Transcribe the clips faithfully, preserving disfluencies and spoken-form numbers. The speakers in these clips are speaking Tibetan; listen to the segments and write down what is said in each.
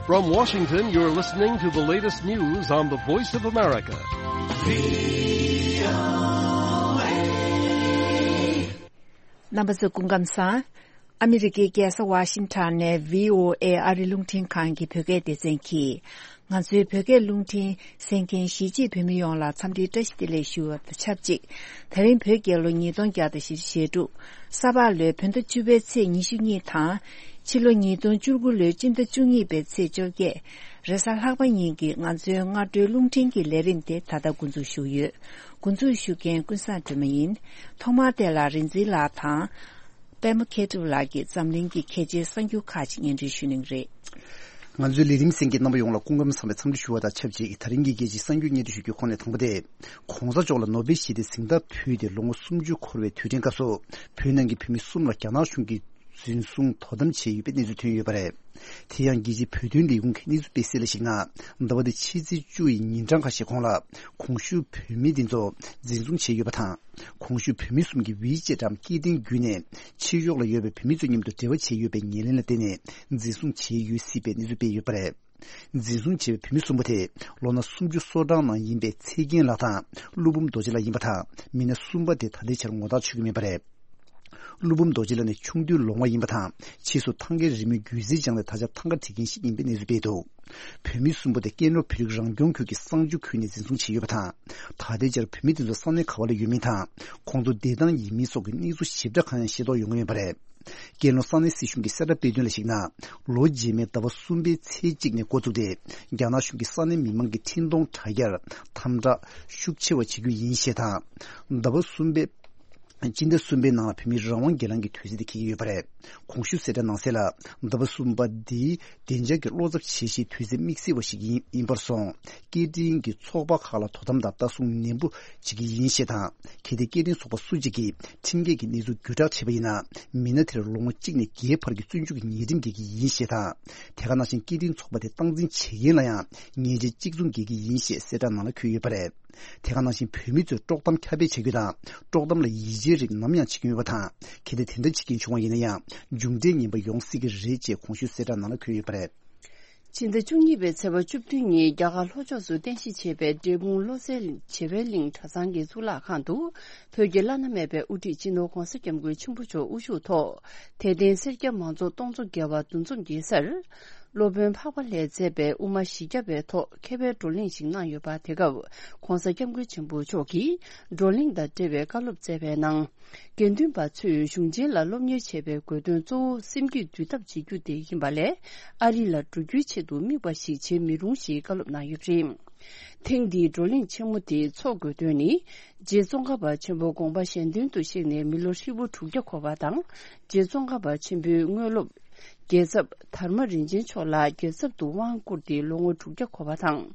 From Washington, you're listening to the latest news on the Voice of America. རྣམ་པ་ཚོ་སྐུ་ཁམས་བཟང་། ཨ་མི་རི་ཀའི་རྒྱལ་ས་ཝ་ཤིང་ཊོན་ནས་བྷི་ཨོ་ཨེ་ཨ་རི་རླུང་འཕྲིན་ཁང་གི་བོད་སྐད་སྡེ་ཚན་གྱིས། ང་ཚོའི་བོད་སྐད་རླུང་འཕྲིན་གསན་མཁན་གཞིས་བྱེས་བོད་མི་ཡོངས་ལ་འཚམས་འདྲིའི་བཀྲ་ཤིས་བདེ་ལེགས་ཞུ་བ་དང་ཆབས་ཅིག་ད་རིང་བོད་རྒྱལ་ལོ་ཉིས་སྟོང་བརྒྱ་དང་བཞི་བཅུ་ཞེ་དྲུག་ས་ཕག་ལོའི་བོད་ཟླ་བཅུ་པའི་ཚེས་ཉི་ཤུ་གཉིས་དང་། ཕྱི་ལོ་ཉིས་སྟོང་བཅུ་དགུ་ལོའི་སྤྱི་ཟླ་བཅུ་གཉིས་པའི་ཚེས་བཅོ་བརྒྱད། རེས་གཟའ་ལྷག་པ་ཉིན་གྱི་ང་ཚོའི་སྔ་དྲོའི་རླུང་འཕྲིན་གྱི་ལས་རིམ་དེ་ད་ལྟ་འགོ་འཛུགས་ཞུ་ཡོད། འགོ་འཛུགས་ཞུ་མཁན་ཀུན་བཟང་སྒྲོལ་མ་ཡིན། ཐོག་མར་དེ་ལ་རིག་འཛིན་ལགས་དང་། པད་མ་མཁས་གྲུབ་ལགས་ཀྱིས་འཛམ་གླིང་གི་གལ་ཆེའི་གསར་འགྱུར་ཁག་ཅིག་སྙན་སྒྲོན་ཞུ་གནང་གི་རེད། ང་ཚོའི་ལས་རིམ་གསན་མཁན་རྣམ་པ་ཡོངས་ལ་སྐུ་ཁམས་བཟང་བའི་འཚམས་འདྲི་ཞུ་བ་དང་ཆབས་ཅིག་ད་རིང་གི་གལ་ཆེའི་གསར་འགྱུར་སྙན་སྒྲོན་ཞུ་རྒྱུའི་ཁོངས་ནས་དང་པོ་དེ། ༸གོང་ས་མཆོག་ལ་ནོ་བེལ་ཞི་བདེའི་གཟེངས་རྟགས་ཕུལ་ཏེ་ལོ་ངོ་སུམ་ཅུ་འཁོར་བའི་དུས་དྲན་སྐབས་སུ། བོད་ནང་གི་བོད་མི་གསུམ་ལ་རྒྱ་ནག་གཞུང་གིས་འཛིན་བཟུང་དོ་དམ་བྱས་ཡོད་པའི་གནས་ཚུལ་ཐོན་ཡོད་པ་རེད། དེ་ཡང་རྒྱལ་སྤྱིའི་བོད་དོན་ལས་ཁུངས་ཀྱི་གནས་ཚུལ་སྤེལ་གསལ་ལ་གཞིགས་ན། ཟླ་བ་འདིའི་ཕྱི་ཚེས་བཅུ་ཡི་ཉིན་གྲངས་ཁ་ཤས་གོང་ལ། གོང་ཞུས་བོད་མི་འདི་ཚོ་འཛིན་བཟུང་བྱས་ཡོད་པ་དང་། གོང་ཞུས་བོད་མི་གསུམ་གྱིས་ཝི་ཅེ་འགྲམ་སྐད་འཕྲིན་བརྒྱུད་ནས་ཕྱི་ཕྱོགས་ལ་ཡོད་པའི་བོད་མི་ཚོ་མཉམ་དུ་འབྲེལ་བ་བྱས་ཡོད་པའི་ཉེར་ལེན་ལ་བརྟེན་ནས་འཛིན་བཟུང་བྱས་ཡོད་སྲིད་པའི་གནས་ཚུལ་སྤེལ་ཡོད་པ་རེད། འཛིན་བཟུང་བྱས་པའི་བོད་མི་གསུམ་པོ་དེ་ལོ་ན་སུམ་ཅུ་སོ་གྲངས་ནང་ཡིན་པའི་ཚེ་རྒྱན་ལགས་དང་ཀླུ་འབུམ་རྡོ་རྗེ་ལགས་ཡིན་པ་དང་། མི་སྣ་གསུམ་པ་དེ་ད་ལྟའི་ཆར་ངོ་རྟགས་ཆོད་ཀྱི་མེད་པ་རེད། ཀླུ་འབུམ་རྡོ་རྗེ་ལགས་ནི་ཆུང་དུས་ལོང་བ་ཡིན་པ་དང་། ཕྱིས་སུ་ཐང་གའི་རི་མོའི་སྒྱུ་རྩལ་སྦྱངས་ཏེ་ད་ཆ་ཐང་ག་བྲིས་མཁན་ཞིག་ཡིན་པའི་གནས་ཚུལ་སྤེལ་འདུག་བོད་མི་གསུམ་པོ་དེ་ཀན་ལྷོ་བོད་རིགས་རང་སྐྱོང་ཁུལ་གྱི་གསང་སྤྱོད་ཁུལ་ནས་འཛིན་བཟུང་བྱས་ཡོད་པ་དང་། ད་ལྟའི་ཆར་བོད་མི་དེ་ཚོ་ས་གནས་ག་བ་ལ་ཡོད་མིན་དང་། ཁོང་ཚོ་བསྡད་སྟངས་ཡིན་མིན་སོགས་ཀྱི་གནས་ཚུལ་ཞིབ་ཕྲ་གང་ཡང་ཤེས་རྟོགས་ཡོང་གི་མེད་པ་རེད། ཀན་ལྷོ་ས་གནས་སྲིད་གཞུང་གི་གསལ་བསྒྲགས་སྤེལ་དོན་ལ་གཞིགས་ན། ལོ་རྗེས་མའི་ཟླ་བ་གསུམ་པའི་ཚེས་གཅིག་ནས་འགོ་བཙུགས་ཏེ། རྒྱ་ནག་གཞུང་གིས་ས་གནས་མི་མང་གི་འཕྲིན་གཏོང་དྲ་རྒྱར་དམ་དྲག་ཤུགས་ཆེ་བ་བྱེད་རྒྱུ་ཡིན་ཞེས་དང་། ཟླ་བ་གསུམ་པའི། སྤྱི་ཟླ་གསུམ་པའི་ནང་ལ་བོད་མིའི་རང་དབང་སྒེར་ལངས་ཀྱི་དུས་ཚིགས་དེ་འཁེལ་གྱི་ཡོད་པ་རེད། གོང་ཞུས་གསལ་བསྒྲགས་ནང་གསལ་ལ། ཟླ་བ་གསུམ་པ་འདིའི་བདེ་འཇགས་ཀྱི་བློ་འཚབ་བྱེད་གཞིའི་དུས་ཚོད་དམིགས་བསལ་བ་ཞིག་ཡིན་ཡིན་པར་སོང་། སྐད་འཕྲིན་གྱི་ཚོགས་པ་ཁག་ལ་དོ་དམ་དང་ལྟ་སྲུང་ནན་པོ་བྱེད་ཀྱི་ཡིན་ཞེས་དང་། གལ་ཏེ་སྐད་འཕྲིན་ཚོགས་པ་སུ་གཅིག་གིས་ཁྲིམས་འགལ་གྱི་གནས་ཚུལ་བརྒྱུད་བསྒྲགས་བྱས་པ་ཡིན་ན། མི་སྣ་དེར་ལོ་ངོ་གཅིག་ནས་བརྒྱད་བར་གྱི་བཙོན་འཇུག་གི་ཉེས་ཁྲིམས་འགེལ་གྱི་ཡིན་ཞེས་དང་། དེ་ག་ནང་བཞིན་སྐད་འཕྲིན་ཚོགས་པ་དེ་སྟངས་འཛིན་བྱེད་མཁན་ལ་ཡང་ཉེས་ཆད་གཅིག་མཚུངས་འགེལ་གྱི་ཡིན་ཞེས་གསལ་བསྒྲགས་ནང་ལ་འཁོད་ཡོད་པ་རེད། དེ་ག་ནང་བཞིན་བོད་མི་ཚོས་དཀྲོག་གཏམ་ཁྱབ་སྤེལ་བྱ་རྒྱུ་དང་། དཀྲོག་གཏམ་ལ་ཡིད་ཆེས་རིགས་ནམ་ཡང་བྱེད་ཀྱི་མེད་པ་དང་། གལ་ཏེ་དེ་འདྲ་བྱེད་མཁན་བྱུང་བ་ཡིན་ན་ཡང་། མཇུག་འབྲས་ངན་པ་ཡོང་སྲིད་ཀྱི་རེད་ཅེས་གོང་ཞུས་གསལ་བསྒྲགས་ནང་ལ་འཁོད་ཡོད་པ་རེད། ཕྱི་ཟླ་བཅུ་གཉིས་པའི་ཚེས་པ་བཅུ་བདུན་ཉིན་རྒྱ་གར་ལྷོ་ཕྱོགས་སུ་རྟེན་གཞི་བྱས་པའི་འབྲས་སྤུངས་བློ་གསལ་བྱེ་བའི་གླིང་གྲྭ་ཚང་གི་གཙུག་ལག་ཁང་དུ། བོད་ཀྱི་བླ་ན་མེད་པའི་དབུ་ཁྲིད་སྤྱི་ནོར་༸གོང་ས་༸སྐྱབས་མགོན་ཆེན་པོ་མཆོག་དབུ་བཞུགས་ཐོག་དད་ལྡན་སེར་སྐྱ་མང་ཚོགས་སྟོང་ཚོ་བརྒལ་བ་འདུ་འཛོམས་ཀྱི་སར། སློབ་དཔོན་འཕགས་པ་ལྷས་མཛད་པའི་དབུ་མ་བཞི་བརྒྱ་པའི་ཐོག་མཁས་པའི་བགྲོ་གླེང་ཞིག་གནང་ཡོད་པ། དེ་སྐབས་༸གོང་ས་༸སྐྱབས་མགོན་ཆེན་པོ་མཆོག་གིས་བགྲོ་གླེང་དང་འབྲེལ་བའི་བཀའ་སློབ་སྩལ་བའི་ནང་། དགེ་འདུན་པ་ཚོས་གཞུང་ཆེན་ལ་སློབ་གཉེར་བྱེད་པའི་དགོས་དོན་གཙོ་བོ་སེམས་རྒྱུད་འདུལ་ཐབས་བྱེད་རྒྱུ་དེ་ཡིན་པ་ལས། ཨ་རི་ལ་འགྲོ་རྒྱུའི་ཆེད་དུ་དམིགས་པ་ཞིག་བྱེད་མི་རུང་ཞེས་བཀའ་སློབ་གནང་ཡོད་པ་རེད། ཐེངས་འདིའི་བགྲོ་གླེང་ཆེན་མོ་དེ་འཚོགས་དགོས་དོན་ནི། རྗེ་ཙོང་ཁ་པ་ཆེན་པོ་དགོངས་པ་གཞན་དོན་དུ་གཤེགས་ནས་མི་ལོ་ཧྲིལ་པོ་དྲུག་བརྒྱ་འཁོར་བ་དང་། རྗེ་ཙོང་ཁ་པ་ཆེན་པོའི་དངོས་སློབ། རྒྱལ་ཚབ་དར་མ་རིན་ཆེན་མཆོག་ལ་རྒྱལ་ཚབ་ཏུ་དབང་བསྐུར་ཏེ་ལོ་ངོ་དྲུག་བརྒྱ་འཁོར་བ་དང་།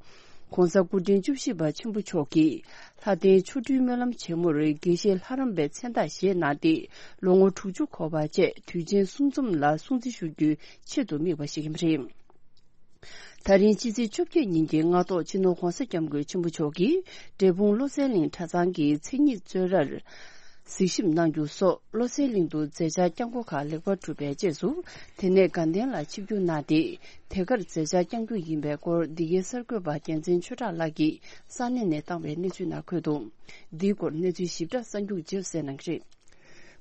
༸གོང་ས་སྐུ་ཕྲེང་བཅུ་བཞི་པ་ཆེན་པོ་མཆོག་གིས་ལྷ་ལྡན་ཆོ་འཕྲུལ་སྨོན་ལམ་ཆེན་མོར་དགེ་བཤེས་ལྷ་རམས་པའི་མཚན་རྟགས་བཞེས་གནང་སྟེ་ལོ་ངོ་དྲུག་ཅུ་འཁོར་བ་བཅས་དུས་ཆེན་གསུམ་འཛོམས་ལ་སྲུང་བརྩི་ཞུ་རྒྱུའི་ཆེད་དུ་དམིགས་པ་ཞིག་ཡིན་པ་རེད། ད་རིང་ཕྱི་ཚེས་བཅོ་བརྒྱད་ཉིན་གྱི་སྔ་ཐོག་སྤྱི་ནོར་༸གོང་ས་༸སྐྱབས་མགོན་ཆེན་པོ་མཆོག་གིས་འབྲས་སྤུངས་བློ་གསལ་གླིང་གྲྭ་ཚང་གི་མཚན་ཉིད་གཙོས་རར་གཟིགས་ཞིབ་གནང་རྒྱུ་སོགས་བློ་གསལ་གླིང་དུ་མཛད་འཆར་བསྐྱངས་སྒོ་ཁག་ལེགས་པར་གྲུབ་པའི་རྗེས་སུ། དེ་ནས་དགའ་ལྡན་ལ་ཆིབས་བསྒྱུར་གནང་སྟེ། དེ་གར་མཛད་འཆར་བསྐྱངས་རྒྱུ་ཡིན་པའི་སྐོར་འདི་གའི་གསར་འགོད་པ་རྒྱལ་མཚན་ཆོས་གྲགས་ལགས་ཀྱིས་ས་གནས་ནས་བཏང་བའི་གནས་ཚུལ་ནང་འཁོད་འདུག་འདིའི་སྐོར་གནས་ཚུལ་ཞིབ་ཕྲ་གསར་འགྱུར་རྗེས་སུ་གསན་གནང་གི་རེད།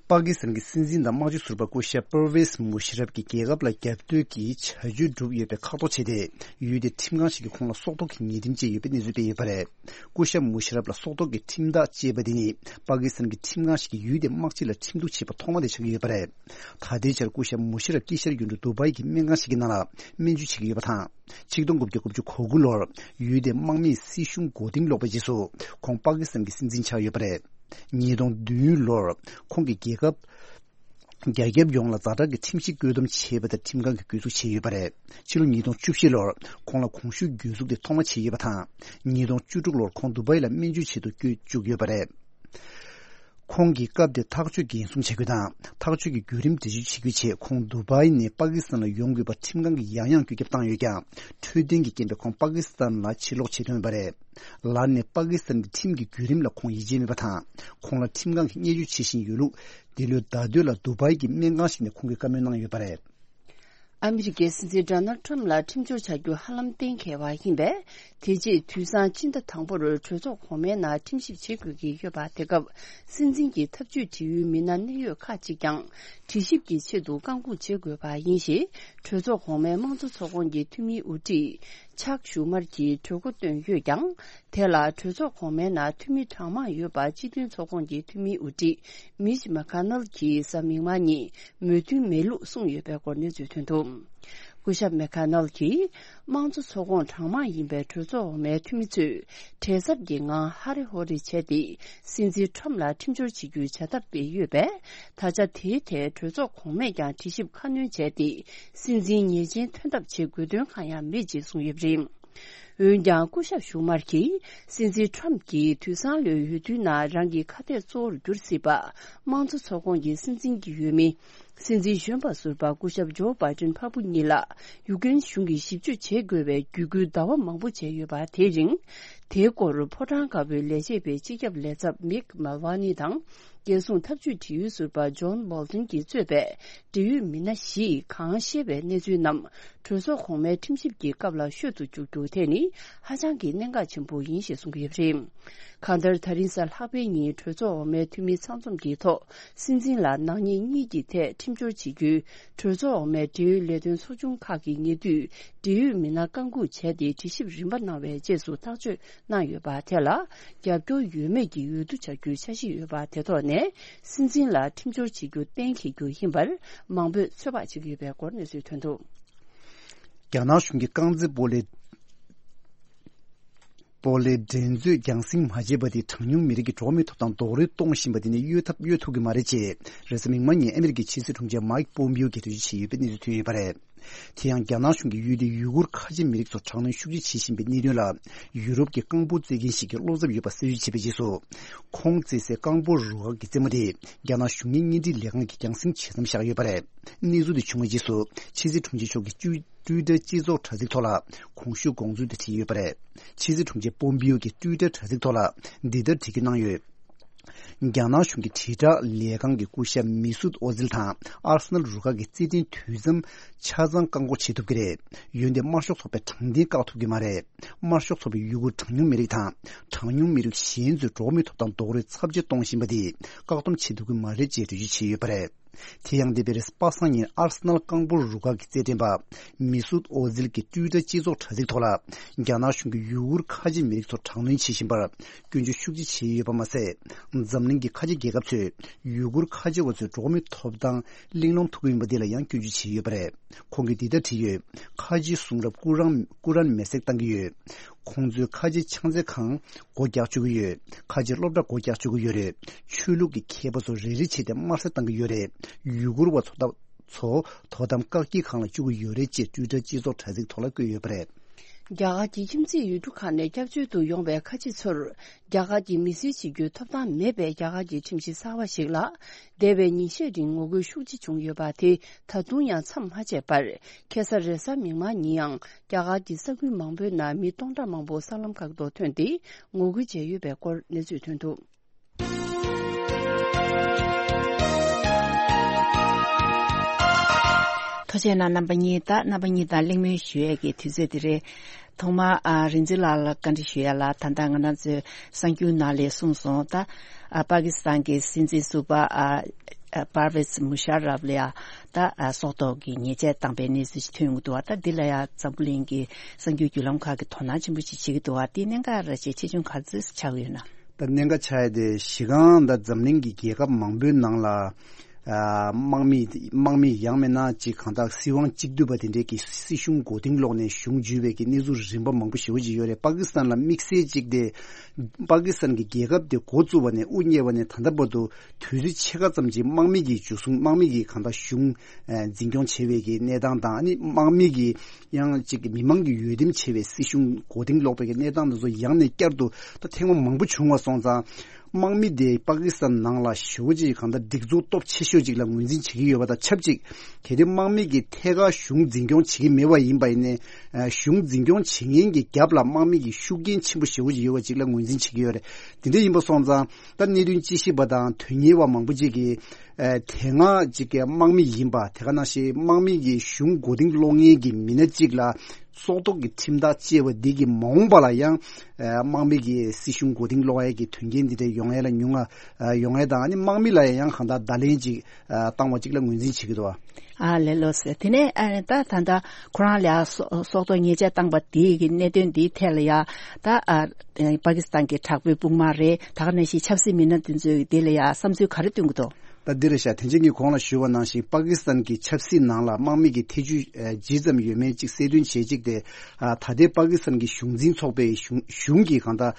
པ་ཀི་སི་ཐན་གྱི་སྲིད་འཛིན་དང་དམག་སྤྱི་ཟུར་པ་སྐུ་ཞབས་པར་ཝེས་མུ་ཤ་རབ་ཀྱིས་རྒྱལ་ཁབ་ལ་རྒྱབ་གཏོད་ཀྱི་བྱ་སྤྱོད་བསྒྲུབས་ཡོད་པའི་ཁ་ཐོག་བྱས་ཏེ། ཡུལ་དེའི་ཁྲིམས་ཁང་ཞིག་གིས་ཁོང་ལ་སྲོག་ཐོག་གི་ཉེས་ཁྲིམས་བཅད་ཡོད་པའི་གནས་ཚུལ་སྤེལ་ཡོད་པ་རེད། སྐུ་ཞབས་མུ་ཤ་རབ་ལ་སྲོག་ཐོག་གི་ཁྲིམས་ཐག་བཅད་པ་དེ་ནི། པ་ཀི་སི་ཐན་གྱི་ཁྲིམས་ཁང་ཞིག་གིས་ཡུལ་དེའི་དམག་སྤྱི་ལ་ཁྲིམས་གཏུག་བྱས་པ་ཐོག་མ་དེ་ཆགས་ཀྱི་ཡོད་པ་རེད། ད་ལྟའི་ཆར་སྐུ་ཞབས་མུ་ཤ་རབ་དཀྱིལ་ཤར་ཡུལ་གྲུ་དུ་བྷའི་གི་སྨན་ཁང་ཞིག་གི་ནང་ལ་སྨན་བཅོས་བྱེད་ཀྱི་ཡོད་པ་དང་། ཆིག་སྟོང་དགུ་བརྒྱ་དགུ་བཅུ་གོ་དགུ་ལོར་ཡུལ་དེའི་དམག་མིས་སྲིད་གཞུང་མགོ་རྟིང་སློག་པའི་རྗེས་སུ། ཁོང་པ་ཀི་སི་ཐན་གྱི་སྲིད་འཛིན་ཆགས་ཡོད་པ་རེད། ཉིས་སྟོང་བདུན་ལོར་ཁོང་གིས་རྒྱལ་ཁབ། རྒྱ་ཁྱབ་ཡོངས་ལ་ཛ་དྲག་གི་ཁྲིམས་གཞི་བཀོད་འདོམས་བྱས་པ་དང་ཁྲིམས་ཁང་གིས་གུས་བཙུགས་བྱས་ཡོད་པ་རེད། ཕྱི་ལོ་ཉིས་སྟོང་བཅུ་བཞི་ལོར་ཁོང་ལ་གོང་ཞུས་གྱོད་འཛུགས་དེ་ཐོག་མ་བྱས་ཡོད་པ་དང་། ཉིས་སྟོང་བཅུ་དྲུག་ལོར་ཁོང་དུ་བྷའི་ལ་སྨན་བཅོས་ཆེད་དུ་བསྐྱོད་བཅུག་ཡོད་པ་རེད། ཁོང་གིས་སྐབས་དེར་ཐག་གཅོད་འགན་སྲུང་བྱ་རྒྱུ་དང་། ཐག་གཅོད་ཀྱི་བརྒྱུད་རིམ་འགྲེལ་བརྗོད་བྱེད་རྒྱུའི་ཆེད་ཁོང་དུ་བྷའི་ནས་པ་ཀི་སི་ཐན་ལ་ཡོང་དགོས་པ་ཁྲིམས་ཁང་གིས་ཡང་ཡང་བཀོད་ཁྱབ་བཏང་ཡོད་ཀྱང་། འཕྲོད་བསྟེན་གྱི་རྐྱེན་པས་ཁོང་པ་ཀི་སི་ཐན་ལ་ཕྱིར་ལོག་བྱེད་ཐུབ་མེད་པ་རེད། ལར་ནས་པ་ཀི་སི་ཐན་གྱི་ཁྲིམས་ཀྱི་བརྒྱུད་རིམ་ལ་ཁོང་ཡིད་ཆེས་མེད་པ་དང་། ཁོང་ལ་ཁྲིམས་ཁང་གིས་བརྙས་བཅོས་བྱེད་བཞིན་ཡོད་ལུགས། འདི་ལོའི་ཟླ་སྟོད་ལ་དུ་བྷའི་གི་སྨན་ཁང་ཞིག་ནས་ཁོང་གིས་བཀའ་མོལ་གནང་ཡོད་པ་རེད། ཨ་མི་རི་ཀའི་སྲིད་འཛིན་ཌོ་ནལ་ཊམ་ལ་ཁྲིམས་སྦྱོར་བྱ་རྒྱུ་ཧ་ལམ་གཏན་འཁེལ་བ་ཡིན་པས། དེ་རྗེས་དུས་སང་སྤྱི་ཟླ་དང་པོར་གྲོས་ཚོགས་གོང་མའི་ནང་ཁྲིམས་ཞིབ་བྱེད་དགོས་ཀྱི་ཡོད་པ། དེ་སྐབས་སྲིད་འཛིན་གྱི་ཐབས་ཇུས་འབྲེལ་ཡོད་མི་སྣ་གནད་ཡོད་ཁག་ཅིག་ཀྱང་དྲི་ཞིབ་ཀྱི་ཆེད་དུ་བཀག་འགོག་བྱེད་དགོས་པ་ཡིན་ཞེས། གྲོས་ཚོགས་གོང་མའི་དམངས་གཙོ་ཚོགས་ཁོངས་ཀྱི་འཐུས་མིའི་དབུ་ཁྲིད་ཆག་ཞུ་མར་གྱིས་གྲོས་འགོ་བཏོན་ཡོད་ཀྱང་། དེ་ལ་གྲོས་ཚོགས་གོང་མའི་ནང་འཐུས་མི་གྲངས་མང་ཡོད་པ་སྤྱི་མཐུན་ཚོགས་ཁོངས་ཀྱི་འཐུས་མིའི་དབུ་ཁྲིད་མིཆ་མེ་ཁ་ནལ་གྱིས་གཟའ་མིག་དམར་ཉིན་མོས་མཐུན་མེད་ལུགས་གསུངས་ཡོད་པའི་སྐོར་གནས་ཚུལ་ཐོན་འདུག་སྐུ་ཞབས་མེ་ཁ་ནལ་གྱིས། དམངས་གཙོ་ཚོགས་ཁོངས་གྲངས་མང་ཡིན་པའི་གྲོས་ཚོགས་འོག་མའི་འཐུས་མི་ཚོས་བྲེལ་འཚབ་ཀྱི་ངང་ཧ་རེ་ཧོ་རེ་བྱས་ཏེ། སྲིད་འཛིན་ཁྲོམ་ལ་ཁྲིམས་སྦྱོར་བྱེད་རྒྱུའི་བྱ་ཐབས་སྤེལ་ཡོད་པས། ད་ཆ་དེའི་ཐད་གྲོས་ཚོགས་གོང་མས་ཀྱང་དྲི་ཞིབ་ཁ་སྣོན་བྱས་ཏེ། སྲིད་འཛིན་ཉེས་ཅན་ཐོན་ཐབས་བྱེད་དགོས་དོན་གང་ཡང་མེད་ཅེས་གསུངས་ཡོད་པ་རེད། འོན་ཀྱང་སྐུ་ཞབས་ཞུ་མར་གྱིས། སྲིད་འཛིན་ཁྲོམ་གྱིས་དུས་སང་ལོའི་འོས་བསྡུའི་ནང་རང་གི་ཁ་གཏད་གཙོ་བོར་གྱུར་སྲིད་པ། དམངས་གཙོ་ཚོགས་ཁོངས་ཀྱི་སྲིད་འཛིན་གྱི་འོས་མི། སྲིད་འཛིན་གཞོན་པ་ཟུར་པ་སྐུ་ཞབས་ཇོ་བྷའི་ཌེན་ཕ་བུ་གཉིས་ལ་ཡུཀ་རེན་གཞུང་གིས་ཞིབ་དཔྱོད་བྱེད་དགོས་པའི་བརྒྱུད་སྐུལ་ཟླ་བ་མང་པོ་བྱས་ཡོད་པ། དེའི་རིང་། དེའི་སྐོར་ཕོ་བྲང་དཀར་པོའི་ལས་བྱེད་པའི་སྤྱི་ཁྱབ་ལས་ཚབ་མིག་མལ་ཝ་ནི་དང་། རྒྱལ་སྲུང་ཐབས་ཇུས་འབྲེལ་ཡོད་ཟུར་པ་ཇོན་བོལ་ཏོན་གྱིས་གཙོས་པའི་འབྲེལ་ཡོད་མི་སྣ་བཞིས་གང་ཤེས་པའི་གནས་ཚུལ་རྣམས་གྲོས་ཚོགས་གོང་མའི་ཁྲིམས་ཞིབ་ཀྱི་སྐབས་ལ་ཤོད་དུ་བཅུག་རྒྱུ་དེ་ནི་ཧ་ཅང་གི་གནད་འགག་ཆེན་པོ་ཡིན་ཞེས་གསུངས་ཡོད་པ་རེད། གང་ལྟར། ད་རིང་གཟའ་ལྷག་པའི་ཉིན་གྲོས་ཚོགས་འོག་མའི་འཐུས་མི་ཚང་འཛོམས་ཀྱི་ཐོག་སྲིད་འཛིན་ལ་ནག་ཉེས་གཉིས་ཀྱི་ཐད་ཁྲིམས་སྦྱོར་བྱེད་རྒྱུའི་གྲོས་ཚོགས་འོག་མའི་འབྲེལ་ཡོད་ལས་དོན་ཚོགས་ཆུང་ཁག་གི་ཉེ་དུས་འབྲེལ་ཡོད་མི་སྣ་བཀའ་འགུག་བྱས་ཏེ། དྲི་ཞིབ་རིམ་པ་གནང་བའི་རྗེས་སུ་ཐག་གཅོད་གནང་ཡོད་པ། དེ་ལ་རྒྱབ་སྐྱོར་ཡོད་མེད་ཀྱི་འོས་བསྡུ་བྱ་རྒྱུའི་འཆར་གཞི་ཡོད་པ་དེ་ཐོག་ནས་སྲིད་འཛིན་ལ་ཁྲིམས་སྦྱོར་བྱེད་རྒྱུ་གཏན་འཁེལ་རྒྱུ་ཡིན་པར་མང་པོས་ཚོད་དཔག་བྱེད་ཀྱི་ཡོད་པའི་སྐོར་གནས་ཚུལ་ཐོན་འདུག་རྒྱ་ནག་གཞུང་གིས་རྐང་རྩེད་སྤོ་ལོའི། སྤོ་ལོའི་འགྲན་རྩོད་རྒྱང་སྲིང་མ་བྱས་པ་དེས་གྲངས་ཉུང་མི་རིགས་ཀྱི་འགྲོ་བ་མིའི་ཐོབ་ཐང་རྡོག་རོལ་གཏོང་བཞིན་པ་དེ་ནི་གཡོལ་ཐབས་གཡོལ་ཐུབ་ཀྱི་མ་རེད་ཅེས། རེས་གཟའ་མིག་དམར་ཉིན་ཨ་མི་རི་ཀའི་ཕྱི་སྲིད་དྲུང་ཆེ་མའིག་པོམ་པིའོ་གིས་འགྲེལ་བརྗོད་བྱས་ཡོད་པའི་གནས་ཚུལ་ཐོན་ཡོད་པ་རེད། དེ་ཡང་རྒྱ་ནག་གཞུང་གིས་ཡུལ་དེའི་ཡུ་གུར་ཁ་ཆེ་མི་རིགས་ཚོར་དྲག་གནོན་ཤུགས་ཆེ་བྱེད་བཞིན་པའི་གནད་དོན་ལ། ཡུ་རོབ་ཀྱི་རྐང་སྤོལ་རྩེད་མཁན་ཞིག་གིས་བློ་འཚབ་ཡོད་པ་གསལ་བརྗོད་བྱས་པའི་རྗེས་སུ། ཁོང་རྩེད་སའི་རྐང་སྤོལ་རུ་ཁག་གི་རྩེད་མོ་དེ་རྒྱ་ནག་གཞུང་གཉེར་གཉེན་སྒྲིག་ལས་ཁང་གིས་རྒྱང་སྲིང་བྱེད་མཚམས་བཞག་ཡོད་པ་རེད། གནས་ཚུལ་དེ་བྱུང་བའི་རྗེས་སུ་ཕྱི་སྲིད་དྲུང་ཆེ་མཆོག་གིས་ཊུའི་ཊར་སྤྱི་ཚོགས་དྲ་ཚིགས་ཐོག་ལ་གོང་ཞུས་དགོངས་ཚུལ་དེ་བྲིས་ཡོད་པ་རེད། ཕྱི་སྲིད་དྲུང་ཆེ་པོམ་པིའོ་གིས་ཊུའི་ཊར་དྲ་ཚིགས་ཐོག་ལ་འདི་ལྟར་བྲིས་སྐུལ་གནང་ཡོད། རྒྱ་ནག་གཞུང་གི་དྲིལ་བསྒྲགས་ལས་ཁང་གི་སྐུ་ཞབས་མི་སུད་ཨོ་ཛིལ་དང་ཨར་སི་ནལ་རུ་ཁག་གི་རྩེད་འགྲན་དུས་མཚམས་ཆ་ཚང་བཀག་འགོག་བྱེད་ཐུབ་ཀྱི་རེད། འོན་ཏེ་དམར་ཤོག་ཚོགས་པའི་དྲང་བདེན་བཀག་ཐུབ་ཀྱི་མ་རེད། དམར་ཤོག་ཚོགས་པས་ཡུ་གུར་གྲངས་ཉུང་མི་རིགས་དང་གྲངས་ཉུང་མི་རིགས་གཞན་ཚོའི་འགྲོ་བ་མིའི་ཐོབ་ཐང་རྡོག་རོལ་ཚབས་ཆེ་གཏོང་བཞིན་པ་དེ་བཀག་སྡོམ་བྱེད་ཐུབ་ཀྱི་མ་རེད་ཅེས་འགྲེལ་བརྗོད་བྱས་ཡོད་པ་རེད། དེ་ཡང་འདས་པའི་རེས་པ་སངས་ཉིན་ཨར་སི་ནལ་རྐང་སྤོལ་རུ་ཁག་གི་རྩེད་འགྲན་པ་མི་སུད་ཨོ་ཛིལ་གྱིས་ཊུའི་ཊར་སྤྱི་ཚོགས་དྲ་ཚིགས་ཐོག་ལ་རྒྱ་ནག་གཞུང་གིས་ཡུ་གུར་ཁ་ཆེ་མི་རིགས་ཚོར་དྲག་གནོན་བྱེད་བཞིན་པར་སྐྱོན་བརྗོད་ཤུགས་ཆེ་བྱས་ཡོད་པ་མ་ཟད། འཛམ་གླིང་གི་ཁ་ཆེ་རྒྱལ་ཁབ་ཚོས་ཡུ་གུར་ཁ་ཆེ་བ་ཚོའི་འགྲོ་བ་མིའི་ཐོབ་ཐང་གླེང་སློང་ཐུབ་ཀྱི་ཡིན་པ་འདི་ལ་ཡང་སྐྱོན་བརྗོད་བྱས་ཡོད་པ་རེད། ཁོང་གིས་འདི་ལྟར་བྲིས་ཡོད། ཁ་ཆེའི་གསུང་རབ་ཀུ་རན་ཀུ་རན་མེ་སྲེག་བཏང་གི་ཡོད། ཁོང་ཚོས་ཁ་ཆེའི་ཕྱག་འཚལ་ཁང་སྒོ་རྒྱག་བཅུག་གི་ཡོད། ཁ་ཆེའི་སློབ་གྲྭ་སྒོ་རྒྱག་བཅུག་གི་ཡོད་རེད། ཆོས་ལུགས་ཀྱི་མཁས་པ་ཚོ་རེ་རེ་བྱས་ཏེ་དམར་གསོད་བཏང་གི་ཡོད་རེད། ཡུ་གུར་བ་ཚོ་ད་ཚོ་དོ་དམ་བཀག་སྐྱིལ་ཁང་ལ་བཅུག་གི་ཡོད་རེད་ཅེས་ཊུའི་ཊར་སྤྱི་ཚོགས་དྲ་ཚིགས་ཐོག་ལ་བཀོད་ཡོད་པ་རེད། རྒྱ་གར་གྱི་ཁྱིམ་མཚེས་ཡུལ་གྲུ་ཁག་ནས་སྐྱབས་བཅོལ་དུ་ཡོང་བའི་ཁ་ཆེ་ཚོར་རྒྱ་གར་གྱི་མི་སེར་བྱེད་རྒྱུའི་ཐོབ་ཐང་མེད་པའི་རྒྱ་གར་གྱི་ཁྲིམས་གཞི་གསར་བ་ཞིག་ལ། འདས་པའི་ཉིན་ཤས་རིང་ངོ་རྒོལ་ཤུགས་ཆེ་བྱུང་ཡོད་པ་དེ་ད་དུང་ཡང་མཚམས་མ་ཆད་པར། ཁ་སང་རེས་གཟའ་མིག་དམར་ཉིན་ཡང་རྒྱ་གར་གྱི་ས་ཁུལ་མང་པོའི་ནང་མི་སྟོང་ཕྲག་མང་པོ་གསར་ལམ་ཁག་ཏུ་ཐོན་ཏེ་ངོ་རྒོལ་བྱས་ཡོད་པའི་སྐོར་གནས་ཚུལ་ཐོན་འདུག་ཐུགས་རྗེ་གནང་རྣམ་པ་གཉིས་དང་རྣམ་པ་གཉིས་དང་གླེང་མོལ་ཞུ་ཡས་ཀྱི་དུས་ཚོད་འདི་རེད། ཐོག་མར་ཨ་རིག་འཛིན་ལགས་ལ་བཀའ་འདྲི་ཞུ་ཡ་ལ། ད་ལྟ་ང་རང་ཚོའི་གསར་འགྱུར་ནང་ལ་གསུངས་སོང་། ད་ཨ་པ་ཀི་སི་ཐན་གྱི་སྲིད་འཛིན་ཟུར་པ་ཨ་ཨ་པར་ཝེཛ་མུ་ཤར་རབ་ལ་ཡ་ད་ཨ་སྲོག་ཐོག་གི་ཉེས་ཆད་བཏང་པའི་གནས་ཚུལ་ཞིག་ཐོན་ཡོང་གི་འདུག་བ། ད་འདི་ལ་ཡ་འཛམ་བུ་གླིང་གི་གསར་འགྱུར་བརྒྱུད་ལམ་ཁག་གིས་དོ་སྣང་ཆེན་པོ་ཞིག་བྱེད་ཀྱི་འདུག་བ། དེ་གནད་འགག་ར་ཅིག་ཆེ་ཆུང་ག་ཚོད་ཆགས་ཡོད་ན། ད་གནད་འགག་ཆགས་ཡ་དེ་གཞི་རྐང་ད་འཛམ་གླིང་གི་རྒྱལ་ཁབ་མང་པོའི་ནང་ལ། ཨ་དམག་མི་དམག་མི་ཡང་མིན་ན་ཅིག་གང་ལྟར་སྲིད་དབང་གཅིག་སྡུད་པ་དེ་འདྲས་ཀྱི་སྲིད་གཞུང་མགོ་རྟིང་སློག་ནས་གཞུང་འཇུས་པའི་གི་གནས་ཚུལ་རིམ་པ་མང་པོ་ཞེ་པོ་ཅིག་ཡོད་རེད། པ་ཀི་སི་ཐན་ལ་དམིགས་བསལ་ཅིག་དེ། པ་ཀི་སི་ཐན་གྱི་རྒྱལ་ཁབ་དེ་འགོ་བཙུགས་པ་ནས་དབུ་བརྙེས་པ་ནས་ད་ལྟ་བར་དུ་དུས་ཚོད་ཕྱེད་ཀ་ཙམ་ཅིག་དམག་མི་གིས་འཇུ་བཟུང་དམག་མི་གིས་གང་ལྟར་གཞུང་ཨ་འཛིན་སྐྱོང་བྱེད་པའི་གི་གནས་སྟངས་དང་། ཨ་ནི་དམག་མི་གིས་ཡང་ཅིག་མི་མང་གིས་འོས་འདེམས་བྱས་པའི་སྲིད་གཞུང་མགོ་རྟིང་སློག་པའི་གི་གནས་སྟངས་དེ་ཚོ་ཡང་ནས་བསྐྱར་དུ་ད་ཐེངས་མ་མང་པོ་བྱུང་བ་སོང་ཙང་། དམག་མི་དེ་པ་ཀི་སི་ཐན་ནང་ལ་ཞེ་པོ་ཅིག་གང་ལྟར་སྒྲིག་འཛུགས་སྟོབས་ཆེ་ཤོས་ཅིག་ལ་ངོས་འཛིན་བྱེད་ཀྱི་ཡོད་པ་དང་ཆབས་ཅིག་གལ་ཏེ་དམག་མི་གིས་ཐད་ཀར་གཞུང་འཛིན་སྐྱོང་བྱེད་ཀྱི་མེད་པ་ཡིན་པ་ཡིན་ནའི་གཞུང་འཛིན་སྐྱོང་བྱེད་མཁན་གྱི་རྒྱབ་ལ་དམག་མི་གི་ཤུགས་རྐྱེན་ཆེན་པོ་ཞེ་པོ་ཅིག་ཡོད་པ་ཅིག་ལ་ངོས་འཛིན་བྱེད་ཀྱི་ཡོད་རེད། དེ་འདྲ་ཡིན་པ་སོང་ཙང་ད་གནད་དོན་དཔྱད་ཞིབ་པ་དང་དོན་གཉེར་བ་མང་པོ་ཅིག་གིས་དེ་སྔ་ཅིག་གི་དམག་མི་ཡིན་པ་དེ་ག་ནང་བཞིན་དམག་མི་གི་གཞུང་མགོ་རྟིང་སློག་མཁན་གྱི་མི་སྣ་གཅིག་ལ་སྲོག་ཐོག་གི་ཁྲིམས་ཐག་བཅད་པ་འདི་གིས་མ་འོངས་པ་ལ་ཡང་དམག་མི་གི་སྲིད་གཞུང་མགོ་རྟིང་སློག་ཡས་ཀྱི་དོན་རྐྱེན་འདི་འདྲ་ཡོང་ཡས་ལ་ཉུང་ང་ཡོང་ཡས་དང་ཨ་ནི་དམག་མི་ལ་ཡང་གང་ལྟར་བརྡ་ལན་ཅིག་བཏང་བ་ཅིག་ལ་ངོས་འཛིན་བྱེད་ཀྱི་འདུག་བ། ཨ་ལས་ལོ་ཟེར་དེ་ནས་ཨ་ནི་ད་ད་ལྟ་ཁོ་རང་ལ་སྲོག་སྲོག་ཐོག་ཉེས་ཆད་བཏང་པ་དེའི་གི་གནད་དོན་འདིའི་ཐད་ལ་ཡ་ད་ཨ་པ་ཀི་སི་ཐན་གྱི་དྲག་པོའི་དཔུང་དམག་རེད། ད་ག་ནང་བཞིན་ཆབ་སྲིད་མི་སྣ་དེ་ཚོས་དེ་ལ་ཡ་བསམ་ཚུལ་ག་རེ་སྟོན་གྱི་འདུག་ད་འདི་རེད་ཤག་དེ་རྗེས་ངས་གོང་ལ་ཞུས་པ་ནང་བཞིན་པ་ཀི་སི་ཐན་གྱི་ཆབ་སྲིད་ནང་ལ་དམག་མི་གི་ཐེ་ཇུས་ཇི་ཙམ་ཡོད་མེད་ཅིག་གསལ་སྟོན་བྱེད་ཅིག་དེ་ད་ལྟའི་པ་ཀི་སི་ཐན་གྱི་གཞུང་འཛིན་ཚོགས་པའི་གཞུང་གཞུང་གི་གང་ལྟར་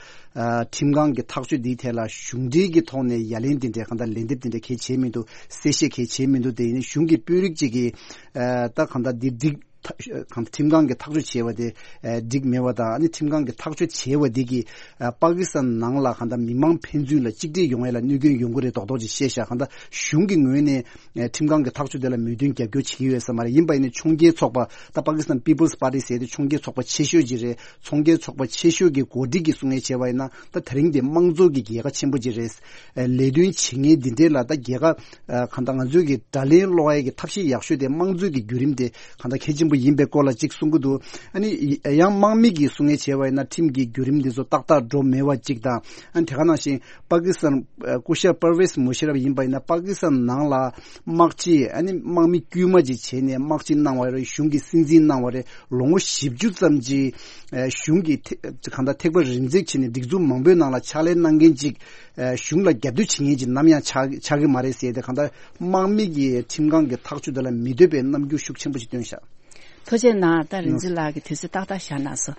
ཁྲིམས་ཁང་གི་ཐག་གཅོད་འདིའི་ཐད་ལ་གཞུང་འབྲེལ་གྱི་ཐོག་ནས་ཡ་ལན་དེ་འདྲའི་གང་ལྟར་ལན་འདེབས་དེ་འདྲ་གལ་བྱེད་མི་འདུག་གསལ་བཤད་གལ་བྱེད་མི་འདུག་དེ་ཡིན་ན་གཞུང་གི་དཔོན་རིགས་ཅིག་གིས་ད་གང་ལྟར་འདི་འགྲིག་ཁྲིམས་ཁང་གི་ཐག་གཅོད་བྱས་པ་དེ་འགྲིག་མེད་པ་དང་ཨ་ནི་ཁྲིམས་ཁང་གི་ཐག་གཅོད་བྱས་པ་འདི་གིས་པ་ཀི་སི་ཐན་ནང་ལ་གང་ལྟར་མི་མང་ཕན་ཚུན་ལ་གཅིག་སྒྲིལ་ཡོང་ཡས་ལ་གནོད་སྐྱོན་ཡོང་གི་རེད་མདོག་མདོག་ཅིག་བཤད་ཤག་གང་ལྟར་གཞུང་གི་ངོས་ནས་ཁྲིམས་ཁང་གི་ཐག་གཅོད་དེ་ལ་མོས་མཐུན་རྒྱབ་སྐྱོར་བྱེད་ཀྱི་ཡོད་ས་མ་རེད། ཡིན་པ་ཡིན་ན་ཕྱོགས་འགལ་ཚོགས་པ་ད་པ་ཀི་སི་ཐན་People's Party ཟེར་དེ་ཕྱོགས་འགལ་ཚོགས་པ་ཆེ་ཤོས་ཅིག་རེད། ཚོགས་འགན་ཚོགས་པ་ཆེ་ཤོས་ཀྱི་འགོ་ཁྲིད་ཀྱིས་གསུང་ངེས་བྱས་པ་ཡིན་ན་ད་དེ་རིང་དེ་དམངས་གཙོ་གི་རྒྱལ་ཁ་ཆེན་པོ་ཅིག་རེད། ལས་དོན་བྱེད་མཁན་འདི་འདྲའི་ལ་ད་རྒྱལ་ཁ་གང་ལྟར་ང་ཚོའི་གི་དགྲ་ལན་སློག་ཡས་ཀྱི་ཐབས་ཤེས་ཡག་ཤོས་དེ་དམངས་གཙོའི་གི་བརྒྱུད་རིམ་དེ་གང་ལྟར་གལ་ཆེན་པོ་ཡིན་པའི་སྐོར་ལ་ཅིག་གསུང་གི་འདུག་ཨ་ནི་ཡང་དམག་མི་གིས་གསུང་ངེས་བྱས་པ་ཡིན་ན་ཁྲིམས་ཀྱི་བརྒྱུད་རིམ་འདི་ཚོ་ཏག་ཏག་འགྲོ་མེད་པ་ཅིག་དང་ཨ་ནི་དེ་ག་ནང་བཞིན་པ་ཀི་སི་ཐན་སྐུ་ཞབས་པར་ཝེས་མུ་ཤ་རབ་ཡིན་པ་ཡིན་ན་པ་ཀི་སི་ཐན་ནང་ལ་དམག་སྤྱི་ཨ་ནི་དམག་མི་དཀྱུས་མ་ཅིག་བྱས་ནས་དམག་སྤྱི་གནང་བ་རེད། གཞུང་གི་སྲིད་འཛིན་གནང་བ་རེད། ལོ་ངོ་བཞི་བཅུ་ཙམ་ཅིག་གཞུང་གི་ཐེ་གང་ལྟར་ཐེག་པ་རིམ་འཛེགས་བྱས་ནས་སྒྲིག་འཛུགས་མང་པོའི་ནང་ལ་ཕྱག་ལས་གནང་མཁན་ཅིག་གཞུང་ལ་རྒྱབ་གཏོད་བྱེད་མཁན་ཅིག་ནམ་ཡང་ཆགས་ཆགས་ཀྱི་མ་རེད་ཟེར་ཏེ་གང་ལྟར་དམག་མི་གི་ཁྲིམས་ཁང་གི་ཐག་གཅོད་དེ་ལ་མི་འདོད་པའི་རྣམ་འགྱུར་ཤུགས་ཆེན་པོ་ཞིག་བཏོན་ཤག་ཐུགས་རྗེ་གནང་། ད་རིག་འཛིན་ལགས་ཀྱིས་དུས་ཚོད་ཏག་ཏག་བཞག་གནང་སོང་།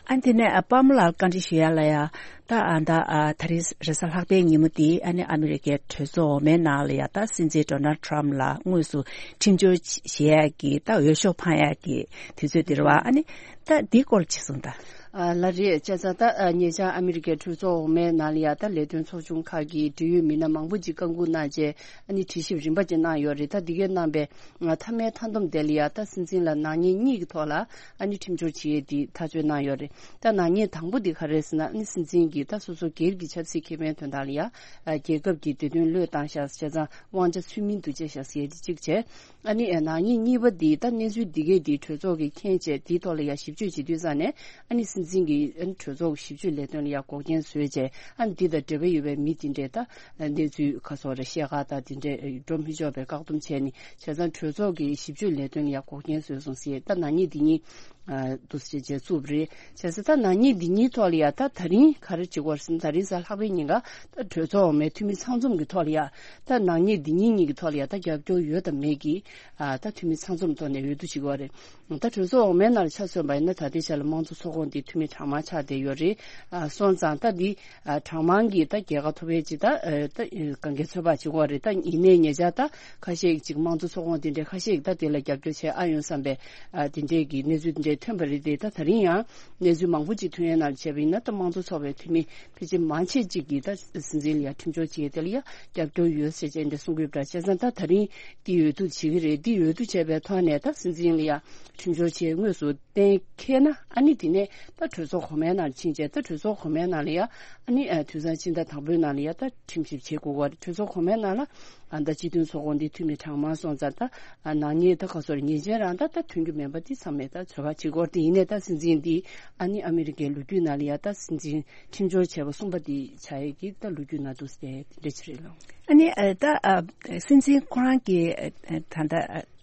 ཨ་དེ་ནས་ཨ་པདྨ་ལགས་བཀའ་འདྲི་ཞུ་ཡ་ལ་ཡ། ད་ཨ་ད་ཨ་ད་རེས་རེས་གཟའ་ལྷག་པའི་ཉིན་མོ་དེ་ཨ་ནི་ཨ་མི་རི་ཀའི་གྲོས་ཚོགས་འོག་མའི་ནང་ལ་ཡ་ད་སྲིད་འཛིན་ཌོ་ནལ་ཊམ་ལ་དངོས་སུ་ཁྲིམས་སྦྱོར་བྱེད་ཡ་གི་ད་འོས་ཤོག་འཕང་ཡ་གི་དུས་ཚོད་དེ་རེད་བ། ཨ་ནི་ད་འདིའི་སྐོར་ཅི་གསུངས་ད། ཨ་ལ་རེད་བྱས་ཙང་ད་ཨ་ཉེ་ཆར་ཨ་མི་རི་ཀའི་གྲོས་ཚོགས་འོག་མའི་ནང་ལ་ཡ་ད་ལས་དོན་ཚོགས་ཆུང་ཁག་གི་འབྲེལ་ཡོད་མི་སྣ་མང་པོ་ཅིག་བཀའ་འགུག་གནང་རྗེས་ཨ་ནི་དྲི་ཞིབ་རིམ་པ་ཅིག་གནང་ཡོད་རེད། ད་འདི་གའི་གནང་པའི་མཐའ་མའི་མཐའ་སྡོམ་དེ་ལ་ཡ་ད་སྲིད་འཛིན་ལ་ནག་ཉེས་གཉིས་ཀྱི་ཐོག་ལ་ཨ་ནི་ཁྲིམས་སྦྱོར་བྱེད་ཡས་འདི་ཐག་གཅོད་གནང་ཡོད་རེད། ད་ནག་ཉེས་དང་པོ་འདི་ག་རེ་རེད་ཟེར་ན་ཨ་ནི་སྲིད་འཛིན་གྱིས་ད་སོ་སོ་སྒེར་གྱི་ཆབ་སྲིད་ཁེ་ཕན་དོན་དག་ལ་ཡ་རྒྱལ་ཁབ་ཀྱི་བདེ་དོན་བློས་བཏང་ཤག་བྱས་ཙང་དབང་ཆ་ཚུལ་མིན་དུ་སྤྱད་ཤག་ཟེར་ཡས་འདི་གཅིག་བྱས། ཨ་ནི་ནག་ཉེས་གཉིས་པ་འདི་ད་གནས་ཚུལ་འདི་གས་འདི་གྲོས་ཚོགས་ཀྱིས་མཁྱེན་བྱས་འདིའི་ཐོག་ལ་ཡ་ཞིབ་དཔྱོད་བྱེད་དུས་ཙང་ནས་ཨ་ནི་སྲིད་འཛིན་གྱིས་ཨ་ནི་གྲོས་ཚོགས་ཀྱི་ཞིབ་དཔྱོད་ལས་དོན་ལ་ཡ་འགོག་རྐྱེན་བཟོས་བྱས་ཨ་ནི་འདི་དང་འབྲེལ་བ་ཡོད་པའི་མི་འདི་འདྲས་ད་གནས་ཚུལ་ཁ་སོགས་རེ་བཤད་ག་ད་འདི་འདྲས་འགྲོ་མི་ཆོག་པའི་བཀག་སྡོམ་བྱས་ནས་བྱས་ཙང་གྲོས་ཚོགས་ཀྱི་ཞིབ་དཔྱོད་ལས་དོན་ལ་ཡ་འགོག་རྐྱེན་བཟོས་སོང་ཟེར། ད་ནག་ཉེས་འདི་གཉིས་འདུག་སེ་བྱས་བཙུགས་པ་རེད། བྱས་ཙང་ད་ནག་ཉེས་འདི་གཉིས་ཐོག་ལ་ཡ་ད་ད་རིང་ག་རེ་བྱེད་དགོས་རེད་ཟེར་ན་ད་རིང་གཟའ་ལྷག་པའི་ཉིན་ཀ་ད་གྲོས་ཚོགས་འོག་མའི་འཐུས་མི་ཚང་འཛོམས་ཀྱི་ཐོག་ལ་ཡ་ད་ནག་ཉེས་འདི་གཉིས་གཉིས་ཀྱི་ཐོག་ལ་ཡ་ད་རྒྱབ་སྐྱོར་ཡོད་དམ་མེད་ཀྱི་ཨ་ད་འཐུས་མི་ཚང་འཛོམས་ཐོག་ནས་འོས་བསྡུ་བྱེད་དགོས་རེད། ད་གྲོས་ཚོགས་འོག་མའི་ནང་ལ་ཆ་མཚོན་པ་ཡིན་ན་ད་ལྟའི་ཆ་ལ་དམངས་གཙོ་ཚོགས་ཁོངས་འདི་འཐུས་མི་གྲངས་མང་ཆགས་བསྡད་ཡོད་རེད། ཨ་སོང་ཙང་ད་འདི་ཨ་གྲངས་མང་གི་ད་རྒྱལ་ཁ་ཐོབ་ཡས་ཅིག་ད་ཨ་ད་གང་གའི་ཚོད་དཔག་བྱེད་དགོས་རེད། ད་ཡིན་ནའི་ཉེ་ཆར་ད་ཁ་ཤས་ཅིག་དམངས་གཙོ་ཚོགས་ཁོངས་དེ་འདྲས་ཁ་ཤས་ད་དེ་ལ་རྒྱབ་སྐྱོར་བྱེད་ཨ་ཡོང་བསམ་པའི་ཨ་དེ་འདྲས་ཀྱི་གནས་ཚུལ་དེ་འདྲས་ཐོན་པ་རེད་དེ། ད་ད་རིང་ཡང་གནས་ཚུལ་མང་པོ་ཅིག་ཐོན་ཡས་ནང་བྱས་པ་ཡིན་ན་ད་དམངས་གཙོ་ཚོགས་པའི་འཐུས་མི་ཕལ་ཆེར་མང་ཆེ་ཅིག་གིས་ད་སྲིད་འཛིན་ལ་ཡ་ཁྲིམས་སྦྱོར་བྱེད་ཡས་དེ་ལ་ཡ་རྒྱབ་སྐྱོར་ཡོད་ཟེར་བྱས་འདྲ་གསུང་གི་ཡོད་པ་འདྲ། བྱས་ཙང་ད་ད་རིང་འདི་འོས་བསྡུ་བྱེད་ཀྱི་རེད། འདི་འོས་བསྡུ་བྱས་པའི་ཐོག་ནས་ད་སྲིད་འཛིན་ལ་ཡ་ཁྲིམས་སྦྱོར་བྱེད་དངོས་སུ་གཏན་འཁེལ་ན་ཨ་ནི་དེ་ནས་ད་གྲོས་ཚོགས་གོང་མའི་ནང་ཕྱིན་བྱས་ད་གྲོས་ཚོགས་གོང་མའི་ནང་ལ་ཡ་ཨ་ནི་ཨ་དུས་བཟང་ཕྱི་ཟླ་དང་པོའི་ནང་ལ་ཡ་ད་ཁྲིམས་ཞིབ་བྱེད་དགོས་པ་རེད། གྲོས་ཚོགས་གོང་མའི་ནང་ལ་ཨ་ད་སྤྱི་མཐུན་ཚོགས་ཁོངས་འདི་འཐུས་མི་གྲངས་མང་སོང་ཙང་ད་ཨ་ནག་ཉེས་ད་ག་སོར་ཉེས་ཅན་རང་ད་ད་ཐོན་རྒྱུ་མེད་པ་འདི་ཚང་མས་ད་ཚོད་དཔག་བྱེད་དགོས་རེད། དེ་ཡིན་ནའི་ད་སྲིད་འཛིན་འདི་ཨ་ནི་ཨ་མི་རི་ཀའི་ལོ་རྒྱུས་ནང་ལ་ཡ་ད་སྲིད་འཛིན་ཁྲིམས་སྦྱོར་བྱས་པ་གསུམ་པ་འདི་ཆགས་ཡས་ཀྱི་ད་ལོ་རྒྱུས་ནང་འདུག་སྟེ་དེ་འདྲ་ཅིག་རེད་ལགས། ཨ་ནི་ཨ་ད་ཨ་སྲིད་འཛིན་ཁོ་རང་གི་ཨ་ད་ལྟ་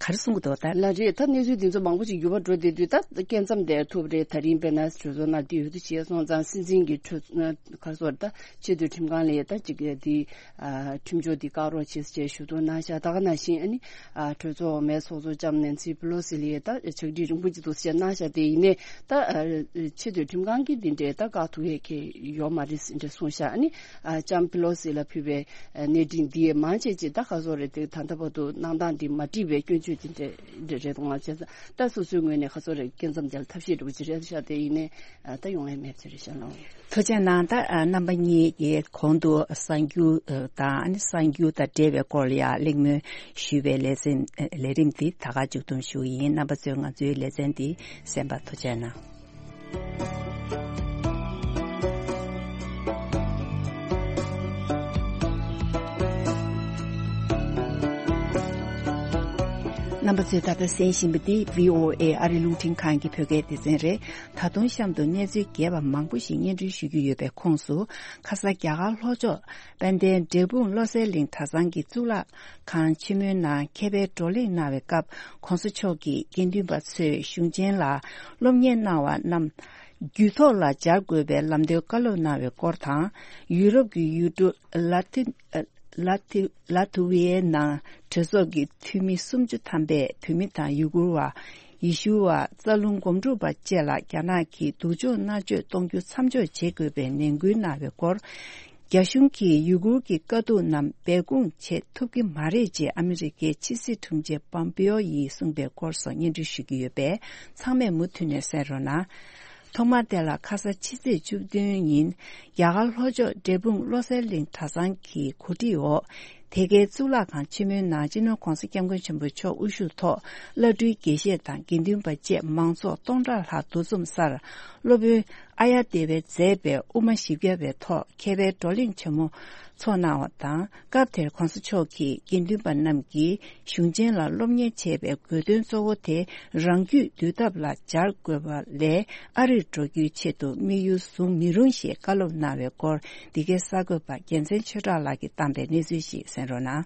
ག་རེ་གསུང་གི་འདུག་ད། ལགས་རེད། ད་གནས་ཚུལ་འདི་ཚོ་མང་པོ་ཞིག་འགྱུར་བ་འགྲོ་བསྡད་དུས་ད་སྐད་མཚམས་དེ་ཐུབ་རེད། ད་རིང་དཔེར་ན་གྲོས་ཚོགས་ནང་འདི་འོས་བསྡུ་བྱས་སོང་ཙང་སྲིད་འཛིན་གྱི་གྲོས་ག་སོར་ད་ཆེས་མཐོའི་ཁྲིམས་ཁང་ལ་ད་ཅིག་འདི་ཁྲིམས་སྦྱོར་འདི་བཀག་རོགས་བྱེད་ ཅེས་ཞུ་གཏུག་གནང་བཞག་ད་ག་ནང་བཞིན་ཨ་ནི་ཨ་གྲོས་ཚོགས་འོག་མའི་ཚོགས་གཙོ་ལྕམ་ནན་སི་པི་ལོ་སི་ལ་ད་ཕྱག་བྲིས་རིང་པོ་ཅིག་འདུག་ཟེར་གནང་བཞག་དེ་ཡིན་ནའི་ད་ཨ་ཆེས་མཐོའི་ཁྲིམས་ཁང་གིས་འདི་འདྲའི་ད་བཀག་ཐུག་ཡས་ཁེ་ཡོད་མ་རེད་ཟེར་འདྲ་གསུངས་བཞག་ཨ་ནི་ཨ་ལྕམ་པི་ལོ་སི་ལ་ཕུལ་བའི་ཨ་གནས་འཕྲིན་འདི་ཡས་མང་ཆེ་ཅིག་ད་ག་ཚོད་རེད་དེ་ད་ལྟ་བར་དུ་གནང་སྟངས་འདི་མ་འགྲིག་པའི་སྐྱོན་བརྗོད་འདི་འདྲ་འདྲ་རེད་འདུག་ང་བྱས་ཙང་ད་སོ་སོའི་ངོས་ནས་ག་ཚོད་རེད་སྐྱེ་མཚམས་དེ་ལ་ཐབས་ཤེས་འདྲ་པོ་ཅིག་རེད་བཞག་དེ་ཡིན་ནའི་ཨ་ད་ཡོང་ཡས་མེད་ཟེར་རེད་བཞག་ལགས། ཐུགས་རྗེ་གནང་། ད་ཨ་རྣམ་པ་གཉིས་ཀྱིས་གོང་དུ་གསར་འགྱུར་ཨ་དང་ཨ་ནི་གསར་འགྱུར་དང་འབྲེལ་བའི་སྐོར་ལ་ཡང་གླེང་མོལ་ཞུས་པའི་ལེ་ཚན་ཨ་ལས་རིམ་འདི་ད་ག་མཇུག་བསྡོམས་ཞུ་གི་ཡིན། རྣམ་པ་ཚོས་ང་ཚོའི་ལེ་ཚན་འདི་གསན་པར་ཐུགས་རྗེ་གནང་། རྣམ་པ་ཚོས་ད་ལྟ་གསན་བཞིན་པ་འདི་བྷི་ཨོ་ཨེ་ཨ་རི་རླུང་འཕྲིན་ཁང་གི་བོད་སྐད་སྡེ་ཚན་རེད། ད་དུང་གཤམ་དུ་གནས་ཚུལ་རྒྱས་པ་མང་པོ་ཞིག་སྙན་སྒྲོན་ཞུ་རྒྱུ་ཡོད་པའི་ཁོངས་སུ། ཁ་ས་རྒྱ་གར་ལྷོ་ཕྱོགས་དཔལ་ལྡན་འབྲས་སྤུངས་བློ་གསལ་གླིང་གྲྭ་ཚང་གི་གཙུག་ལག་ཁང་ཆེན་མོའི་ནང་མཁས་པའི་བགྲོ་གླེང་གནང་བའི་སྐབས། ྋགོང་ས་མཆོག་གིས་དགེ་འདུན་པ་ཚོས་གཞུང་ཆེན་ལ་སློབ་གཉེར་གནང་བ་རྣམས་རྒྱུད་ཐོག་ལ་སྦྱར་དགོས་པའི་ལམ་སྟོན་བཀའ་སློབ་གནང་བའི་སྐོར་དང་། ཡུ་རོབ་ཀྱི་ཡུལ་གྲུ་ལ་ཐི་ལ་ཐི་ལ་ཐི་ཝའི་ནང་གྲོས་ཚོགས་ཀྱི་འཐུས་མི་སུམ་ཅུ་ཐམ་པས་བོད་མི་དང་ཡུ་གུར་བ། ཡེ་ཤུ་བ། རྩ་རླུང་སྒོམ་སྒྲུབ་པ་བཅས་ལ་རྒྱ་ནག་གིས་སྡུག་སྦྱོང་མནར་གཅོད་གཏོང་རྒྱུ་མཚམས་འཇོག་བྱེད་དགོས་པའི་ནན་སྐུལ་གནང་བའི་སྐོར། རྒྱ་གཞུང་གིས་ཡུ་གུར་གྱི་དཀའ་སྡུག་རྣམས་སྦས་སྐུང་བྱེད་ཐུབ་ཀྱི་མ་རེད་ཅེས་ཨ་མི་རི་ཀའི་ཕྱི་སྲིད་དྲུང་ཆེ་པོམ་པེའོ་ཡིས་གསུངས་པའི་སྐོར་སོགས་སྙན་སྒྲོན་ཞུ་རྒྱུ་ཡོད་པས་ཚང་མས་མུ་མཐུད་ནས་གསན་རོགས་གནང་། ཐོག་མར་དེ་ལ་ཁ་ས་ཕྱི་ཚེས་བཅུ་བདུན་ཉིན་རྒྱ་གར་ལྷོ་ཕྱོགས་འབྲས་སྤུངས་བློ་གསལ་གླིང་གྲྭ་ཚང་གི་གོ་སྒྲིག་འོག་དེ་གའི་གཙུག་ལག་ཁང་ཆེན་མོའི་ནང་སྤྱི་ནོར་ྋགོང་ས་ྋསྐྱབས་མགོན་ཆེན་པོ་མཆོག་དབུ་བཞུགས་ཐོག་བླ་སྤྲུལ་དགེ་བཤེས་དང་དགེ་འདུན་པ་བཅས་མང་ཚོགས་སྟོང་ཕྲག་ལྷག་འདུ་འཛོམས་སར་སློབ་དཔོན་ཨཱརྱ་དེ་ཝས་མཛད་པའི་དབུ་མ་བཞི་བརྒྱ་པའི་ཐོག་མཁས་པའི་བགྲོ་གླེང་ཆེན་མོ་ཚོགས་གནང་བ་དང་། སྐབས་དེར་ྋགོང་ས་མཆོག་གིས་དགེ་འདུན་པ་རྣམས་ཀྱིས་གཞུང་ཆེན་ལ་སློབ་གཉེར་བྱེད་པའི་དགོས་དོན་གཙོ་བོ་དེ་རང་རྒྱུད་འདུལ་ཐབས་ལ་སྦྱར་དགོས་པ་ལས་ཨ་རིར་འགྲོ་རྒྱུའི་ཆེད་དུ་དམིགས་ཡུལ་བཟུང་མི་རུང་ཞེས་བཀའ་སློབ་གནང་བའི་སྐོར། འདི་གའི་གསར་འགོད་པ་རྒྱལ་མཚན་ཆོས་གྲགས་ལགས་ཀྱིས་བཏང་པའི་གནས་ཚུལ་ཞིག་གསན་རོགས་གནང་།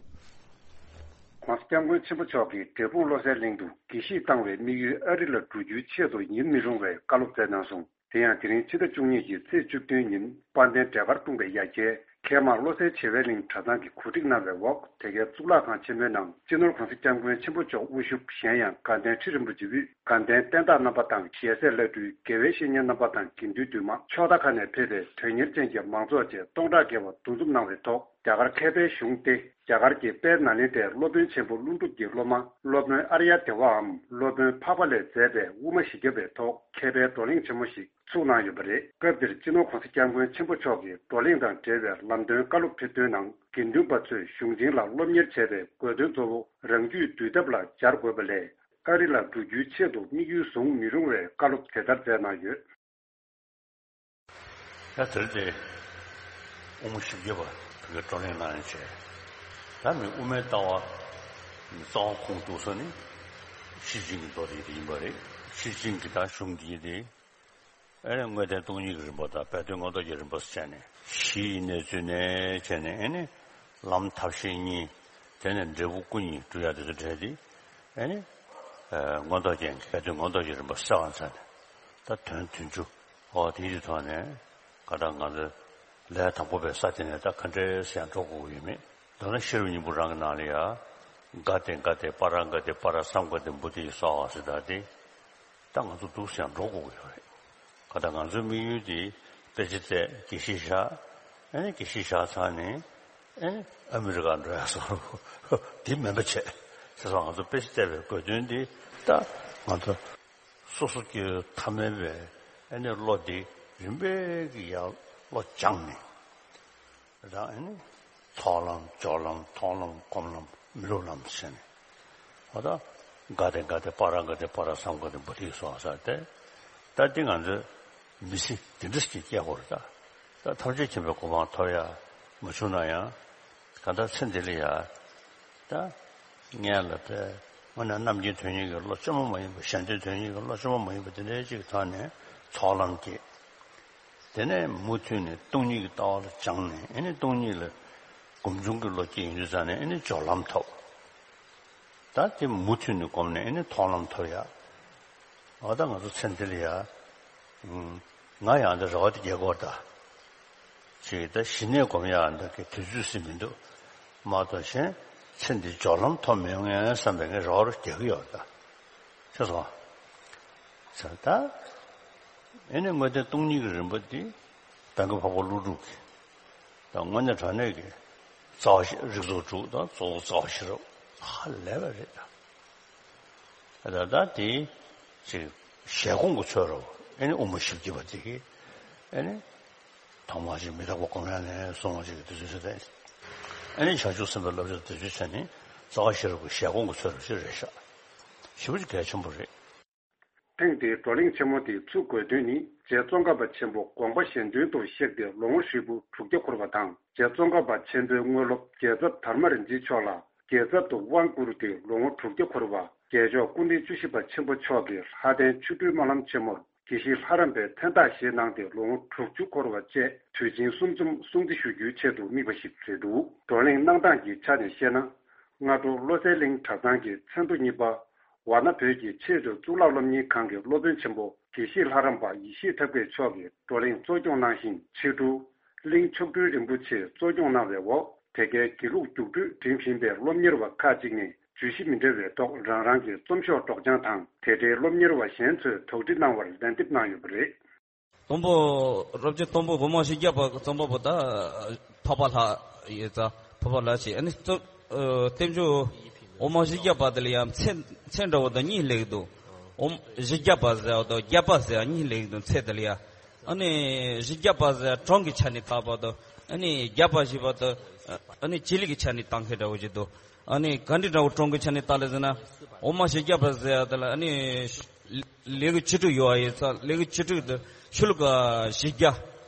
ྋགོང་ས་ྋསྐྱབས་མགོན་ཆེན་པོ་མཆོག་གིས་འབྲས་སྤུངས་བློ་གསལ་གླིང་དུ་དགེ་བཤེས་བཏང་བའི་དམིགས་ཡུལ་ཨ་རི་ལ་འགྲོ་རྒྱུའི་ཆེད་དུ་ཡིན་མི་རུང་བའི་བཀའ་སློབ་སྩལ་གནང་སོང་། དེ་ཡང་དེ་རིང་ཕྱི་ཟླ་བཅུ་གཉིས་ཀྱི་ཚེས་བཅུ་བདུན་ཉིན་དཔལ་ལྡན་འབྲས་དཀར་སྤུངས་པའི་ཡ་གྱལ་མཁལ་མ་བློ་གསལ་བྱེ་བའི་གླིང་གྲྭ་ཚང་གིས་གོ་སྒྲིག་གནང་བའི་འོག་དེ་གའི་གཙུག་ལག་ཁང་ཆེན་མོའི་ནང་སྤྱི་ནོར་ྋགོང་ས་ྋསྐྱབས་མགོན་ཆེན་པོ་མཆོག་དབུ་བཞུགས། གཞན་ཡང་དགའ་ལྡན་ཁྲི་རིན་པོ་ཆེ་དབུས་དགའ་ལྡན་བསྟན་བདག་རྣམ་པ་དང་ཞལ་ཟས་བླ་སྤྲུལ་དགེ་བའི་བཤེས་གཉེན་རྣམ་པ་དང་དགེ་འདུན་འདུས་མང་ཕྱོགས་མཐའ་ཁག་ནས་ཕེབས་པའི་དོན་གཉེར་ཅན་གྱི་མང་ཚོགས་བཅས་སྟོང་ཕྲག་བརྒལ་བ་འདུ་འཛོམས་གནང་བའི་ཐོག་རྒྱ་གར་མཁས་པའི་གཞུང་སྟེ། རྒྱ་གར་གྱི་དཔལ་ནཱ་ལེནྡྲའི་སློབ་དཔོན་ཆེན་པོ་ཀླུ་སྒྲུབ་ཀྱི་སློབ་མ་སློབ་དཔོན་ཨཱརྱ་དེ་ཝའམ་སློབ་དཔོན་འཕགས་པ་ལས་མཛད་པའི་དབུ་མ་བཞི་བརྒྱ་པའི་ཐོག་མཁས་པའི་བགྲོ་གླེང་ཆེན་མོ་ཞིག་ཚུགས་གནང་ཡོད་པ་རེད། སྐབས་འདིར་སྤྱི་ནོར་ྋགོང་ས་ྋསྐྱབས་མགོན་ཆེན་པོ་མཆོག་གིས་བགྲོ་གླེང་དང་འབྲེལ་བའི་ལམ་སྟོན་བཀའ་སློབ་ཕེབས་དོན་ནང་། དགེ་འདུན་པ་ཚོས་གཞུང་ཆེན་ལ་སློབ་གཉེར་བྱེད་པའི་དགོས་དོན་གཙོ་བོ་རང་རྒྱུད་འདུལ་ཐབས་ལ་སྦྱར་དགོས་པ་ལས། ཨ་རི་ལ་འགྲོ་རྒྱུའི་ཆེད་དུ་དམིགས་ཡུལ་བཟུང་མི་རུང་བའི་བཀའ་སློབ་དེ་ལྟར་སྩལ་གནང་ཡོད། ད་དེར་དེ་དབུ་མ་བཞི་བརྒྱ་པ་བོད་སྐད་བགྲོ་གླེང་གནང་ཡང་བྱས། ད་མི་དབུ་མའི་ལྟ་བ་རྩ་བ་ཁུངས་གཏུགས་ས་ནི་ཤེར་ཕྱིན་གྱི་མདོ་དེ་དེ་ཡིན་པ་རེད། ཤེར་ཕྱིན་གྱི་ད་གཞུང་འདིའི་དེ་ཨེ་ནི་དངོས་བསྟན་སྟོང་ཉིད་ཀྱི་རིམ་པ་དང་སྦས་དོན་མངོན་རྟོགས་ཀྱི་རིམ་པ་སོགས་བྱས་ནས་གཞི་ཡི་གནས་ཚུལ་ནས་བྱས་ནས་ཨེ་ནི་ལམ་ཐབས་ཤེས་གཉིས། དེ་ནས་འབྲས་བུ་སྐུ་གཉིས་སྒྲུབ་ཡ་དེ་ཚོ་འབྲེལ་ཏེ་ཨེ་ནི་མངོན་རྟོགས་རྒྱན་གྱི་སྦས་དོན་མངོན་རྟོགས་ཀྱི་རིམ་པ་གསལ་བ་མཚོན་ནས་ད་དོན་བདུན་ཅུ། ཨོ་དེའི་ཐོག་ནས་ག་ད་ང་ཚོ་ལས་དང་པོ་པའི་ས་དེ་ནས་ད་ག་འདྲས་སེ་ཡང་འགྲོ་དགོས་ཀྱི་ཡོད་མེད། མདོར་ན་ཤེས་རབ་སྙིང་པོ་རང་གི་ནང་ལ་ཡ། ག་ཏེ་ག་ཏེ་པཱ་ར་ག་ཏེ་པཱ་ར་སཾ་ག་ཏེ་བོ་དྷི་སྭཱ་ཧཱ་ཟེར་ད་དེ། ད་ང་ཚོ་འདུག་སེ་ཡང་འགྲོ་དགོས་ཀྱི་ཡོད་རེད། ག་ད་ང་ཚོའི་དམིགས་ཡུལ་དེ་དཔེ་ཆ་བཙལ་དགེ་བཤེས་བཞག་ཨེ་ནི་དགེ་བཤེས་བཞག་ཚར་ནས་ཨེ་ནི་ཨ་མི་རི་ཀ་འགྲོ་ཡ་སོགས་དེ་མིན་པ་བྱས། བྱས་ཙང་ང་ཚོ་དཔེ་ཆ་བཙལ་བའི་དགོས་དོན་དེ་ད་ང་ཚོ། སོ་སོ་སྐྱེ་བོ་ཐ་མལ་པའི་ཨེ་ནི་བློ་འདི་རིམ་པས་ཀྱི་ཡར་བློ་སྦྱངས་ནས་རང་ཨེ་ནི་ཚོགས་ལམ་སྦྱོར་ལམ་མཐོང་ལམ་སྒོམ་ལམ་མི་སློབ་ལམ་ཟེར་ནས་ཨོ་ད་ག་ཏེ་ག་ཏེ་པཱ་ར་ག་ཏེ་པཱ་ར་སཾ་ག་ཏེ་བོ་དྷི་སྭཱ་ཧཱ་ཟེར་ཏེ། ད་འདི་ང་ཚོས་མི་ཚེ་འདི་འདྲ་ཞིག་སྐྱེལ་དགོས་རེད་ད། ད་ཐམས་ཅད་མཁྱེན་པའི་གོ་འཕང་ཐོབ་ཡ་མ་བྱུང་ན་ཡང་། གང་ལྟར་ཚེ་འདི་ལ་ཡ། ད། ངས་ལ་དེ། དངོས་གནས་རྣམ་མཁྱེན་དོན་གཉེར་གྱི་བློ་བཅོས་མ་མ་ཡིན་པ་གཞན་དོན་དོན་གཉེར་གྱི་བློ་བཅོས་མ་མ་ཡིན་པ་དེ་འདྲའི་ཅིག་ཐོག་ནས་ཚོགས་ལམ་སྐྱེས། དེ་ནས་མུ་མཐུད་ནས་སྟོང་ཉིད་ཀྱི་ལྟ་བ་ལ་སྦྱངས་ནས་ཨེ་ནི་སྟོང་ཉིད་ལ་སྒོམ་བྱུང་གི་བློ་སྐྱེས་ཡོང་དུས་ཙང་ནས་ཨེ་ནི་སྦྱོར་ལམ་ཐོབ། ད་དེ་མུ་མཐུད་ནས་སྒོམ་ནས་ཨེ་ནི་མཐོང་ལམ་ཐོབ་ཡ། འོ་ད་ང་ཚོ་ཚེ་འདི་ལ་ཡ། ང་ཡང་འདི་རེ་བ་དེ་རྒྱག་གི་ཡོད་ད། ཅིག་ད་གཞི་ནས་སྒོམ་ཡག་འདི་གི་དུས་ཚོད་ཟིན་མི་འདུག་མ་གཏོགས་གཞན། ཚེ་འདི་སྦྱོར་ལམ་ཐོབ་མི་ཡོང་ངས་བསམ་པའི་ངས་རེ་བ་རྒྱག་གི་ཡོད་ད། ཤེས་སོང་། ཟེར་ད། ཨེ་ནི་དངོས་བསྟན་སྟོང་ཉིད་ཀྱི་རིམ་པ་འདི་གདམས་ངག་འཕགས་པ་ཀླུ་སྒྲུབ་ཀྱི་ད་དངོས་གནས་དྲང་གནས་ཀྱི་རྩ་བ་ཤེས་རིགས་ཚོགས་དྲུག་དང་གཙོ་བོ་རྩ་བ་ཤེས་རབ་ཧ་ལས་པ་རེད་ད། ད་ལྟ་དེ་ཅིག་ཞལ་གོང་གི་ཚོད་རོ། ཨེ་ནི་དབུ་མ་བཞི་བརྒྱ་པ་དེ་གི་ཨེ་ནི་ཐོག་མ་ཅིག་མི་རྟག་པ་གང་ཡང་ནས་སོང་བ་ཅིག་དེ་ཚོའི་ཚོད་དེ། ཨེ་ནི་བྱང་ཆུབ་སེམས་དཔའི་བསླབ་བྱ་དེ་ཚོའི་ཆ་ནས་རྩ་བ་ཤེས་རབ་ཀྱི་ཞལ་གོང་གི་ཚོད་རོ་ཞིག་རེད་ཤག་ཞེ་པོ་ཅིག་གལ་ཆེན་པོ་རེད། ཐེངས་འདིའི་བགྲོ་གླེང་ཆེན་མོ་དེའི་ཚུགས་དགོས་དོན་ནི། རྗེ་ཙོང་ཁ་པ་ཆེན་པོ་དགོངས་པ་གཞན་དོན་དུ་གཤེགས་ཏེ་ལོ་ངོ་ཧྲིལ་པོ་དྲུག་བརྒྱ་འཁོར་བ་དང་། རྗེ་ཙོང་ཁ་པ་ཆེན་པོའི་དངོས་སློབ་རྒྱལ་ཚབ་དར་མ་རིན་ཆེན་མཆོག་ལ་རྒྱལ་ཚབ་ཏུ་དབང་བསྐུར་ཏེ་ལོ་ངོ་དྲུག་བརྒྱ་འཁོར་བ། རྒྱལ་མཆོག་སྐུ་ཕྲེང་བཅུ་བཞི་པ་ཆེན་པོ་མཆོག་གིས་ལྷ་ལྡན་ཆོ་འཕྲུལ་སྨོན་ལམ་ཆེན་མོར་དགེ་བཤེས་ལྷ་རམས་པའི་མཚན་རྟགས་བཞེས་གནང་སྟེ་ལོ་ངོ་དྲུག་ཅུ་འཁོར་བ་བཅས་དུས་ཆེན་གསུམ་འཛོམས་སྲུང་བརྩི་ཞུ་རྒྱུའི་ཆེད་དུ་དམིགས་པ་ཞིག་རེད་འདུག་བགྲོ་གླེང་གནང་སྟངས་ཀྱི་ཆ་ནས་བཤད་ན། སྔ་དྲོ་བློ་གསལ་གླིང་གྲྭ་ཚང་གི་མཚན་ཐོ་གཉིས་པ། ཝཱ་ཎ་བོད་ཀྱི་ཆེས་མཐོའི་གཙུག་ལག་སློབ་གཉེར་ཁང་གི་སློབ་དཔོན་ཆེན་པོ་དགེ་བཤེས་ལྷ་རམས་པ་ཡེ་ཤེས་ཐབས་མཁས་མཆོག་གིས་བགྲོ་གླེང་གཙོ་སྐྱོང་གནང་ཞིང་། ཕྱི་དྲོ་གླིང་མཆོག་སྤྲུལ་རིན་པོ་ཆེས་གཙོ་སྐྱོང་གནང་བའི་འོག་དེ་གའི་དགེ་ལུགས་རྒྱུགས་སྤྲོད་འགྲིམ་བཞིན་པའི་སློབ་གཉེར་བ་ཁག་ཅིག་ནས་བརྗོད་གཞི་མི་འདྲ་བའི་ཐོག་རང་རང་གི་རྩོམ་ཤོག་སྒྲོག་སྦྱང་དང་། དེ་འབྲེལ་སློབ་གཉེར་བ་གཞན་ཚོས་དོགས་འདྲི་གནང་བར་ལན་འདེབས་གནང་ཡོད་པ་རེད། དང་པོ། རབ་བྱུང་དང་པོ་དབུ་མ་བཞི་བརྒྱ་པ་གི་རྩོམ་པ་པོ་ད་འཕགས་པ་ལྷ་ཡོད་ཙང་འཕགས་པ་ལྷ་ཞེས། ཨ་ནི་རྩོམ། ཨ། བསྟན་བཅོས་དབུ་མ་བཞི་བརྒྱ་པ་དེ་ལ་ཡང་མཚན་མཚན་འདྲ་བོ་དང་གཉིས་སླེབས་འདུག་དབུ་མ་བཞི་བརྒྱ་པ་ཟེར་བ་དང་བརྒྱ་པ་ཟེར་བ་གཉིས་སླེབས་འདུག་མཚན་དེ་ལ་ཡང་། ཨ་ནི་བཞི་བརྒྱ་པ་ཟེར་བ་གྲངས་ཀྱི་ཆ་ནས་བཏགས་པ་དང་། ཨ་ནི་བརྒྱ་པ་ཞེས་པ་དང་། ཨ་ནི་བྱེད་ལས་ཀྱི་ཆ་ནས་བཏགས་མཁན་འདྲ་བོ་ཅིག་འདུག་ཨ་ནི་ག་འདྲ་འདྲ་བོ་གྲངས་ཀྱི་ཆ་ནས་བཏགས་ལ་ཟེར་ན། དབུ་མ་བཞི་བརྒྱ་པ་ཟེར་བ་དེ་ལ་ཨ་ནི། ལེའུ་བཅུ་དྲུག་ཡོད་པ་ཡིན་ཙང་། ལེའུ་བཅུ་དྲུག་དེ་ཤོ་ལོ་ཀ་བཞི་བརྒྱ།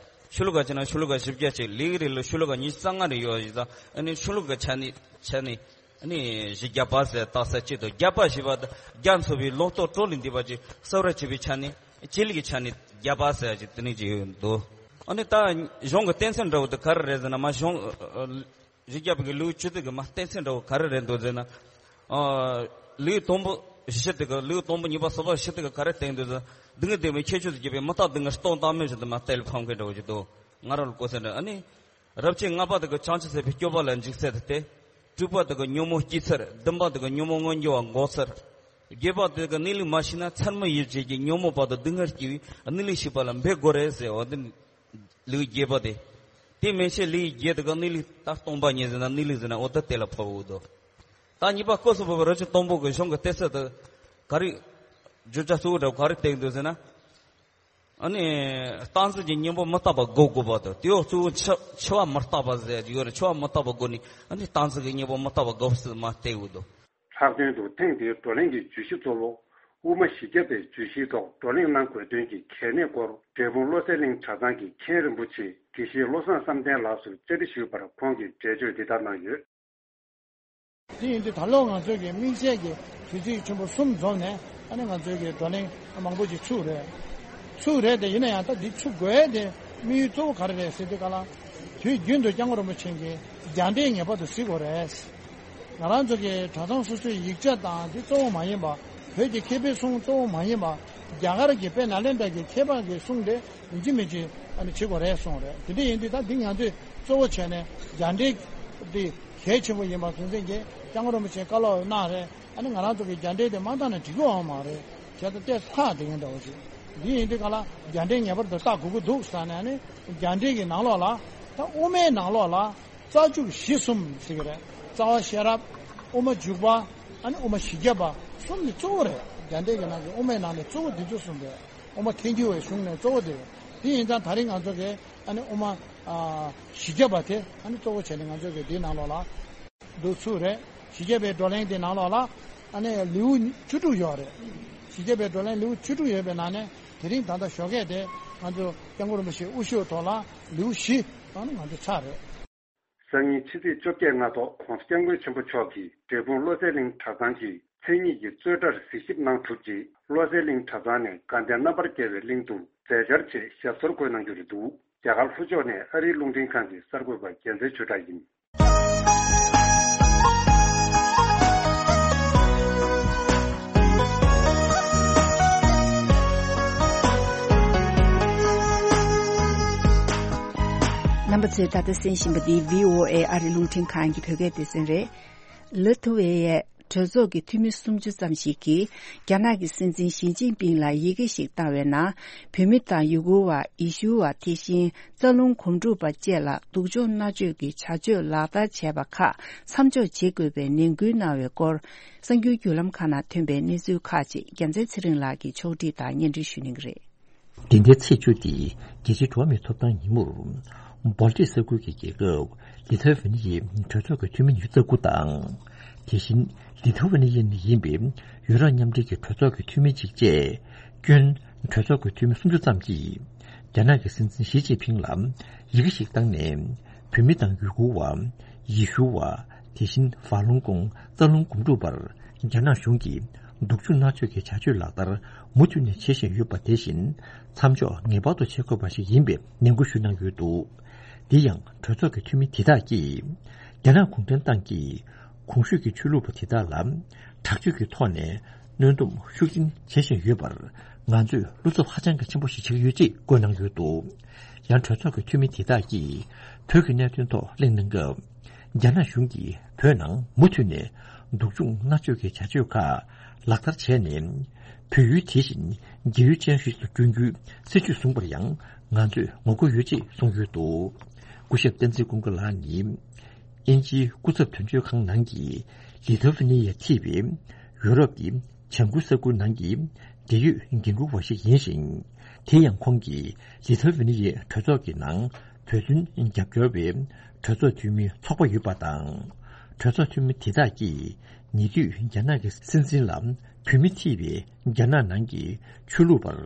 ཤོ་ལོ་ཀ་བྱས་ན་ཤོ་ལོ་ཀ་བཞི་བརྒྱ་བྱས། ལེའུ་རེ་ལ་ཤོ་ལོ་ཀ་ཉི་ཤུ་རྩ་ལྔ་རེ་ཡོད་པ་ཡིན་ཙང་། ཨ་ནི་ཤོ་ལོ་ཀ་ཆ་ནས་ཆ་ནས་ཨ་ནི་བཞི་བརྒྱ་པ་ཟེར་བཏགས་ས་གཅིག་དང་། བརྒྱ་པ་ཞེས་པ་དེ་རྒྱ་མཚོ་པའི་ལོ་ཏོག་དྲོ་ལ་འདེབས་པ་ཅིག་གསོལ་རས་བྱེད་པའི་ཆ་ནས། བྱེད་ལས་ཀྱི་ཆ་ནས་བརྒྱ་པ་ཟེར་ཅིག་དེ་ནས་ཅིག་ཡོད་འདུག་ཨ་ནི་ད་གཞུང་གི་གཏན་ཚིགས་འདྲ་བོ་དེ་ག་རེ་རེད་ཟེར་ན། མ་གཞུང་། བཞི་བརྒྱ་པའི་ལེའུ་བཅུ་དྲུག་གི་མ་གཏན་ཚིགས་འདྲ་བོ་ག་རེ་རེད་འདུག་ཟེར་ན། ཨ། ལེའུ་དང་པོ་བཞི་དེ་ག་ལེའུ་དང་པོ་གཉིས་པ་གསུམ་པ་བཞི་དེ་ག་ག་རེ་བསྟན་འདུག་ཟེར་ན། སྡུག་བསྔལ་བདེ་བའི་ཁྱད་ཆོས་སུ་གྱུར་པའི་མི་རྟག་སྡུག་བསྔལ་སྟོང་བཏང་མིན་བཞིན་དུ་མ་གཏད་ལ་ཕམ་མཁན་འདྲ་བོ་ཞིག་འདུག་ང་རང་ལ་གོ་ས་འདྲ། ཨ་ནི་རབ་བྱེད་ལྔ་པ་དེ་ག་བྱང་ཆུབ་སེམས་དཔའི་སྤྱོད་པ་ལ་འཇུག་ཚུལ་དེ་སྟེ། དྲུག་པ་དེ་ག་ཉོན་མོངས་སྐྱེ་ཚུལ། བདུན་པ་དེ་ག་ཉོན་མོངས་མངོན་གྱུར་བ་འགོག་ཚུལ། བརྒྱད་པ་དེ་ག་གནས་ལུགས་མ་ཤེས་ན་མཚན་མ་ཡིད་བྱེད་ཀྱི་ཉོན་མོངས་པ་དང་སྡུག་བསྔལ་སྐྱེ་བའི་གནས་ལུགས་ཤེས་པ་ལ་འབད་དགོས་རེད་ཟེར་བ་དེ། ལེའུ་བརྒྱད་པ་དེ། དེ་མན་ཆད་ལེའུ་བརྒྱད་དེ་ག་གནས་ལུགས་ད་སྟོང་པ་ཉིད་ཟེར་ན་གནས་ལུགས་ཟེར་ན་འོ་ད་དེ་ལ་ཕབ་འོ་དོ། ད་གཉིས་པ་སྐབས་སུ་བབས་པའི་རབ་བྱེད་དང་པོ་གི་གཞུང་གི་གཏན་ཚིགས་དེ་ག་རེ། བརྗོད་བྱ་གཙོ་བོ་འདྲ་བོ་ག་རེ་བསྟན་འདུག་ཟེར་ན། ཨ་ནི། སྟངས་འཛིན་གྱི་གཉེན་པོ་མི་རྟག་པ་འགོག་དགོས་པ་དང་། དེའོ་གཙོ་བོ་འཆི་འཆི་བ་མི་རྟག་པ་ཟེར་གྱི་ཡོད་རེད། འཆི་བ་མི་རྟག་པ་འགོག་ནི། ཨ་ནི་སྟངས་འཛིན་གྱི་གཉེན་པོ་མི་རྟག་པ་འགོག་ཚུལ་མ་བསྟན་འོ་དོ། ལྷག་དོན་དུ་ཐེངས་འདིའི་བགྲོ་གླེང་གི་བརྗོད་གཞི་གཙོ་བོ། དབུ་མ་བཞི་བརྒྱ་པའི་བརྗོད་གཞིའི་ཐོག་བགྲོ་གླེང་གནང་དགོས་དོན་གྱི་གལ་གནད་སྐོར། འབྲས་སྤུངས་བློ་གསལ་གླིང་གྲྭ་ཚང་གི་མཁན་རིན་པོ་ཆེ་དགེ་བཤེས་བློ་བཟང་བསམ་གཏན་ལགས་སུ་བཅར་འདྲི་ཞུས་པར། ཁོང་གིས་འགྲེལ་བརྗོད་འདི་ལྟར་གནང་ཡོད། དེ་ཡིན་དུས་ད་ལོ་ང་ཚོས་ཀྱི་དམིགས་བསལ་གྱི་དུས་ཚིགས་ཆེན་པོ་གསུམ་འཛོམས་ནས། ཨ་ནི་ང་ཚོས་ཀྱི་བགྲོ་གླེང་མང་པོ་ཅིག་ཚུགས་རེད། ཚུགས་རེད་དེ། ཡིན་ན་ཡང་ད་འདི་ཚུགས་དགོས་དེ་དམིགས་ཡུལ་གཙོ་བོ་ག་རེ་རེད་ཟེར་དུས་སྒང་ལ། དུས་རྒྱུན་དུ་སྐྱབས་མགོན་རིན་པོ་ཆེ་གིས་རྒྱ་འགྲེལ་ངེས་པར་དུ་གཟིགས་དགོས་རེད། ང་རང་ཚོ་གི་གྲྭ་ཚང་སོ་སོའི་ཡིག་ཆ་དང་དེ་གཙོ་བོ་མ་ཡིན་པ། བོད་ཀྱི་མཁས་པའི་གསུང་གཙོ་བོ་མ་ཡིན་པ། རྒྱ་གར་གྱི་དཔལ་ནཱ་ལེནྡྲ་གྱི་མཁས་པ་གི་གསུང་དེ་ཡིན་གཅིག་མིན་གཅིག་ཨ་ནི་བྱེད་དགོས་རེད་གསུངས་རེད། དེ་འདྲ་ཡིན་དུས་ད་འདི་ང་ཚོས་གཙོ་བོ་བྱས་ནས་རྒྱ་འགྲེལ་དེ་གལ་ཆེན་པོ་ཡིན་པ་ངོས་འཛིན་གྱིས་སྐྱབས་མགོན་རིན་པོ་ཆེས་བཀའ་སློབ་གནང་རེད། ཨ་ནི་ང་རང་ཚོ་གི་རྒྱ་འགྲེལ་དེ་མ་བཏང་ན་འགྲིག་གི་ཡོད་མ་རེད། བྱས་ཙང་ཏོག་ཙམ་ལྷག་བསྡད་མཁན་འདྲ་བོ་ཞིག་འདི་ཡིན་དུས་སྒང་ལ་རྒྱ་འགྲེལ་ངེས་པར་དུ་བལྟ་དགོས་ཀྱི་འདུག་ཟེར་ནས། ཨ་ནི་རྒྱ་འགྲེལ་གྱི་ནང་ལོགས་ལ། ད་དབུ་མའི་ནང་ལོགས་ལ། རྩ་འཇུག་གཞི་གསུམ་ཟེར་གྱི་རེད། རྩ་བ་ཤེས་རབ། དབུ་མ་འཇུག་པ། ཨ་ནི་དབུ་མ་བཞི་བརྒྱ་པ། གསུམ་ནི་གཙོ་བོ་རེད། རྒྱ་འགྲེལ་གྱི་ནང་གི་དབུ་མའི་ནང་ནས་གཙོ་བོ་འདི་ཚོ་གསུམ་རེད། དབུ་མ་ཐལ་འགྱུར་བའི་གཞུང་ནས་གཙོ་བོ་དེ་རེད། དེ་ཡིན་ཙང་ད་རིང་ང་ཚོ་གིས་ཨ་ནི་དབུ་མ། ཨ། བཞི་བརྒྱ་པ་དེ་ཨ་ནི་གཙོ་བོ་བྱས་ནས་ང་ཚོ་གིས་འདིའི་ནང་ལོགས་ལ་འདུག་ཚུལ་རེད། བཞི་བརྒྱ་པའི་བགྲོ་གླེང་དེ་ནང་ལོགས་ལ་ཨ་ནི་ལེའུ་བཅུ་དྲུག་ཡོད་རེད། བཞི་བརྒྱ་པའི་བགྲོ་གླེང་ལེའུ་བཅུ་དྲུག་ཡོད་པའི་ནང་ནས་དེ་རིང་ད་ལྟ་ཞོགས་ཀས་དེ་ང་ཚོ་སྐྱབས་མགོན་རིན་པོ་ཆེའི་དབུ་བཞུགས་ཐོག་ལ་ལེའུ་བཞི་ཨ་ནི་ང་ཚོ་ཚར་རེད། སང་ཉིན་ཕྱི་ཚེས་བཅོ་བརྒྱད་སྔ་ཐོག་༸གོང་ས་༸སྐྱབས་མགོན་ཆེན་པོ་མཆོག་གིས་འབྲས་སྤུངས་བློ་གསལ་གླིང་གྲྭ་ཚང་གི་མཚན་ཉིད་ཀྱི་རྩོད་གྲྭར་གཟིགས་ཞིབ་གནང་གྲུབ་རྗེས། བློ་གསལ་གླིང་གྲྭ་ཚང་ནས་དགའ་ལྡན་རྣམ་པར་རྒྱལ་བའི་གླིང་དུ་མཛད་འཆར་ཆེད་ཞབས་སོར་འཁོད་གནང་རྒྱུ་རེད་འདུག་རྒྱ་གར་ལྷོ་ཕྱོགས་ནས་ཨ་རིའི་རླུང་འཕྲིན་ཁང་གི་གསར་འགོད་པ་རྒྱལ་མཚན་ཆོས་གྲགས་ཡིན། རྣམ་པ་ཚོས་ད་ལྟ་གསན་བཞིན་པ་འདི་བྷི་ཨོ་ཨེ་ཨ་རིའི་རླུང་འཕྲིན་ཁང་གི་བོད་སྐད་སྡེ་ཚན་རེད། ལི་ཐུ་ཝེ་ཡའི་གྲོས་ཚོགས་ཀྱི་འཐུས་མི་སུམ་ཅུ་ཙམ་ཞིག་གིས་རྒྱ་ནག་གི་སྲིད་འཛིན་ཞི་ཅིན་ཕིང་ལ་ཡི་གེ་ཞིག་བཏང་བའི་ནང་། བོད་མི་དང་ཡུ་གུར་བ། ཡེ་ཤུ་བ། དེ་བཞིན་རྩ་རླུང་སྒོམ་སྒྲུབ་པ་བཅས་ལ་སྡུག་སྦྱོང་མནར་གཅོད་ཀྱི་བྱ་སྤྱོད་ལག་བསྟར་བྱས་པ་ཁག་མཚམས་འཇོག་བྱེད་དགོས་པའི་ནན་སྐུལ་གནང་བའི་སྐོར། གསར་འགྱུར་བརྒྱུད་ལམ་ཁག་ནང་ཐོན་པའི་གནས་ཚུལ་ཁག་ཅིག་རྒྱལ་མཚན་ཚེ་རིང་ལགས་ཀྱིས་ཕྱོགས་སྒྲིག་དང་སྙན་སྒྲོན་ཞུ་གནང་གི་རེད། འདི་ཟླའི་ཚེས་བཅུ་སྟེ་རྒྱལ་སྤྱིའི་འགྲོ་བ་མིའི་ཐོབ་ཐང་ཉིན་མོར། སྦལ་ཏིག་ས་ཁུལ་གྱི་རྒྱལ་ཁབ་ལི་ཐ་ཝེ་ནི་ཡའི་གྲོས་ཚོགས་ཀྱི་འཐུས་མི་ཉི་ཤུ་རྩ་དགུ་དང་། དེ་བཞིན་ལི་ཐ་ཝེ་ནི་ཡ་ནས་ཡིན་པའི་ཡུ་རོབ་མཉམ་འབྲེལ་གྱི་གྲོས་ཚོགས་ཀྱི་འཐུས་མི་གཅིག་བཅས་སྐྱོན་གྲོས་ཚོགས་ཀྱི་འཐུས་མི་སུམ་ཅུ་ཙམ་གྱིས་རྒྱ་ནག་གི་སྲིད་འཛིན་ཞི་ཅིན་ཕིང་ལ་ཡི་གེ་ཞིག་བཏང་ནས། བོད་མི་དང་ཡུ་གུར་བ། ཡེ་ཤུ་བ། དེ་བཞིན་ཧྥ་ལུང་ཀོང་རྩ་རླུང་སྒོམ་སྒྲུབ་པར་རྒྱ་ནག་གཞུང་གིས་སྡུག་སྦྱོང་མནར་གཅོད་ཀྱི་བྱ་སྤྱོད་ལག་བསྟར་མུ་མཐུད་ནས་བྱེད་བཞིན་ཡོད་པ། དེ་བཞིན་མཚམས་འཇོག་ངེས་པར་དུ་བྱེད་དགོས་པ་ཞིག་ཡིན་པའི་ནན་སྐུལ་ཞུ་གནང་ཡོད་འདུག། དེ་ཡང་གྲོས་ཚོགས་ཀྱི་འཐུས་མི་དེ་དག་གིས་རྒྱ་ནག་གུང་ཁྲན་ཏང་གིས་གོང་ཞུས་ཀྱི་ཆོས་ལུགས་པ་དེ་དག་ལ་དྲག་སྤྱོད་ཀྱི་ཐོག་ནས་གནོན་སྡོམ་ཤུགས་ཆེན་བྱེད་བཞིན་ཡོད་པར་ང་ཚོས་བློ་འཚབ་ཧ་ཅང་གི་ཆེན་པོ་ཞིག་བྱེད་ཀྱི་ཡོད་ཅེས་བཀོད་གནང་ཡོད་འདུག། ཡང་གྲོས་ཚོགས་ཀྱི་འཐུས་མི་དེ་དག་གིས་བོད་ཀྱི་གནད་དོན་ཐོག་གླེང་གནང་སྐབས། རྒྱ་ནག་གཞུང་གིས་བོད་ནང་མུ་མཐུད་ནས་སྡུག་སྦྱོང་མནར་གཅོད་ཀྱི་བྱ་སྤྱོད་ཁག་ལག་བསྟར་བྱས་ནས། བོད་ཡུལ་དེ་བཞིན་རྒྱལ་ཡུལ་ཅན་ཞིག་ཏུ་བསྐྲུན་རྒྱུའི་སྲིད་ཇུས་བཟུང་པར་ཡང་ང་ཚོས་ངོ་རྒོལ་ཡོད་ཅེས་གསུངས་ཡོད་འདུག། སྐུ་ཞབས་བསྟན་འཛིན་ཀུན་དགའ་ལགས་ནི། དབྱིན་ཇིའི་སྐུ་ཚབ་དོན་གཅོད་ཁང་ནང་གི་ལི་ཐ་ཝེ་ནི་ཡ་ཐེ་བའི་ཡུ་རོབ་ཀྱི་བྱང་ཁུལ་ས་ཁུལ་ནང་གི་འབྲེལ་ཡོད་འགན་འཁུར་བ་ཞིག་ཡིན་ཞིང་། དེ་ཡང་ཁོང་གིས་ལི་ཐ་ཝེ་ནི་ཡའི་གྲོས་ཚོགས་ཀྱི་ནང་བོད་དོན་རྒྱབ་སྐྱོར་བའི་གྲོས་ཚོགས་འཐུས་མིའི་ཚོགས་པ་ཡོད་པ་དང་། གྲོས་ཚོགས་འཐུས་མི་དེ་དག་གིས་ཉེ་དུས་རྒྱ་ནག་གི་སྲིད་འཛིན་ལ་བོད་མི་ཐེ་བའི་རྒྱ་ནག་ནང་གི་ཆོས་ལུགས་པར་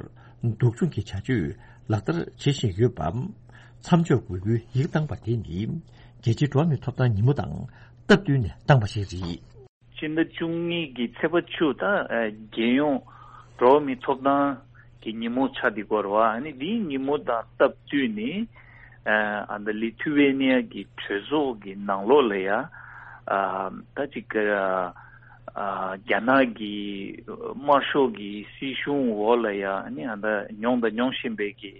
སྡུག་སྦྱོང་གི་བྱ་སྤྱོད་ལག་བསྟར་བྱེད་བཞིན་ཡོད་པ། མཚམས་འཇོག་དགོས་རྒྱུའི་ཡིག་བཏང་པ་དེ་ནི་རྒྱལ་སྤྱིའི་འགྲོ་བ་མིའི་ཐོབ་ཐང་ཉིན་མོ་དང་སྟབས་བསྟུན་ནས་བཏང་པ་ཞིག་རེད། སྤྱི་ཟླ་བཅུ་གཉིས་ཀྱི་ཚེས་པ་བཅུ་དང་། ཨ། རྒྱལ་ཡོངས་འགྲོ་བ་མིའི་ཐོབ་ཐང་གི་ཉིན་མོ་ཆགས་བསྡད་ཡོད་རེད་བ། ཨ་ནི་འདིའི་ཉིན་མོ་དང་སྟབས་བསྟུན་ནས། ཨ། ཨ། ད་ལི་ཐུ་ཝེ་ནི་ཡ་གི་གྲོས་ཚོགས་ཀྱི་ནང་ལོགས་ལ་ཡ། ཨ། ད་ཅིག་ཨ། རྒྱ་ནག་གི་དམར་ཤོག་གི་སྲིད་གཞུང་འོག་ལ་ཡ། ཨ་ནི་ཨ་ད་མྱོང་དང་མྱོང་བཞིན་པའི་གི་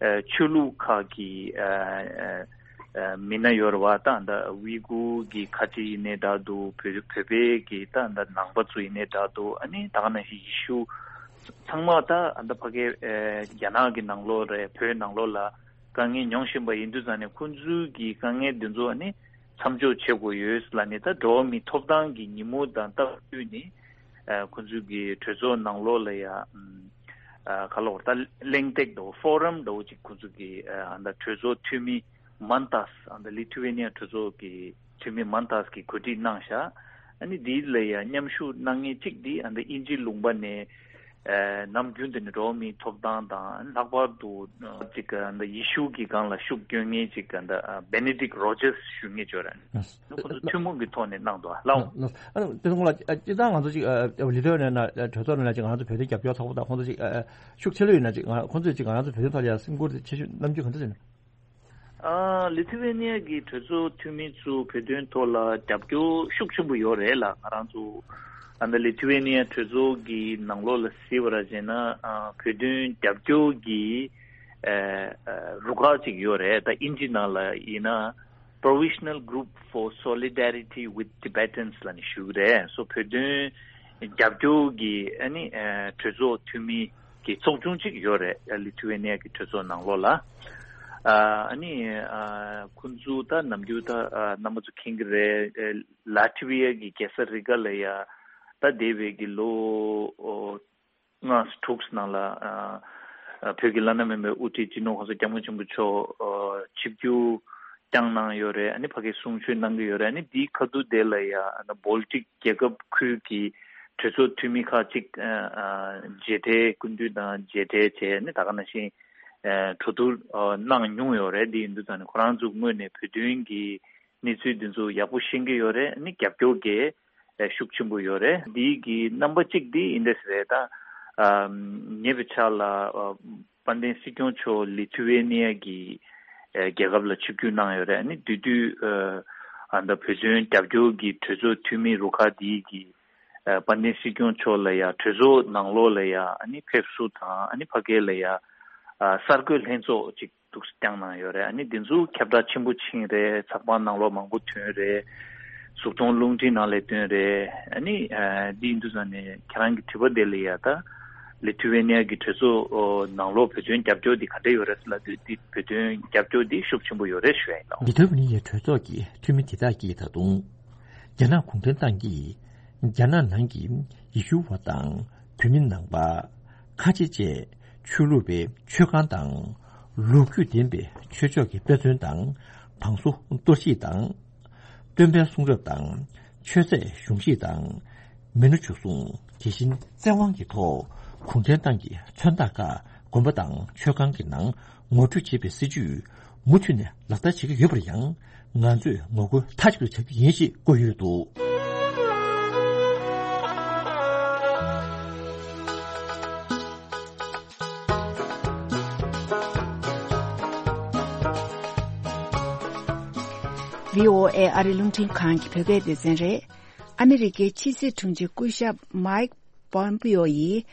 ཨ། ཆོས་ལུགས་ཁག་གི་ཨ། ཨ། མི་སྣ་ཡོད་རེད་བ། ད་ད་ཝི་གུར་གྱི་ཁ་བྲལ་ཡིན་ནའི་འདྲ་འདུག། བོད་བོད་པའི་གི་ད་ད་ནང་པ་ཚོ་ཡིན་ནའི་འདྲ་འདུག། ཨ་ནི་ད་ག་ནང་བཞིན་ཡེ་ཤུ་ཚང་མ་ད་ད་ཕ་གི་ཨ། རྒྱ་ནག་གི་ནང་ལོགས་རེད། བོད་ནང་ལོགས་ལ་དཀའ་ངལ་མྱོང་བཞིན་པ་ཡིན་དུས་ཙང་ནས། ཁོང་ཚོའི་གི་དཀའ་ངལ་འདི་ཚོ་ཨ་ནི་མཚམས་འཇོག་བྱེད་དགོས་ཡོད་ལབ་ནས། ད་འགྲོ་བ་མིའི་ཐོབ་ཐང་གི་ཉིན་མོ་དང་སྟབས་བསྟུན་ནས། ཨ། ཁོང་ཚོའི་གི་གྲོས་ཚོགས་ནང་ལོགས་ལ་ཡ། ཨ། ག་ལབ་དགོས་རེད། ད་གླེང་སྟེགས་འདྲ་བོ། ཕོ་རམ་འདྲ་བོ་ཅིག་ཁོང་ཚོ་གི་ཨ། ད་གྲོས་ཚོགས་འཐུས་མི་མན་ཏཱས། ཨ། ད་ལི་ཐུ་ཝེ་ནི་ཡ་གྲོས་ཚོགས་ཀྱི་འཐུས་མི་མན་ཏཱས་ཀྱིས་གོ་སྒྲིག་གནང་ཤག། ཨ་ནི་འདི་ལ་ཡ་མཉམ་ཞུགས་གནང་མཁན་གཅིག་འདི་ཨ། ད་དབྱིན་ཇི་ལུང་པ་ནས། ཨ། ནམ་རྒྱུན་དུ་ནི་འགྲོ་བ་མིའི་ཐོབ་ཐང་དང་། ལྷག་པར་དུ་ཅིག་ཨ། ད་ཡེ་ཤུ་གི་སྒང་ལ་ཤུགས་སྐྱོན་མཁན་ཅིག་ཨ། ད་ཨ། བེ་ནེ་ཌིག་རོ་ཇར་སི་ཞུ་མཁན་ཅིག་ཡོད་རེད། ཁོ་ཚོ་ཐུན་མོང་གི་ཐོག་ནས་གནང་འདུག་ཨ། ལགས་འོང་། ལགས་འོང་། ཨ་ནི་དེ་ཚོ་ལ་སྤྱིར་བཏང་ང་ཚོ་ཅིག་ཨ། ལི་ཐ་ཝེ་ནི་ཡ་གྲོས་ཚོགས་ནང་ལ་ཅིག་ང་ཚོ་བོད་དོན་རྒྱབ་སྐྱོར་ཚོགས་པ་དང་ཁོང་ཚོ་ཅིག་ཨ། ཤུགས་ཆེ་ལོས་ཡོད་ན། ཅིག་ང་ཁོང་ཚོས་ཅིག་ང་ཚོ་བོད་དོན་ཐོག་ལ་ཡ་སེམས་ཁུར་དེ་ཆེ་ཤོས། རྣམ་འགྱུར་ག་འདྲ་ཅིག་ཡོད་ན། ཨ། ལི་ཐི་ཝེ་ནི་ཡ་གི་གྲོས་ཚོགས་འཐུས་མི་ཚོ་བོད་དོན་ཐོག་ལ་རྒྱབ་སྐྱོར་ཤུགས་ཆེན་པོ་ཡོད་རེད་ལ། ང་རང་ཚོ་ཨ་ནི་ལི་ཐི་ཝེ་ནི་ཡ་གྲོས་ཚོགས་ཀྱི་ནང་ལོགས་ལ་གཟིགས་པ་ར་བྱས་ན། ཨ། བོད་དོན་རྒྱབ་སྐྱོར་གྱི་ཨ། ཨ། རུ་ཁག་ཅིག་ཡོད་རེད། ད་དབྱིན་ཇི་ནང་ལ་ཡིན་ན། Provisional Group for Solidarity with Tibetans ལབ་ནས་ཞུ་གི་རེད། སོ་བོད་དོན་རྒྱབ་སྐྱོར་གྱི་ཨ་ནི་ཨ། གྲོས་ཚོགས་འཐུས་མི་གི་ཚོགས་ཆུང་གཅིག་ཡོད་རེད། ལི་ཐི་ཝེ་ནི་ཡ་གི་གྲོས་ཚོགས་ནང་ལོགས་ལ། ཨ། ཨ་ནི་ཨ། ཁོང་ཚོ་ད་ནམ་རྒྱུན་ད་ཨ། རྣམ་པ་ཚོ་མཁྱེན་གྱི་རེད། ཨ། ལ་ཐི་ཝི་ཡ་གི་རྒྱལ་ས་རི་ག་ལ་ཡ། ད་འདས་པའི་གི་ལོ་ཨོ། ལྔ་དྲུག་ནང་ལ། ཨ། ཨ། བོད་ཀྱི་བླ་ན་མེད་པའི་དབུ་ཁྲིད་སྤྱི་ནོར་གོང་ས་སྐྱབས་མགོན་ཆེན་པོ་མཆོག་ཨ། ཆིབས་བསྒྱུར་བསྐྱངས་གནང་ཡོད་རེད། ཨ་ནི་ཕ་གིར་གསུང་ཆོས་གནང་གི་ཡོད་རེད། ཨ་ནི་འདིའི་ཁ་ཐུག་དེ་ལ་ཡ། ཨ་ནི་བོལ་ཊིག་རྒྱལ་ཁབ་ཁུལ་གྱི་གྲོས་ཚོགས་འཐུས་མི་ཁག་ཅིག་ཨ། ཨ། མཇལ་འཕྲད་སྐུ་མདུན་དང་མཇལ་འཕྲད་བྱས། ཨ་ནི་ད་ག་ནང་བཞིན་ཨ། གྲོས་བསྡུར་ཨ། གནང་མྱོང་ཡོད་རེད། འདི་ཡིན་དུས་ཙང་ནས་ཁོ་རང་ཚོ་ངོས་ནས་བོད་དོན་གྱི་གནས་ཚུལ་འདི་ཚོ་ཡག་པོ་ཤེས་ཀྱི་ཡོད་རེད། ཨ་ནི་རྒྱབ་སྐྱོར་གྱི་ཤུགས་ཆེན་པོ་ཡོད་རེད། འདི་གི་རྣམ་པ་གཅིག་འདི་འདི་འདྲས་རེད། ད་ཨ། ཉེ་བའི་ཆར་ལ་ཨ། དཔལ་ལྡན་སྲིད་སྐྱོང་མཆོག་ལི་ཐི་ཝེ་ནི་ཡ་གི་ཨ། རྒྱལ་ཁབ་ལ་ཆིབས་བསྒྱུར་གནང་ཡོད་རེད། ཨ་ནི་དེ་དུས་ཨ། ཨ། ད་བོད་དོན་རྒྱབ་སྐྱོར་གྱི་གྲོས་ཚོགས་འཐུས་མི་རུ་ཁག་འདི་གིས་ཨ། དཔལ་ལྡན་སྲིད་སྐྱོང་མཆོག་ལ་ཡ་གྲོས་ཚོགས་ནང་ལོགས་ལ་ཡ། ཨ་ནི་ཕེབས་བསུ་དང་། ཨ་ནི་ཕ་གི་ལ་ཡ་ཨ། གསར་འགོད་ལྷན་ཚོགས་ཅིག་འདུག་སེ་བསྐྱངས་གནང་ཡོད་རེད། ཨ་ནི་འདི་ཚོ་ཁྱབ་བསྒྲགས་ཆེན་པོ་ཕྱིན་རེད། ཚགས་པར་ནང་ལོགས་མང་པོ་ཐོན་རེད། གཟུགས་མཐོང་རླུང་འཕྲིན་ནང་ལས་དོན་རེད། ཨ་ནི་འདི་ཡིན་དུས་ཙང་ནས་ཁྱེད་རང་གི་དྲི་བ་དེ་ལ་ཡ་ད་ལི་ཐུ་ཝེ་ནི་ཡ་གི་གྲོས་ཚོགས་ནང་ལོགས་བོད་དོན་རྒྱབ་སྐྱོར་འདི་ག་འདྲ་ཡོད་རེད་ཟེར་ལབ་དུས། འདི་བོད་དོན་རྒྱབ་སྐྱོར་འདི་ཤུགས་ཆེན་པོ་ཡོད་རེད་ཞུ་ཡ་ཡིན་ལགས། ལི་ཐུ་ཝེ་ནི་ཡའི་གྲོས་ཚོགས་ཀྱི་འཐུས་མི་དེ་དག་གིས་ད་དུང་རྒྱ་ནག་གུང་ཁྲན་ཏང་གིས་རྒྱ་ནག་ནང་གི་ཡེ་ཤུ་བ་དང་བོད་མི་ནང་པ། ཁ་ཆེ་བཅས་ཆོས་ལུགས་པའི་ཆོས་ཁང་དང་། ལོ་རྒྱུས་ལྡན་པའི་ཆོས་ཕྱོགས་ཀྱི་དཔེ་མཚོན་དང་། བང་སོ་གཏོར་བཤིག་དང་། སྟོན་པའི་གསུང་རབ་དང་། ཆོས་ཚད་གཞུང་བཞེས་དང་། མི་ནོར་འཇུ་བཟུང་། དེ་བཞིན་བཙན་དབང་གི་ཐོག་གུང་ཁྲན་ཏང་གི་མཚོན་རྟགས་ཁག་དགོན་པ་དང་ཆོས་ཁང་གི་ནང་ངོ་སྤྲོད་བྱེད་པའི་སྲིད་ཇུས་མུ་མཐུད་ནས་ལག་བསྟར་བྱེད་ཀྱི་ཡོད་པར་ཡང་། ང་ཚོས་ངོ་རྒོལ་མཐའ་གཅིག་ཏུ་བྱ་རྒྱུ་ཡིན་ཞེས་བཀོད་ཡོད་འདུག། བྷི་ཨོ་ཨེ་ཨ་རི་རླུང་འཕྲིན་ཁང་གི་བོད་སྐད་སྡེ་ཚན་རེད། ཨ་མི་རི་ཀའི་ཕྱི་སྲིད་དྲུང་ཆེ་སྐུ་ཞབས་མའིག་པོམ་པིའོ་ཡིས།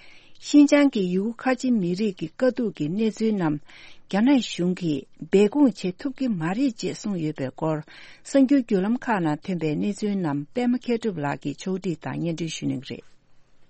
ཤིན་ཅང་གི་ཡུ་གུར་ཁ་ཆེ་མི་རིགས་ཀྱི་དཀའ་སྡུག་གི་གནས་ཚུལ་རྣམས། རྒྱ་ནག་གཞུང་གིས་སྦས་སྐུང་བྱེད་ཐུབ་ཀྱི་མ་རེད་ཅེས་གསུངས་ཡོད་པའི་སྐོར། གསར་འགྱུར་བརྒྱུད་ལམ་ཁག་ནང་ཐོན་པའི་གནས་ཚུལ་རྣམས་པད་མ་མཁས་གྲུབ་ལགས་ཀྱིས་ཕྱོགས་སྒྲིག་དང་སྙན་སྒྲོན་ཞུ་གནང་གི་རེད།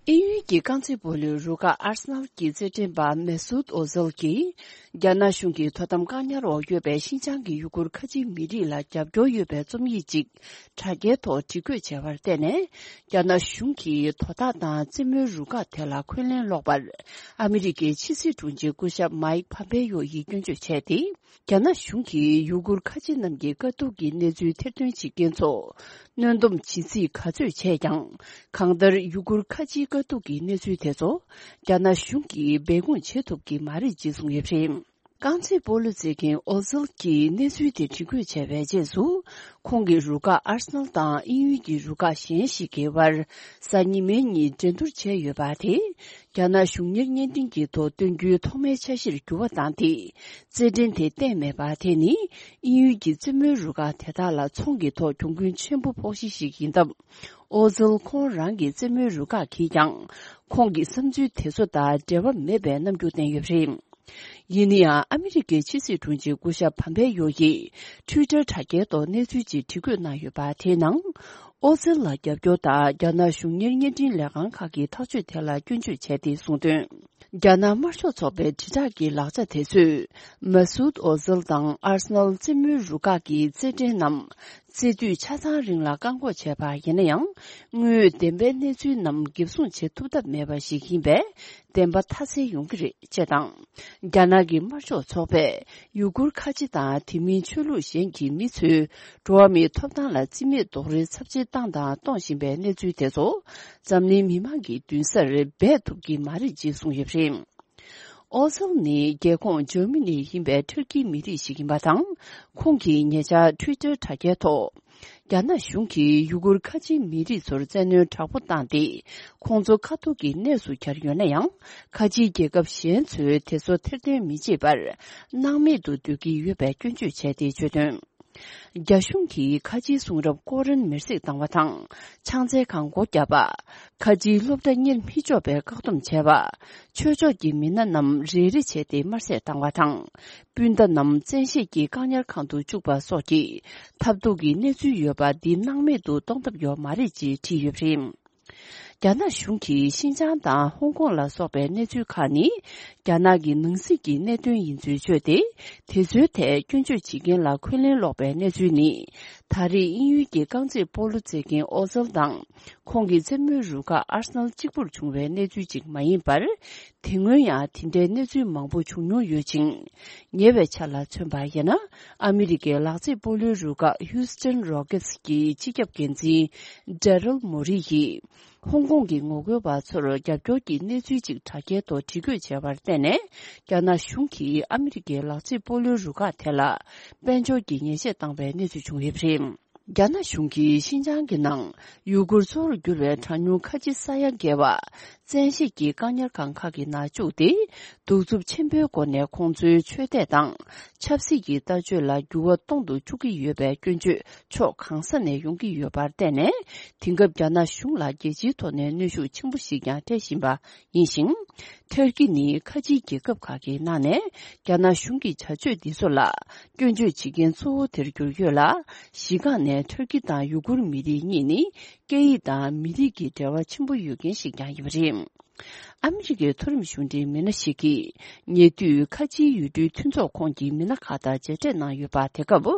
དབྱིན་ཡུལ་གྱི་རྐང་རྩེད་སྤོ་ལོའི་རུ་ཁག་ཨར་སི་ནལ་གྱི་རྩེད་འགྲན་པ་མེ་སུད་ཨོ་ཟལ་གྱིས། རྒྱ་ནག་གཞུང་གི་དོ་དམ་བཀག་ཉར་འོག་ཡོད་པའི་ཤིན་ཅང་གི་ཡུ་གུར་ཁ་ཆེ་མི་རིགས་ལ་རྒྱབ་སྐྱོར་ཡོད་པའི་རྩོམ་ཡིག་ཅིག་དྲ་རྒྱའི་ཐོག་བྲིས་བཀོད་བྱས་པར་བརྟེན་ནས། རྒྱ་ནག་གཞུང་གིས་དོ་བདག་དང་རྩེད་མོའི་རུ་ཁག་དེ་ལ་འཁོན་ལན་སློག་པར། ཨ་མི་རི་ཀའི་ཕྱི་སྲིད་དྲུང་ཆེ་སྐུ་ཞབས་མའིག་ཕམ་པེ་ཡོ་ཡིས་སྐྱོན་བརྗོད་བྱས་ཏེ། རྒྱ་ནག་གཞུང་གིས་ཡུ་གུར་ཁ་ཆེ་རྣམས་ཀྱི་དཀའ་སྡུག་གི་གནས་ཚུལ་ཐེར་འདོན་བྱེད་མཁན་ཚོ་གནོན་སྡོམ་བྱེད་རྩིས་ག་ཚོད་བྱས་ཀྱང་། གང་ལྟར་ཡུ་གུར་ཁ་ཆེའི་དཀའ་སྡུག་གི་གནས་ཚུལ་དེ་ཚོ་རྒྱ་ནག་གཞུང་གིས་སྦས་སྐུང་བྱེད་ཐུབ་ཀྱི་མ་རེད་ཅེས་གསུངས་ཡོད་པ་རེད། རྐང་རྩེད་སྤོ་ལོ་རྩེད་མཁན་ཨོ་ཟིལ་གྱིས་གནས་ཚུལ་དེ་འདྲི་བཀོད་བྱས་པའི་རྗེས་སུ། ཁོང་གི་རུ་ཁག་ཨར་སི་ནལ་དང་དབྱིན་ཡུལ་གྱི་རུ་ཁག་གཞན་ཞིག་གི་བར་གཟའ་ཉི་མའི་ཉིན་འགྲན་བསྡུར་བྱས་ཡོད་པ་དེ། རྒྱ་ནག་གཞུང་གཉེར་བརྙན་འཕྲིན་གྱི་ཐོག་སྟོན་རྒྱུའི་ཐོག་མའི་འཆར་གཞིར་འགྱུར་བ་བཏང་སྟེ། རྩེད་འགྲན་དེ་གཏན་མེད་པ་དེ་ནི། དབྱིན་ཡུལ་གྱི་རྩེད་མོའི་རུ་ཁག་དེ་དག་ལ་ཚོང་གི་ཐོག་གྱོང་གུན་ཆེན་པོ་ཕོག་གཞི་ཞིག་ཡིན་སྟབས། ཨོ་ཟིལ་ཁོང་རང་གི་རྩེད་མོའི་རུ་ཁག་གིས་ཀྱང་། ཁོང་གི་བསམ་ཚུལ་དེ་ཚོ་དང་འབྲེལ་བ་མེད་པའི་རྣམ་འགྱུར་བསྟན་ཡོད་པ་རེད། ཡིན་ན་ཡང་། ཨ་མི་རི་ཀའི་ཕྱི་སྲིད་དྲུང་ཆེ་སྐུ་ཞབས་ཕམ་པེ་ཡོ་ཡིས་ཊུའི་ཊར་དྲ་རྒྱའི་ཐོག་གནས་ཚུལ་ཅིག་འབྲི་འགོད་གནང་ཡོད་པ། དེའི་ནང་། ཨོ་ཟིལ་ལ་རྒྱབ་སྐྱོར་དང་རྒྱ་ནག་གཞུང་གཉེར་བརྙན་འཕྲིན་ལས་ཁང་ཁག་གི་ཐག་གཅོད་དེ་ལ་སྐྱོན་བརྗོད་བྱས་ཏེ་གསུངས་དོན། རྒྱ་ནག་དམར་ཤོག་ཚོགས་པའི་དྲིལ་བསྒྲགས་ཀྱི་ལག་ཆ་དེ་ཚོས། མ་སུད་ཨོ་ཟིལ་དང་ཨར་སི་ནལ་རྩེད་མོའི་རུ་ཁག་གི་རྩེད་འགྲན་རྣམས། རྩེད་དུས་ཆ་ཚང་རིང་ལ་བཀག་འགོག་བྱས་པ་ཡིན་ན་ཡང་། དངོས་ཡོད་བདེན་པའི་གནས་ཚུལ་རྣམས་འགེབས་སྲུང་བྱེད་ཐུབ་ཐབས་མེད་པ་ཞིག་ཡིན་པས། བདེན་པ་མཐའ་གསལ་ཡོང་གི་རེད་ཅེས་དང་། རྒྱ་ནག་གི་དམར་ཤོག་ཚོགས་པས་ཡུ་གུར་ཁ་ཆེ་དང་དེ་མིན་ཆོས་ལུགས་གཞན་གྱི་མི་ཚོའི་འགྲོ་བ་མིའི་ཐོབ་ཐང་ལ་བརྩི་མེད་རྡོག་རོལ་ཚབས་ཆེ་བཏང་དང་གཏོང་བཞིན་པའི་གནས་ཚུལ་དེ་ཚོ་འཛམ་གླིང་མི་མང་གི་མདུན་སར་སྦས་ཐུབ་ཀྱི་མ་རེད་ཅེས་གསུངས་ཡོད་པ་རེད། ཨོ་ཟེལ་ནི་རྒྱལ་ཁོངས་འཇར་མ་ནི་ཡིན་པའི་ཊར་ཀིའི་མི་རིགས་ཤིག་ཡིན་པ་དང་། ཁོང་གིས་ཉེ་ཆར་ཊུའི་ཊར་དྲ་རྒྱའི་ཐོག་རྒྱ་ནག་གཞུང་གིས་ཡུ་གུར་ཁ་ཆེའི་མི་རིགས་ཚོར་བཙན་གནོན་དྲག་པོ་བཏང་སྟེ། ཁོང་ཚོ་ཁ་ཐུག་གི་གནས་སུ་གྱར་ཡོད་ན་ཡང་། ཁ་ཆེའི་རྒྱལ་ཁབ་གཞན་ཚོས་དེ་ཚོ་ཐེར་འདོན་མི་བྱེད་པར། སྣང་མེད་དུ་སྡོད་ཀྱི་ཡོད་པའི་སྐྱོན་བརྗོད་བྱས་ཏེ། བརྗོད་དོན། རྒྱ་གཞུང་གིས་ཁ་ཆེའི་གསུང་རབ་ཀོ་རན་མེར་སྲེག་བཏང་བ་དང་། ཕྱག་འཚལ་ཁང་སྒོ་བརྒྱབ་པ། ཁ་ཆེའི་སློབ་གྲྭ་གཉེར་མི་ཆོག་པའི་བཀག་སྡོམ་བྱས་པ། ཆོས་ཕྱོགས་ཀྱི་མི་སྣ་རྣམས་རེ་རེ་བྱས་ཏེ་དམར་བསད་བཏང་བ་དང་། སྤུན་ཟླ་རྣམས་བཙན་ཤེད་ཀྱིས་བཀག་ཉར་ཁང་དུ་བཅུག་པ་སོགས་ཀྱི་ཐབས་སྡུག་གི་གནས་ཚུལ་ཡོད་པ་འདི་སྣང་མེད་དུ་གཏོང་ཐབས་ཡོད་མ་རེད་ཅེས་བྲིས་ཡོད་པ་རེད། རྒྱ་ནག་གཞུང་གིས་ཤིན་ཅང་དང་ཧོང་ཀོང་ལ་སོགས་པའི་གནས་ཚུལ་ཁག་ནི། རྒྱ་ནག་གི་ནང་སྲིད་ཀྱི་གནད་དོན་ཡིན་ཚུལ་བརྗོད་དེ། དེ་ཚོའི་ཐད་སྐྱོན་བརྗོད་བྱེད་མཁན་ལ་འཁོན་ལན་སློག་པའི་གནས་ཚུལ་ནི། ད་རེས་དབྱིན་ཡུལ་གྱི་རྐང་རྩེད་སྤོ་ལོ་རྩེད་མཁན་ཨོ་ཟེལ་དང་། ཁོང་གི་རྩེད་མོའི་རུ་ཁག་ཨར་སི་ནལ་གཅིག་པུར་བྱུང་བའི་གནས་ཚུལ་ཅིག་མ་ཡིན་པར། དེ་སྔོན་ཡང་དེ་འདྲའི་གནས་ཚུལ་མང་པོ་བྱུང་མྱོང་ཡོད་ཅིང་། ཉེ་བའི་ཆར་ལ་མཚོན་པ་ཡིན་ན། ཨ་མི་རི་ཀའི་ལག་རྩེད་སྤོ་ལོའི་རུ་ཁག་Houston Rockets་གྱི་སྤྱི་ཁྱབ་འགན་འཛིན་Daryl Morey་ཡིས། ཧོང་ཀོང་གི་ངོ་རྒོལ་བ་ཚོར་རྒྱབ་སྐྱོར་གྱི་གནས་ཚུལ་ཅིག་དྲ་རྒྱའི་ཐོག་བྲིས་འགོད་བྱས་པར་བརྟེན་ནས། རྒྱ་ནག་གཞུང་གིས་ཨ་མི་རི་ཀའི་ལག་རྩེད་སྤོ་ལོའི་རུ་ཁག་དེ་ལ་དཔལ་འབྱོར་གྱི་ཉེས་ཆད་བཏང་བའི་གནས་ཚུལ་བྱུང་ཡོད་པ་རེད། རྒྱ་ནག་གཞུང་གིས་ཤིན་ཅང་གི་ནང་ཡུ་གུར་གཙོ་བོར་གྱུར་བའི་གྲངས་ཉུང་ཁ་ཆེ་ས་ཡ་བརྒལ་བ། བཙན་ཤེད་ཀྱིས་བཀག་ཉར་ཁང་ཁག་གི་ནང་བཅུག་སྟེ། གདུག་རྩུབ་ཆེན་པོའི་སྒོ་ནས་ཁོང་ཚོའི་ཆོས་དད་དང་ཆབ་སྲིད་ཀྱི་ལྟ་སྤྱོད་ལ་འགྱུར་བ་གཏོང་དུ་བཅུག་གི་ཡོད་པའི་སྐྱོན་བརྗོད་ཕྱོགས་གང་ས་ནས་ཡོང་གི་ཡོད་པར་བརྟེན་ནས། དེང་སྐབས་རྒྱ་ནག་གཞུང་ལ་རྒྱལ་སྤྱིའི་ཐོག་ནས་གནོན་ཤུགས་ཆེན་པོ་ཞིག་ཀྱང་སྤྲད་བཞིན་པ་ཡིན་ཞིང་། ཐར་ཀི་ནི་ཁ་ཆེའི་རྒྱལ་ཁབ་ཁག་གི་ནང་ནས་རྒྱ་ནག་གཞུང་གི་བྱ་སྤྱོད་འདི་ཚོ་ལ་སྐྱོན་བརྗོད་བྱེད་མཁན་གཙོ་བོ་དེར་གྱུར་ཡོད་ལ། གཞི་རྐང་ནས་ཐར་ཀི་དང་ཡུ་གུར་མི་རིགས་གཉིས་ནི་སྐད་ཡིག་དང་མི་རིགས་ཀྱི་འབྲེལ་བ་ཆེན་པོ་ཡོད་མཁན་ཞིག་ཀྱང་ཡིན་པ་རེད། ཨ་མི་རི་ཀའི་མཐོ་རིམ་གཞུང་འབྲེལ་མི་སྣ་ཞིག་གིས། ཉེ་དུས་ཁ་ཆེའི་ཡུལ་གྲུའི་མཐུན་ཚོགས་ཁོངས་ཀྱི་མི་སྣ་ཁག་དང་མཇལ་འཕྲད་གནང་ཡོད་པ། དེ་སྐབས་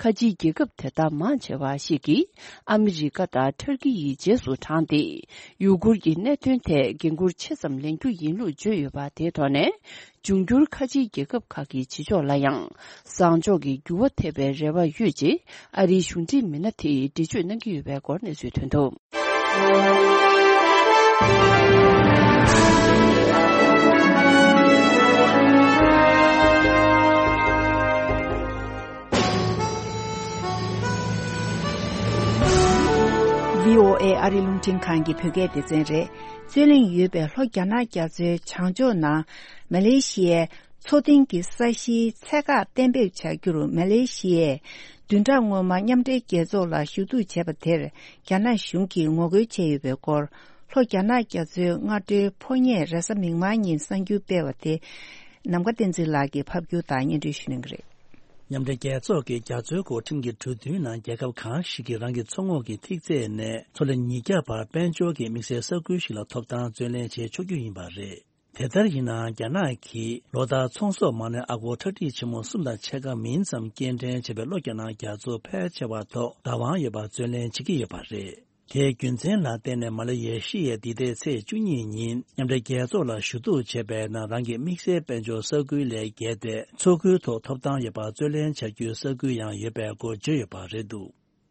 ཁ་ཆེའི་རྒྱལ་ཁབ་དེ་དག་མང་ཆེ་བ་ཞིག་གིས་ཨ་མི་རི་ཀ་དང་ཐར་ཀི་ཡི་རྗེས་སུ་འབྲངས་ཏེ། ཡུ་གུར་གྱི་གནད་དོན་ཐད་འགན་འཁུར་ཆེ་ཙམ་ལེན་རྒྱུ་ཡིན་ལུགས་བརྗོད་ཡོད་པ། དེའི་ཐོག་ནས། འབྱུང་འགྱུར་ཁ་ཆེའི་རྒྱལ་ཁབ་ཁག་གི་བྱེད་ཕྱོགས་ལ་ཡང་བཟང་ཕྱོགས་ཀྱི་འགྱུར་བ་ཐེབས་པའི་རེ་བ་ཡོད་ཅེས་ཨ་རིའི་གཞུང་འབྲེལ་མི་སྣ་དེས་འགྲེལ་བརྗོད་གནང་གི་ཡོད་པའི་སྐོར་གནས་ཚུལ་ཐོན་འདུག་བྷི་ཨོ་ཨེ་ཨ་རིའི་རླུང་འཕྲིན་ཁང་གི་བོད་སྐད་སྡེ་ཚན་རེད། རྩོད་གླེང་ཡོད་པའི་ལྷོ་རྒྱ་ནག་རྒྱ་མཚོའི་བྱང་ཕྱོགས་ནང་མ་ལེ་ཤི་ཡའི་མཚོ་གཏིང་གི་ས་གཞིའི་ཚད་བཀག་གཏན་འབེབས་བྱ་རྒྱུར་མ་ལེ་ཤི་ཡས་བདུན་ཕྲག་སྔོན་མ་མཉམ་འབྲེལ་རྒྱལ་ཚོགས་ལ་ཞུ་གཏུག་བྱས་པ་དེར་རྒྱ་ནག་གཞུང་གིས་ངོ་རྒོལ་བྱས་ཡོད་པའི་སྐོར། ལྷོ་རྒྱ་ནག་རྒྱ་མཚོའི་སྔ་དྲོའི་ཕོ་ཉས་རེས་གཟའ་མིག་དམར་ཉིན་གསར་འགྱུར་སྤེལ་བ་དེ། ནམ་མཁའ་བསྟན་འཛིན་ལགས་ཀྱིས་ཕབ་སྒྱུར་དང་སྙན་སྒྲོན་ཞུ་གནང་གི་རེད། མཉམ་འབྲེལ་རྒྱལ་ཚོགས་ཀྱི་རྒྱ་མཚོའི་སྐོར་ཁྲིམས་ཀྱི་གྲོས་མཐུན་ནང་རྒྱལ་ཁབ་གང་ཞིག་གིས་རང་གི་མཚོ་ངོགས་ཀྱི་ཐིག་ཚད་ནས་མཚོ་ལས་ཉིས་བརྒྱ་བར་དཔལ་འབྱོར་གྱི་དམིགས་བསལ་ས་ཁུལ་ཞིག་ལ་ཐོབ་ཐང་རྩོད་ལེན་བྱེད་ཆོག་རྒྱུ་ཡིན་པ་རེད། དེ་ལྟར་ཡིན་ནའང་རྒྱ་ནག་གིས་ལོ་ལྟར་ཚོང་ཟོག་མ་ཎི་ཨ་སྒོར་ཁྲག་ཁྲིག་ཆེན་མོ་གསུམ་དང་ཕྱེད་ཀ་མིན་ཙམ་སྐྱེལ་འདྲེན་བྱས་པའི་ལྷོ་རྒྱ་ནག་རྒྱ་མཚོ་ཕལ་ཆེ་བ་ཐོག་བདག་དབང་ཡོད་པར་རྩོད་ལེན་བྱེད་ཀྱི་ཡོད་པ་རེད། དེའི་རྒྱུ་མཚན་ལ་བརྟེན་ནས་མ་ལ་ཡེ་ཤི་ཡས་འདི་ཟླའི་ཚེས་བཅུ་གཉིས་ཉིན་མཉམ་འབྲེལ་རྒྱལ་ཚོགས་ལ་ཞུ་གཏུག་བྱས་པའི་ནང་རང་གི་དམིགས་བསལ་དཔལ་འབྱོར་ས་ཁུལ་ལས་བརྒལ་ཏེ་མཚོ་ཁུལ་ཐོག་ཐོབ་ཐང་ཡོད་པར་རྩོད་ལེན་བྱ་རྒྱུའི་ས་ཁུལ་ཡང་ཡོད་པའི་སྐོར་བརྗོད་ཡོད་པ་རེད་འདུག་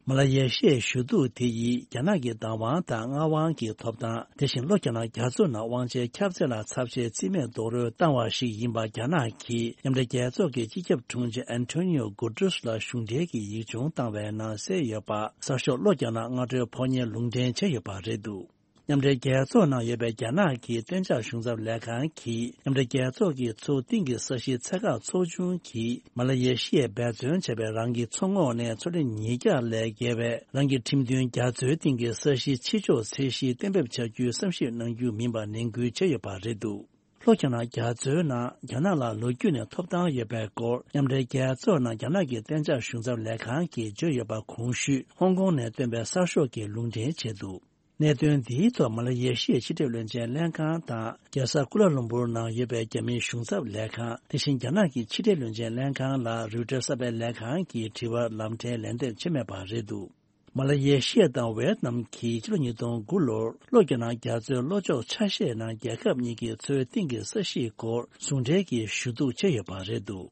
མ་ལ་ཡེ་ཤི་ཡའི་ཞུ་གཏུག་དེ་ཡིས་རྒྱ་ནག་གི་བདག་དབང་དང་མངའ་དབང་གི་ཐོབ་ཐང་། དེ་བཞིན་ལྷོ་རྒྱ་ནག་རྒྱ་མཚོ་ནང་དབང་ཆའི་ཁྱབ་ཚད་ལ་ཚབས་ཆེའི་རྩིས་མེད་རྡོག་རོལ་བཏང་བ་ཞིག་ཡིན་པ་རྒྱ་ནག་གིས་མཉམ་འབྲེལ་རྒྱལ་ཚོགས་ཀྱི་སྤྱི་ཁྱབ་དྲུང་ཆེ་ཨན་ཐོ་ནི་ཡོ་གུ་ཏྲེས་ལ་གཞུང་འབྲེལ་གྱི་ཡིག་ཆུང་བཏང་བའི་ནང་གསལ་ཡོད་པ། གསར་ཤོག་ལྷོ་རྒྱ་ནག་སྔ་དྲོའི་ཕོ་ཉས་ལུང་འདྲེན་བྱས་ཡོད་པ་རེད་འདུག་མཉམ་འབྲེལ་རྒྱལ་ཚོགས་ནང་ཡོད་པའི་རྒྱ་ནག་གི་གཏན་འཇགས་གཞུང་ཚབ་ལས་ཁང་གིས་མཉམ་འབྲེལ་རྒྱལ་ཚོགས་ཀྱི་མཚོ་གཏིང་གི་ས་གཞིའི་ཚད་བཀག་ཚོགས་ཆུང་གིས་མ་ལ་ཡེ་ཤི་ཡས་འབད་བརྩོན་བྱས་པའི་རང་གི་མཚོ་ངོགས་ནས་མཚོ་ལས་ཉིས་བརྒྱ་ལས་བརྒལ་བའི་རང་གི་ཁྲིམས་མཐུན་རྒྱ་མཚོའི་གཏིང་གི་ས་གཞིའི་ཕྱི་ཕྱོགས་ཚད་གཞི་གཏན་འབེབས་བྱ་རྒྱུའི་བསམ་ཞིབ་གནང་རྒྱུ་མིན་པ་ནན་སྐུལ་བྱས་ཡོད་པ་རེད་འདུག་ལྷོ་རྒྱ་ནག་རྒྱ་མཚོའི་ནང་རྒྱ་ནག་ལ་ལོ་རྒྱུས་ནས་ཐོབ་ཐང་ཡོད་པའི་སྐོར་མཉམ་འབྲེལ་རྒྱལ་ཚོགས་ནང་རྒྱ་ནག་གི་གཏན་འཇགས་གཞུང་ཚབ་ལས་ཁང་གིས་བརྗོད་ཡོད་པ་གོང་ཞུས་ཧོང་ཀོང་ནས་བཏོན་པའི་གསར་ཤོག་གིས་ལུང་འདྲེན་བྱས་འདུག་གནད་དོན་འདིའི་ཐོག་མ་ལ་ཡེ་ཤི་ཡའི་ཕྱི་འབྲེལ་བློན་ཆེན་ལྷན་ཁང་དང་རྒྱལ་ས་ཀུ་ལ་ལུམ་བུར་ནང་ཡོད་པའི་རྒྱ་མིའི་གཞུང་ཚབ་ལས་ཁང་། དེ་བཞིན་རྒྱ་ནག་གི་ཕྱི་འབྲེལ་བློན་ཆེན་ལྷན་ཁང་ལ་རོའི་ཊར་གསར་པའི་ལས་ཁང་གིས་དྲི་བར་ལམ་ཕྲན་ལན་འདེབས་བྱས་མེད་པ་རེད་འདུག་མ་ལ་ཡེ་ཤི་ཡ་དང་ཝེ་ཏི་ནམ་གྱིས་ཕྱི་ལོ་ཉིས་སྟོང་དགུ་ལོར་ལྷོ་རྒྱ་ནག་རྒྱ་མཚོའི་ལྷོ་ཕྱོགས་ཆ་ཤས་ནང་རྒྱལ་ཁབ་གཉིས་ཀྱི་མཚོའི་གཏིང་གི་ས་གཞིའི་སྐོར་ཟུང་འབྲེལ་གྱིས་ཞུ་གཏུག་བྱས་ཡོད་པ་རེད་འདུག་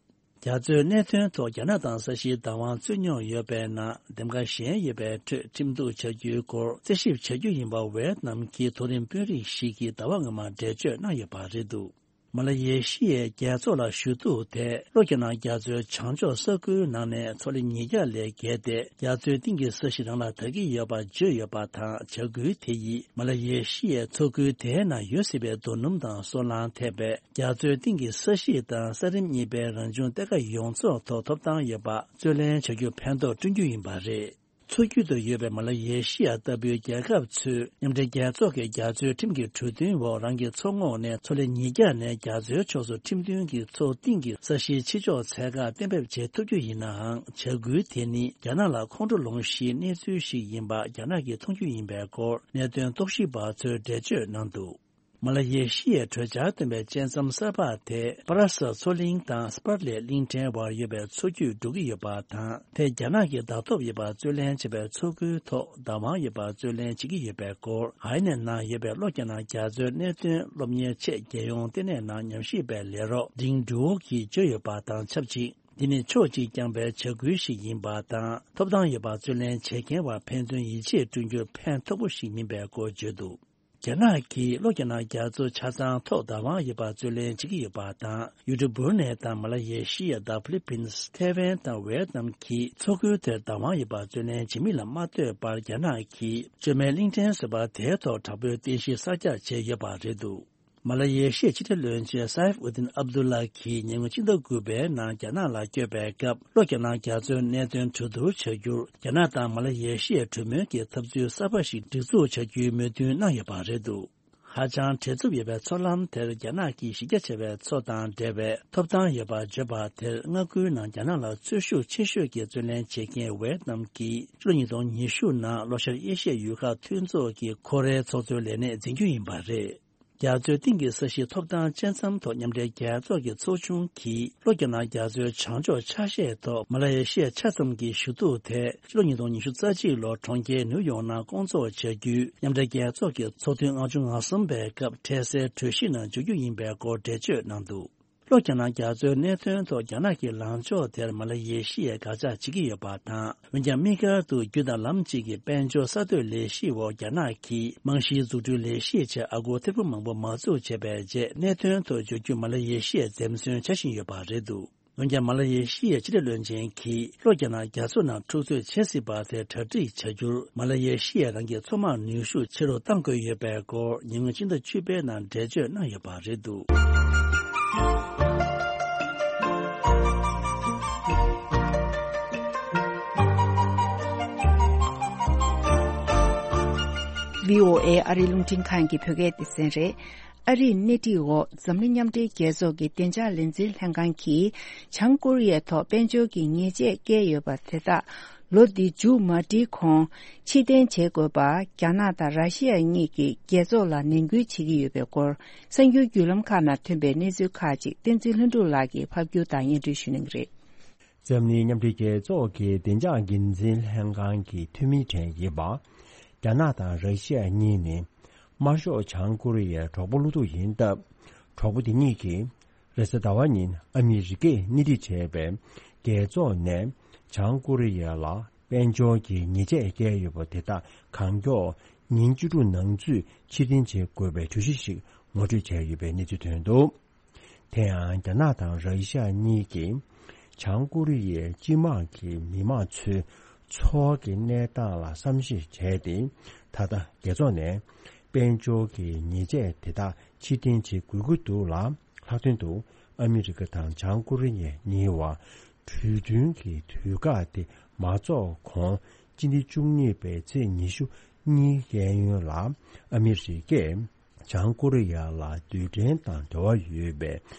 རྒྱ་མཚོའི་གནད་དོན་ཐོག་རྒྱ་ནག་དང་ས་གཞིའི་བདག་དབང་རྩོད་མྱོང་ཡོད་པའི་ནང་འདེམས་ཀ་གཞན་ཡོད་པའི་ཁྲོད་ཁྲིམས་གཏུག་བྱ་རྒྱུའི་སྐོར་རྩད་ཞིབ་བྱ་རྒྱུ་ཡིན་པ་ཝེ་ཏི་ནམ་གྱི་མཐོ་རིམ་དཔོན་རིགས་ཤིག་གིས་ཟླ་བ་སྔོན་མ་འགྲེལ་བརྗོད་གནང་ཡོད་པ་རེད་འདུག་མ་ལ་ཡེ་ཤི་ཡའི་རྒྱལ་ཚོགས་ལ་ཞུ་གཏུག་དེ་ལྷོ་རྒྱ་ནག་རྒྱ་མཚོའི་བྱང་ཕྱོགས་ས་ཁུལ་ནང་ནས་མཚོ་ལས་ཉིས་བརྒྱ་ལས་བརྒལ་ཏེ་རྒྱ་མཚོའི་གཏིང་གི་ས་གཞི་རང་ལ་དག་གི་ཡོད་པ་བརྗོད་ཡོད་པ་དང་། བྱ་འགུལ་དེ་ཡིས་མ་ལ་ཡེ་ཤི་ཡའི་མཚོ་ཁུལ་དེའི་ནང་ཡོད་སྲིད་པའི་རྡོ་སྣུམ་དང་སོལ་རླངས་ཐེ་བའི་རྒྱ་མཚོའི་གཏིང་གི་ས་གཞི་དང་ས་རིམ་གཉིས་པའི་རང་བྱུང་གཏེར་ཁ་ཡོངས་རྫོགས་ཐོག་ཐོབ་ཐང་ཡོད་པ་རྩོད་ལེན་བྱ་རྒྱུར་ཕན་ཐོགས་བསྐྲུན་རྒྱུ་ཡིན་པ་རེད། མཚོ་རྒྱུད་དུ་ཡོད་པའི་མ་ལ་ཡེ་ཤི་ཡ་ལྟ་བུའི་རྒྱལ་ཁབ་ཚོས་མཉམ་འབྲེལ་རྒྱལ་ཚོགས་ཀྱི་རྒྱ་མཚོའི་ཁྲིམས་ཀྱི་གྲོས་མཐུན་འོག་རང་གི་མཚོ་ངོགས་ནས་མཚོ་ལས་ཉིས་བརྒྱ་ནས་རྒྱ་མཚོའི་ཕྱོགས་སུ་ཁྲིམས་མཐུན་གྱི་མཚོ་གཏིང་གི་ས་གཞིའི་ཕྱི་ཕྱོགས་ཚད་བཀག་གཏན་འབེབས་བྱེད་ཐུབ་རྒྱུ་ཡིན་ནའང་། བྱ་འགུལ་དེ་ནི་རྒྱ་ནག་ལ་ཁོང་ཁྲོ་ལངས་གཞིའི་གནས་ཚུལ་ཞིག་ཡིན་པ་རྒྱ་ནག་གིས་མཐོང་རྒྱུ་ཡིན་པའི་སྐོར་གནད་དོན་རྟོག་ཞིབ་པ་ཚོས་འགྲེལ་བརྗོད་གནང་འདུག་མ་ལ་ཡེ་ཤི་ཡའི་གྲོས་འཆར་བཏོན་པའི་བཅད་མཚམས་གསར་པ་དེ་པ་ར་སལ་མཚོ་གླིང་དང་སི་པར་ལེ་གླིང་ཕྲན་བར་ཡོད་པའི་མཚོ་རྒྱུད་འགྲོ་གི་ཡོད་པ་དང་། དེ་རྒྱ་ནག་གིས་བདག་ཐོབ་ཡོད་པར་རྩོད་ལེན་བྱེད་པའི་མཚོ་ཁུལ་ཐོག་བདག་དབང་ཡོད་པར་རྩོད་ལེན་བྱེད་ཀྱི་ཡོད་པའི་སྐོར། ཧའེ་ནན་ནང་ཡོད་པའི་ལྷོ་རྒྱ་ནག་རྒྱ་མཚོའི་གནད་དོན་སློབ་གཉེར་ཆེད་རྒྱལ་ཡོངས་ལྟེ་གནས་ནང་ཉམས་ཞིབ་པའི་ལས་རོགས་ཌིང་ཌུའོ་གིས་བརྗོད་ཡོད་པ་དང་ཆབས་ཅིག་འདི་ནི་ཕྱོགས་གཅིག་རྐྱང་པའི་བྱ་འགུལ་ཞིག་ཡིན་པ་དང་། ཐོབ་ཐང་ཡོད་པར་རྩོད་ལེན་བྱེད་མཁན་བར་ཕན་ཚུན་ཡིད་ཆེས་བསྐྲུན་རྒྱུར་ཕན་ཐོགས་པོ་ཞིག་མིན་པའི་སྐོར་བརྗོད་འདུག་རྒྱ་ནག་གིས་ལྷོ་རྒྱ་ནག་རྒྱ་མཚོ་ཆ་ཚང་ཐོག་བདག་དབང་ཡོད་པར་རྩོད་ལེན་བྱེད་ཀྱི་ཡོད་པ་དང་། ཡུ་གུར་བྷུ་རུ་ནེ་དང་མ་ལ་ཡེ་ཤི་ཡ་དང་ཕི་ལི་པིན། ཐེ་ཝན་དང་ཝེ་ཏི་ནམ་གྱིས་མཚོ་ཁུལ་དེར་བདག་དབང་ཡོད་པར་རྩོད་ལེན་བྱེད་མིན་ལ་མ་ལྟོས་པར། རྒྱ་ནག་གིས་བཅོས་མའི་གླིང་ཕྲན་བཟོས་པ་དེའི་ཐོག་དྲག་པོའི་རྟེན་གཞི་གསར་རྒྱག་བྱས་ཡོད་པ་རེད་འདུག་མ་ལ་ཡེ་ཤི་ཡའི་ཕྱི་འབྲེལ་བློན་ཆེན་སཱ་ཨིབ་ཨུ་དིན་ཨབ་དུ་ལ་གིས་ཉེ་སྔོན་ཕྱི་ཟླ་དགུ་པའི་ནང་རྒྱ་ནག་ལ་བསྐྱོད་པའི་སྐབས། ལྷོ་རྒྱ་ནག་རྒྱ་མཚོའི་གནད་དོན་གྲོས་བསྡུར་བྱ་རྒྱུར། རྒྱ་ནག་དང་མ་ལ་ཡེ་ཤི་ཡའི་གྲོས་མོལ་གྱི་འཐབ་རྩོད་གསར་པ་ཞིག་སྒྲིག་འཛུགས་བྱ་རྒྱུའི་མོས་མཐུན་གནང་ཡོད་པ་རེད་འདུག་ཧ་ཅང་བྲེལ་འཚུབ་ཡོད་པའི་མཚོ་ལམ་དེར་རྒྱ་ནག་གིས་གཞི་རྒྱ་ཆེ་བའི་མཚོ་དང་འབྲེལ་བའི་ཐོབ་ཐང་ཡོད་པར་བརྗོད་པ་དེར། མངའ་ཁུལ་ནང་རྒྱ་ནག་ལ་རྩོད་ཤུགས་ཆེ་ཤོས་ཀྱི་རྩོད་ལེན་བྱེད་མཁན་ཝེ་ཏི་ནམ་གྱིས། ཕྱི་ལོ་ཉིས་སྟོང་ཉི་ཤུ་ནང་ལྷོ་ཤར་ཨེ་ཤི་ཡའི་ཡུལ་ཁག་མཐུན་ཚོགས་ཀྱི་ཁོ་རེའི་ཚོགས་གཙོའི་ལས་གནས་འཛིན་རྒྱུ་ཡིན་པ་རེད། རྒྱ་མཚོའི་གཏིང་གི་ས་གཞིའི་ཐོབ་ཐང་བཅད་མཚམས་ཐོག་མཉམ་འབྲེལ་རྒྱལ་ཚོགས་ཀྱི་ཚོགས་ཆུང་གིས། ལྷོ་རྒྱ་ནག་རྒྱ་མཚོའི་བྱང་ཕྱོགས་ཆ་ཤས་ཐོག་མ་ལ་ཡེ་ཤི་ཡ་ཆ་ཙམ་གྱི་ཞུ་གཏུག་དེ། ཕྱི་ལོ་ཉིས་སྟོང་ཉི་ཤུ་རྩ་གཅིག་ལོར་གྲོང་ཁྱེར་ནིའུ་ཡོག་ནང་བསྐོང་ཚོགས་བྱ་རྒྱུའི་མཉམ་འབྲེལ་རྒྱལ་ཚོགས་ཀྱི་ཚོགས་ཐུན་ལྔ་བཅུ་ང་གསུམ་པའི་སྐབས་འཕྲལ་སེལ་གྲོས་གཞི་ནང་འཇུག་རྒྱུ་ཡིན་པའི་སྐོར་འགྲེལ་བརྗོད་གནང་འདུག་ལྷོ་རྒྱ་ནག་རྒྱ་མཚོའི་གནད་དོན་ཐོག་རྒྱ་ནག་གིས་ལངས་ཕྱོགས་དེར་མ་ལ་ཡེ་ཤི་ཡས་དགག་བྱ་བྱེད་ཀྱི་ཡོད་པ་དང་། འོན་ཀྱང་། དམིགས་བཀར་དུ་རྒྱུ་དང་ལམ་གཅིག་གི་དཔལ་འབྱོར་གསར་གཏོད་ལས་གཞིའི་འོག་རྒྱ་ནག་གིས་རྨང་གཞིའི་འཛུགས་སྐྲུན་ལས་གཞིའི་ཆེད་ཨ་སྒོར་ཐེར་འབུམ་མང་པོ་མ་འཛུགས་བྱས་པའི་རྗེས། གནད་དོན་ཐོག་བརྗོད་རྒྱུ་མ་ལ་ཡེ་ཤི་ཡས་འཛེམ་ཟོན་བྱ་བཞིན་ཡོད་པ་རེད་འདུག་འོན་ཀྱང་། མ་ལ་ཡེ་ཤི་ཡའི་ཕྱི་འབྲེལ་བློན་ཆེན་གྱིས། ལྷོ་རྒྱ་ནག་རྒྱ་མཚོ་ནང་འཁྲུག་རྩོད་བྱེད་སྲིད་པ་དེ་གྲ་སྒྲིག་བྱ་རྒྱུར། མ་ལ་ཡེ་ཤི་ཡས་རང་གི་མཚོ་དམག་ནུས་ཤུགས་ཆེ་རུ་གཏང་དགོས་ཡོད་པའི་སྐོར། ཉེ་སྔོན་ཕྱི་ཟླ་བཅུ་པའི་ནང་འགྲེལ་བརྗོད་གནང་ཡོད་པ་རེད་འདུག་བྷི་ཨོ་ཨེ་ཨ་རིའི་རླུང་འཕྲིན་ཁང་གི་བོད་སྐད་སྡེ་ཚན་རེད། ཨ་རིའི་སྣེ་ཁྲིད་འོག་འཛམ་གླིང་མཉམ་འབྲེལ་རྒྱལ་ཚོགས་ཀྱི་བདེ་འཇགས་ལས་འཛིན་ལྷན་ཁང་གིས། བྱང་ཀོ་རི་ཡའི་ཐོག་དཔལ་འབྱོར་གྱི་ཉེས་ཆད་བཀལ་ཡོད་པ་དེ་དག་ལོ་འདི་མཇུག་མ་སྒྲིལ་གོང་ཕྱིར་འཐེན་བྱེད་དགོས་པ། རྒྱ་ནག་དང་ར་ཤི་ཡ་གཉིས་ཀྱིས་རྒྱལ་ཚོགས་ལ་ནན་སྐུལ་བྱེད་ཀྱི་ཡོད་པའི་སྐོར། གསར་འགྱུར་བརྒྱུད་ལམ་ཁག་ནང་ཐོན་པའི་གནས་ཚུལ་ཁག་ཅིག་བསྟན་འཛིན་ལྷུན་གྲུབ་ལགས་ཀྱིས་ཕབ་སྒྱུར་དང་སྙན་སྒྲོན་ཞུ་གནང་གི་རེད། འཛམ་གླིང་མཉམ་འབྲེལ་རྒྱལ་ཚོགས་ཀྱི་བདེ་འཇགས་འགན་འཛིན་ལྷན་ཁང་གི་འཐུས་མིའི་གྲས་ཡིན་པ། རྒྱ་ནག་དང་ར་ཤི་ཡ་གཉིས་ནི། དམར་ཤོག་བྱང་ཀོ་རི་ཡའི་གྲོགས་པོ་བློ་ཐུག་ཡིན་སྟབས། གྲོགས་པོ་དེ་གཉིས་ཀྱིས། རེས་གཟའ་ཟླ་བ་ཉིན་ཨ་མི་རི་ཀས་སྣེ་ཁྲིད་བྱས་པའི་རྒྱལ་ཚོགས་ནས། བྱང་ཀོ་རི་ཡ་ལ་དཔལ་འབྱོར་གྱི་ཉེས་ཆད་བཀལ་ཡོད་པ་དེ་དག་གང་མགྱོགས་ཉིན་བཅུ་དྲུག་ནང་ཚུད་ཕྱིར་འཐེན་བྱེད་དགོས་པའི་གྲོས་གཞི་ཞིག་ངོ་སྤྲོད་བྱས་ཡོད་པའི་གནས་ཚུལ་ཐོན་འདུག་དེ་ཡང་། རྒྱ་ནག་དང་ར་ཤི་ཡ་གཉིས་ཀྱིས། བྱང་ཀོ་རི་ཡའི་སྤྱི་དམངས་ཀྱི་མི་མང་ཚོའི་འཚོ་བ་གི་གནས་སྟངས་ལ་བསམ་ཤེས་བྱས་ཏེ། ད་ལྟ་རྒྱལ་ཚོགས་ནས་དཔལ་འབྱོར་གྱི་ཉེས་ཆད་དེ་དག་ཕྱིར་འཐེན་བྱེད་དགོས་ཀྱི་འདུག་ལ། ལྷག་དོན་དུ་ཨ་མི་རི་ཀ་དང་བྱང་ཀོ་རི་ཡ་གཉིས་བར་གྲོས་མཐུན་གྱི་དུས་བཀག་དེ་མ་རྫོགས་གོང་སྤྱི་ཟླ་བཅུ་གཉིས་པའི་ཚེས་ཉི་ཤུ་གཉིས་གཡས་གཡོན་ལ་ཨ་མི་རི་ཀས། བྱང་ཀོ་རི་ཡ་ལ་རྡུལ་ཕྲན་དང་འབྲེལ་བ་ཡོད་པའི་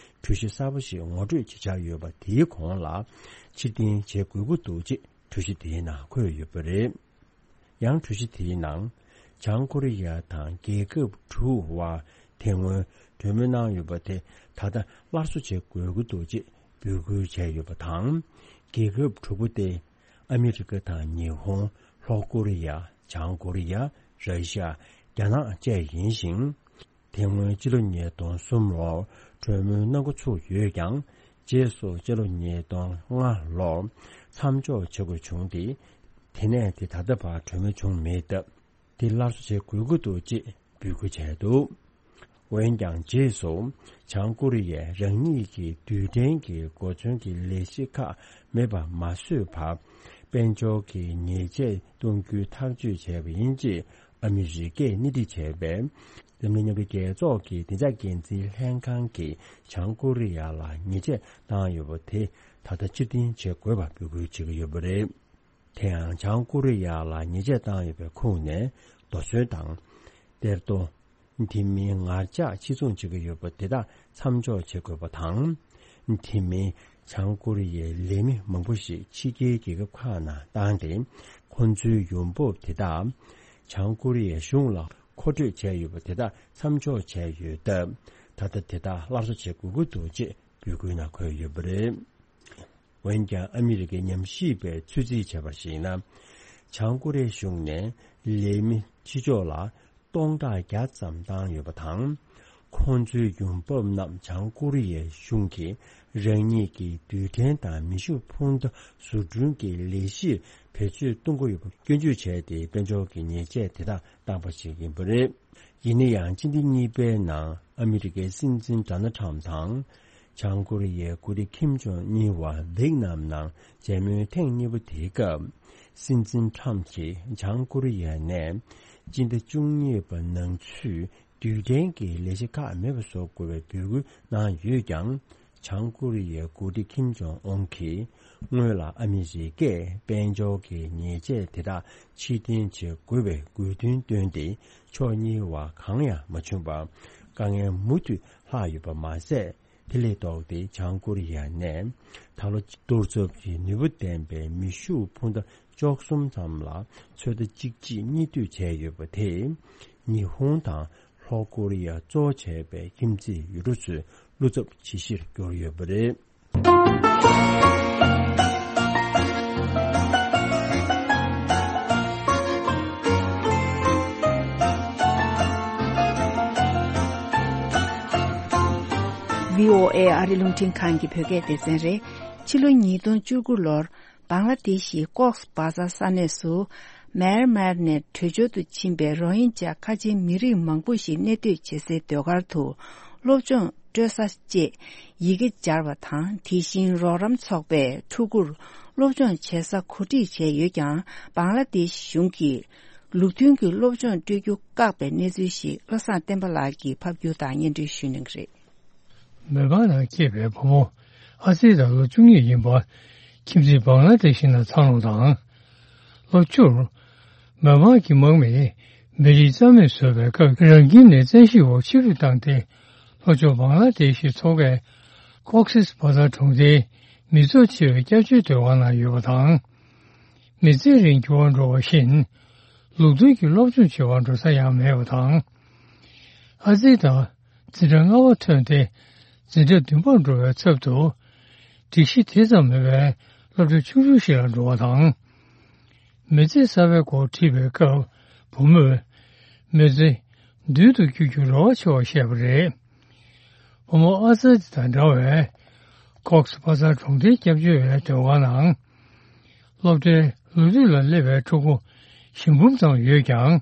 གྲོས་གཞི་གསར་པ་ཞིག་ངོ་སྤྲོད་བྱེད་འཆར་ཡོད་པ་དེའི་གོང་ལ་ཕྱིར་འཐེན་བྱེད་དགོས་ཀྱི་འདུག་ཅེས་གྲོས་གཞི་དེའི་ནང་འཁོད་ཡོད་པ་རེད། ཡང་གྲོས་གཞི་དེའི་ནང་། བྱང་ཀོ་རི་ཡ་དང་རྒྱལ་ཁབ་དྲུག་དབར་དེ་སྔོན་གྲོས་མོལ་གནང་ཡོད་པ་དེ་ད་ལྟ་སླར་གསོ་བྱེད་དགོས་ཀྱི་འདུག་ཅེས་འབོད་སྐུལ་བྱས་ཡོད་པ་དང་། རྒྱལ་ཁབ་དྲུག་པོ་སྟེ། ཨ་མི་རི་ཀ་དང་ཉི་ཧོང་། ལྷོ་ཀོ་རི་ཡ། བྱང་ཀོ་རི་ཡ། ར་ཤི་ཡ། རྒྱ་ནག་བཅས་ཡིན་ཞིང་། དེ་སྔོན་སྤྱི་ལོ་ཉིས་སྟོང་གསུམ་ལོར་གྲོས་མོལ་གནང་འགོ་ཚུགས་ཡོད་ཀྱང་། རྗེས་སུ་སྤྱི་ལོ་ཉིས་སྟོང་ལྔ་ལོར་མཚམས་འཇོག་བྱེད་དགོས་བྱུང་སྟེ། དེ་ནས་དེ་ད་ལྟ་བར་གྲོས་མོལ་བྱུང་མེད་སྟབས། དེ་སླར་གསོ་བྱེད་དགོས་ཀྱི་འདུག་ཅེས་འབོད་སྐུལ་བྱས་འདུག་འོན་ཀྱང་། རྗེས་སུ་བྱང་ཀོ་རི་ཡས་རང་ཉིད་ཀྱི་རྡུལ་ཕྲན་གྱི་གོ་མཚོན་གྱི་ལས་གཞི་ཁག་མེད་པ་མ་བཟོས་བར། དཔལ་འབྱོར་གྱི་ཉེས་ཆད་གཏོང་རྒྱུའི་ཐག་གཅོད་བྱས་པ་ཡིན་ཅེས་ཨ་མི་རི་ཀས་སྣེ་ཁྲིད་བྱས་པའི་འཛམ་གླིང་མཉམ་འབྲེལ་རྒྱལ་ཚོགས་ཀྱི་བདེ་འཇགས་འགན་འཛིན་ལྷན་ཁང་གིས་བྱང་ཀོ་རི་ཡ་ལ་ཉེས་ཆད་བཏང་ཡོད་པ་དེ་ད་ལྟ་ཕྱིར་འཐེན་བྱེད་དགོས་པ་འབོད་སྐུལ་བྱེད་ཀྱི་ཡོད་པ་རེད། དེ་ཡང་། བྱང་ཀོ་རི་ཡ་ལ་ཉེས་ཆད་བཏང་ཡོད་པའི་ཁོངས་ནས་རྡོ་སོལ་དང་། གཏེར་རྡོ། དེ་མིན་ངར་ལྕགས་ཕྱིར་ཚོང་བྱེད་ཀྱི་ཡོད་པ་དེ་དག་མཚམས་འཇོག་བྱེད་དགོས་པ་དང་། དེ་མིན་བྱང་ཀོ་རི་ཡའི་ལས་མི་མང་པོ་ཞིག་ཕྱི་རྒྱལ་རྒྱལ་ཁབ་ཁག་ནང་བཏང་སྟེ། ཁོང་ཚོའི་ཡོང་འབབ་དེ་དག་བྱང་ཀོ་རི་ཡའི་གཞུང་ལ་མཁོ་སྤྲོད་བྱས་ཡོད་པ་དེ་དག་མཚམས་འཇོག་བྱས་ཡོད་སྟབས། ད་ལྟ་དེ་དག་སླར་གསོ་བྱེད་དགོས་ཀྱི་འདུག་ཅེས་འབོད་སྐུལ་ནང་འཁོད་ཡོད་པ་རེད། འོན་ཀྱང་། ཨ་མི་རི་ཀའི་ཉམས་ཞིབ་པས་ཚོད་རྩིས་བྱས་པར་གཞིགས་ན། བྱང་ཀོ་རི་ཡའི་གཞུང་ནས་ལས་མི་ཕྱི་ཕྱོགས་ལ་སྟོང་ཕྲག་བརྒྱ་ཙམ་བཏང་ཡོད་པ་དང་། ཁོང་ཚོའི་ཡོང་འབབ་རྣམས་བྱང་ཀོ་རི་ཡའི་གཞུང་གིས་རང་ཉིད་ཀྱི་རྡུལ་ཕྲན་དང་མེ་ཤུགས་འཕུར་མདའ་བཟོ་སྐྲུན་གྱི་ལས་གཞིར་བེད་སྤྱོད་གཏོང་གི་ཡོད་པ་སྐྱོན་བརྗོད་བྱས་ཏེ། དཔལ་འབྱོར་གྱི་ཉེས་ཆད་དེ་དག་བཏང་པ་ཞིག་ཡིན་པ་རེད། ཡིན་ན་ཡང་སྤྱི་ཟླ་གཉིས་པའི་ནང་ཨ་མི་རི་ཀའི་སྲིད་འཛིན་ཌོ་ནལ་ཊམ་དང་། བྱང་ཀོ་རི་ཡའི་འགོ་ཁྲིད་ཁིམ་ཇོང་གཉིས་བར་ཝེག་ནམ་ནང་མཇལ་མོལ་ཐེངས་གཉིས་པ་དེའི་སྐབས། སྲིད་འཛིན་ཊམ་གྱིས་བྱང་ཀོ་རི་ཡ་ནས་སྤྱི་ཟླ་བཅུ་གཉིས་པ་ནང་ཚུད་རྡུལ་ཕྲན་གྱི་ལས་གཞི་ཁག་མེད་པ་བཟོ་དགོས་པའི་འབོད་སྐུལ་གནང་ཡོད་ཀྱང་། བྱང་ཀོ་རི་ཡའི་འགོ་ཁྲིད་ཁིམ་ཇོང་ཨུན་གྱིས་སྔོན་ལ་ཨ་མི་རི་ཀས་དཔལ་འབྱོར་གྱི་ཉེས་ཆད་དེ་དག་ཕྱིར་འཐེན་བྱེད་དགོས་པའི་དགོས་འདུན་བཏོན་ཏེ། ཕྱོགས་གཉིས་བར་གང་ཡང་མ་བྱུང་བར། དཀའ་ངལ་མུ་མཐུད་ལྷག་ཡོད་པ་མ་ཟད། དེ་ལས་ལྡོག་སྟེ་བྱང་ཀོ་རི་ཡ་ནས་ད་ལོ་གཏོར་ཚབ་ཀྱི་ནུས་པ་ལྡན་པའི་མེ་ཤུགས་འཕུར་མདའ་བཅུ་གསུམ་ཙམ་ལ་ཚོད་ལྟ་གཅིག་རྗེས་གཉིས་མཐུད་བྱས་ཡོད་པ་དེས། ཉི་ཧོང་དང་ལྷོ་ཀོ་རི་ཡ་གཙོ་བྱས་པའི་ཁྱིམ་མཚེས་ཡུལ་གྲུ་ཚོའི་བློ་འཚབ་ཇེ་ཆེར་གྱུར་ཡོད་པ་རེད། བྷི་ཨོ་ཨེ་ཨ་རི་རླུང་འཕྲིན་ཁང་གི་བོད་སྐད་སྡེ་ཚན་རེད། ཕྱི་ལོ་ཉིས་སྟོང་བཅུ་དགུ་ལོར། བང་ལ་དེ་ཤི་ཀོགས་བ་ཛར་ས་གནས་སུ། མེར་མེར་ནས་བྲོས་བྱོལ་དུ་ཕྱིན་པའི་རོ་ཧིན་ཇ་ཁ་ཆེའི་མི་རིགས་མང་པོ་ཞིག་གནས་སྡོད་བྱེད་སའི་སྡོད་སྒར་དུ། སློབ་སྦྱོང་སྤྲོད་ས་བཅས་ཡི་གེ་སྦྱར་བ་དང་། དེ་བཞིན་རོགས་རམ་ཚོགས་པས་ཕྲུ་གུར་སློབ་སྦྱོང་བྱེད་ས་གོ་སྒྲིག་བྱས་ཡོད་ཀྱང་། བང་ལ་དེ་ཤི་གཞུང་གིས་ལུགས་མཐུན་གྱི་སློབ་སྦྱོང་སྤྲོད་རྒྱུ་བཀག་པའི་གནས་ཚུལ་ཞིག་བློ་བཟང་བསྟན་པ་ལགས་ཀྱིས་ཕབ་སྒྱུར་དང་སྙན་སྒྲོན་ཞུ་གནང་གི་རེད། མེ་འབར་ནང་སྐྱེས་པའི་བུ་མོ་ཨ་ཙི་དང་ལོ་བཅུ་གཉིས་ཡིན་པ། ཁྱིམ་མཚེས་བང་ལ་དེ་ཤི་ནང་འཚར་ལོངས་དང་། ལོ་བཅུར། མེ་འབར་གྱི་དམག་མིས་མི་རིགས་རྩ་མེད་བཟོས་པའི་སྐབས། རང་ཁྱིམ་ནས་བཙན་ཤེད་འོག་ཕྱིར་འབུད་བཏང་སྟེ། ལྷོ་ཕྱོགས་བང་ལ་དེ་ཤི་མཚོ་ཁའི་ཀོག་སིས་བ་ཛར་གྲོང་སྡེའི་མི་ཚོགས་ཆེ་བའི་སྐྱབས་བཅོལ་སྡོད་ཁང་ནང་ཡོད་པ་དང་། མི་ཚེ་རིང་འགྱུར་བ་འགྲོ་བ་བཞིན། ལུགས་མཐུན་གྱི་སློབ་སྦྱོང་བྱེད་པར་འགྲོ་ས་ཡང་མེད་པ་དང་། ཨ་ཙི་དང་འཛིན་གྲྭ་ལྔ་པ་ཐོན་ཏེ། འཛིན་གྲྭ་བདུན་པར་འགྲོ་བའི་ཚབ་ཏུ། སྒྲིག་གཞི་དེ་ཙམ་མེད་པའི་སློབ་གྲྭ་ཆུང་ཆུང་ཞིག་ལ་འགྲོ་བ་དང་། མི་ཚེ་གསར་པའི་སྐོར་དྲིས་པའི་སྐབས། བུ་མོས་མི་ཚེ་མདུན་དུ་བསྐྱོད་རྒྱུར་རེ་བ་ཆེ་བར་བཤད་པ་རེད། བུ་མོ་ཨ་ཙི་དང་འདྲ་བའི་ཀོགས་བ་ཛར་གྲོང་སྡེའི་སྐྱབས་བཅོལ་བའི་སྡོད་ཁང་ནང་། སློབ་གྲྭའི་ལོ་དུས་ལ་སླེབས་པའི་ཕྲུ་གུ་བཞི་འབུམ་ཙམ་ཡོད་ཀྱང་།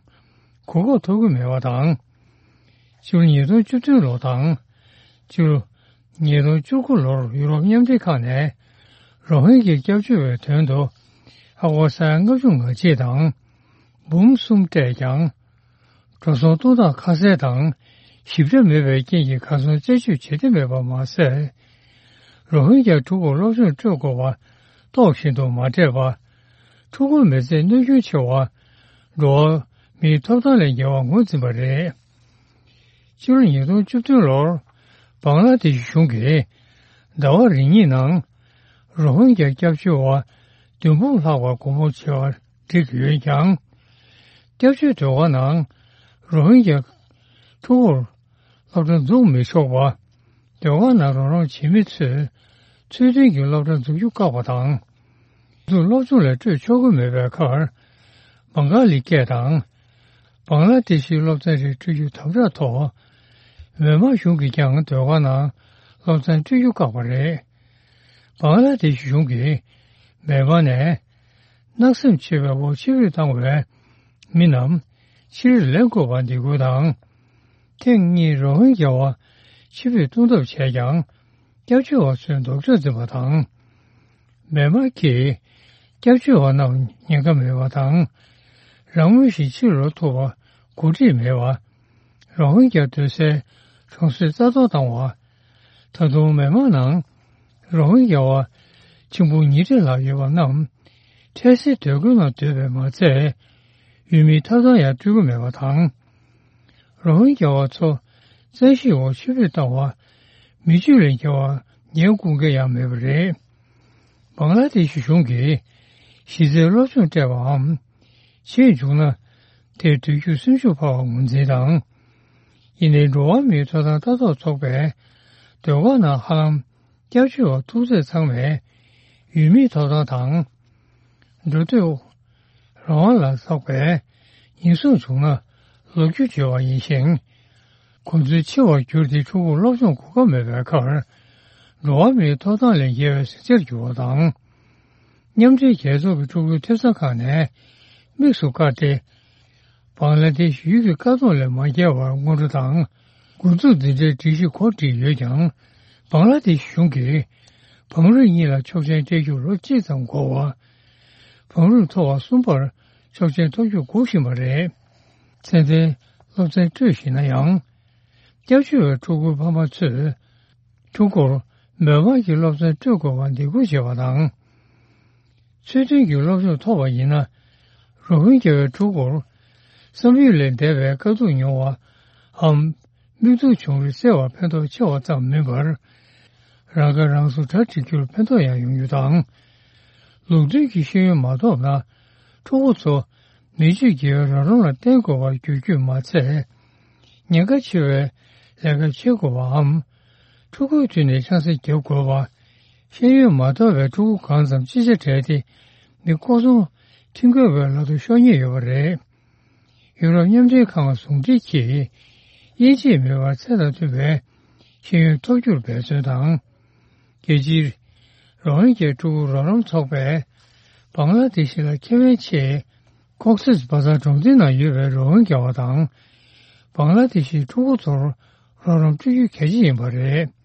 གོ་སྐབས་ཐོབ་ཀྱི་མེད་པ་དང་། སྤྱི་ལོ་ཉིས་སྟོང་བཅུ་བདུན་ལོ་དང་། སྤྱི་ལོ་ཉིས་སྟོང་བཅུ་དགུ་ལོར་ཡུ་རོབ་མཉམ་འབྲེལ་ཁང་ནས་རོ་ཧིན་གྱི་སྐྱབས་བཅོལ་བའི་དོན་དུ་ཨ་སྒོར་ས་ཡ་ལྔ་བཅུ་ང་གཅིག་དང་འབུམ་གསུམ་སྤྲད་ཀྱང་། འགྲོ་སོང་གཏོང་སྟངས་ཁ་གསལ་དང་ཞིབ་ཕྲ་མེད་པའི་རྐྱེན་གྱིས་གར་སོང་རྩད་གཅོད་བྱེད་འདོད་མེད་པ་མ་ཟད། རོ་ཧིན་གྱི་ཕྲུ་གུར་སློབ་སྦྱོང་སྤྲོད་དགོས་པ་རྟོགས་བཞིན་དུ་མ་སྤྲད་པར། ཕྲུ་གུའི་མི་ཚེར་གནོད་སྐྱོན་ཆེ་བ་འགྲོ་བ་མིའི་ཐོབ་ཐང་ལས་འགལ་བར་ངོས་འཛིན་པ་རེད། ཕྱི་ལོ་ཉིས་སྟོང་བཅུ་བདུན་ལོར་བང་ལ་དེ་ཤི་གཞུང་གིས་ཟླ་བ་རེ་གཉིས་ནང་རོ་ཧིན་གྱི་སྐྱབས་བཅོལ་བ་བདུན་འབུམ་ལྷག་པར་སྒོ་མོ་ཕྱེ་བར་བསྒྲིགས་ཡོད་ཀྱང་། སྐྱབས་བཅོལ་སྡོད་ཁང་ནང་རོ་ཧིན་གྱི་ཕྲུ་གུར་སློབ་གྲྭ་འཛུགས་མི་ཆོག་པ། སྡོད་ཁང་ནང་རོགས་རམ་བྱེད་མི་ཚོས་ཚུལ་མཐུན་གྱི་སློབ་གྲྭ་འཛུགས་རྒྱུ་བཀག་པ་དང་། དུ་སློབ་སྦྱོང་ལ་སྤྲོད་ཆོག་གི་མེད་པའི་ཁར། བང་ག་ལི་སྐད་དང་། བང་ལ་དེ་ཤིའི་སློབ་ཚན་རེ་སྤྲོད་རྒྱུ་དམ་དྲག་ཐོག་མེན་མར་གཞུང་གིས་ཀྱང་སྡོད་ཁང་ནང་སློབ་ཚན་སྤྲོད་རྒྱུ་བཀག་པ་རེད། བང་ལ་དེ་ཤི་གཞུང་གིས་མེན་མར་ནས་གནག་སེམས་ཆེ་བའི་འོག་ཕྱིར་འབུད་བཏང་བའི་མི་རྣམས་ཕྱིར་ལེན་དགོས་པར་འདེད་སྐུལ་དང་། ཐེངས་གཉིས་རོ་ཧིན་རྒྱ་བ་ཕྱིར་འབུད་གཏོང་ཐབས་བྱས་ཀྱང་། སྐྱབས་བཅོལ་བ་ཚོས་ལྡོག་ཕྱོགས་འཛིན་པ་དང་། མེན་མར་གྱིས་སྐྱབས་བཅོལ་བ་རྣམས་ཉེན་ཁ་མེད་པ་དང་། རང་མོས་ཤིག་ཕྱིར་ལོག་ཐུབ་པ་གོ་སྒྲིག་མེད་པ། རོ་ཧིན་རྒྱ་སྡོད་སའི་གྲོང་གསེབ་རྩ་གཏོར་བཏང་བ། ད་དུང་མེན་མར་ནང་རོ་ཧིན་རྒྱ་བ་ཆིག་འབུམ་ཉིས་ཁྲི་ལྷག་ཡོད་པ་རྣམས་འཕྲལ་སེལ་སྡོད་ཁུལ་ནང་སྡོད་པས་མ་ཚད། ཡུལ་མིའི་ཐོབ་ཐང་ཡང་སྤྲོད་ཀྱི་མེད་པ་དང་། རོ་ཧིན་རྒྱ་བ་ཚོ་བཙན་ཤེད་འོག་ཕྱིར་འབུད་བཏང་བ། མི་རྒྱུད་ལས་འགལ་བ་ཉེར་དགུ་འགའ་ཡང་མེད་པ་རེད། བང་ལ་དེ་ཤི་གཞུང་གིས་གཞི་རྩའི་སློབ་སྦྱོང་སྤྲད་པའམ། བྱེད་བཅུག་ན། དེར་སྡོད་རྒྱུར་སེམས་ཤུགས་འཕར་བར་ངོས་འཛིན་དང་། ཡིན་ནའི་འགྲོ་བ་མིའི་ཐོབ་ཐང་ལྟ་རྟོག་ཚོགས་པས། སྡོད་སྒར་ནང་ཧ་ལམ་སྐྱབས་བཅོལ་བ་ཐུག་ཚད་ཚང་མས་ཡུལ་མིའི་ཐོབ་ཐང་དང་། འགྲོ་སྡོད་རང་དབང་ལ་སོགས་པའི་ཉེན་སྲུང་བྱུང་ན་ལོ་རྒྱུས་བརྗོད་པ་ཡིན་ཞིང་། གོ་འཛོལ་ཆེ་བར་གྱུར་ཏེ་ཕྲུ་གུར་སློབ་སྦྱོང་གོ་སྐབས་མེད་པའི་ཁར། འགྲོ་བ་མིའི་ཐོབ་ཐང་ལས་འགལ་བའི་ཟིང་ཆར་གྱུར་བ་དང་། མཉམ་འབྲེལ་རྒྱལ་ཚོགས་ཀྱི་ཕྲུ་གུའི་ཐེབས་རྩ་ཁག་ནས་དམིགས་སུ་བཀར་ཏེ། བང་ལ་དེ་ཤི་ཡུལ་གྱི་བཀག་སྡོམ་ལས་མ་བརྒལ་བར་སྔོན་འགྲོ་དང་། འགོ་འཛུགས་འཛིན་གྲྭའི་སྒྲིག་གཞི་གོ་སྒྲིག་ཡོད་ཀྱང་། བང་ལ་དེ་ཤི་གཞུང་གིས་བང་རིམ་གཉིས་ལ་ཆོག་མཆན་སྤྲད་རྒྱུར་ལོ་གཅིག་ཙམ་འགོར་བ། བང་རིམ་མཐོ་བ་གསུམ་པར་ཆོག་མཆན་ཐོབ་རྒྱུར་སྒུག་བཞིན་པ་རེད། ཚད་ལྡན་སློབ་ཚན་སྤྲོད་བཞིན་ན་ཡང་། སྐྱབས་བཅོལ་བའི་ཕྲུ་གུ་ཕ་མ་ཚོས་ཕྲུ་གུར་མོན་མང་གི་སློབ་ཚན་སྤྲོད་དགོས་པར་འདེད་སྐུལ་བྱས་པ་དང་། ཚུལ་མཐུན་གྱི་སློབ་སྦྱོང་ཐོབ་པ་ཡིན་ན། རོ་ཧིན་གྱ་བའི་ཕྲུ་གུར་བསམ་ཡུལ་ལས་འདས་པའི་དཀའ་སྡུག་མྱོང་བའམ། མིག་ཐུག་བྱུང་རིགས་སེལ་བར་ཕན་ཐོགས་ཆེ་བ་ཙམ་མིན་པར། རང་ཁ་རང་གསོ་གྲ་སྒྲིག་རྒྱུར་ཕན་ཐོགས་ཡང་ཡོང་རྒྱུ་དང་། ལུགས་མཐུན་གྱི་ཤེས་ཡོན་མ་ཐོབ་ན། ཕྲུ་གུ་ཚོ་མི་སྤྱོད་དགེ་བའི་རང་རང་ལ་བརྟེན་དགོས་པར་འགྱུར་རྒྱུས་མ་ཚད། ཉེན་ཁ་ཆེ་བའི་ལས་ཀ་བྱེད་དགོས་པའམ། ཕྲུ་གུའི་དུས་ནས་ཆང་ས་བརྒྱབ་དགོས་པ། ཤེས་ཡོན་མ་དོར་བའི་ཕྲུ་གུ་གང་ཙམ་ཅི་ཆ་བྲལ་ཏེ། མི་ལྐོག་ཚོང་ཁྲིམས་འགལ་བའི་ལག་ཏུ་ཤོར་ཉེན་ཡོད་པ་རེད། ཡུ་རོབ་མཉམ་འབྲེལ་ཁང་ཟུང་འབྲེལ་གྱིས། དབྱེ་འབྱེད་མེད་པར་ཚད་དང་མཐུན་པའི་ཤེས་ཡོན་ཐོབ་རྒྱུར་འབད་བརྩོན་དང་། རྒྱལ་སྤྱིའི་རོ་ཧིན་གྱའི་ཕྲུ་གུ་རོགས་རམ་ཚོགས་པས། བང་ལ་དེ་ཤི་ལ་ཁེ་ཕན་ཆེད། ཀོག་སིས་བ་ཛར་གྲོང་སྡེ་ནང་ཡོད་པའི་རོ་ཧིན་གྱ་བ་དང་། བང་ལ་དེ་ཤིའི་ཕྲུ་གུ་ཚོར་རོགས་རམ་སྤྲོད་རྒྱུ་གལ་ཆེ་ཡིན་པ་རེད།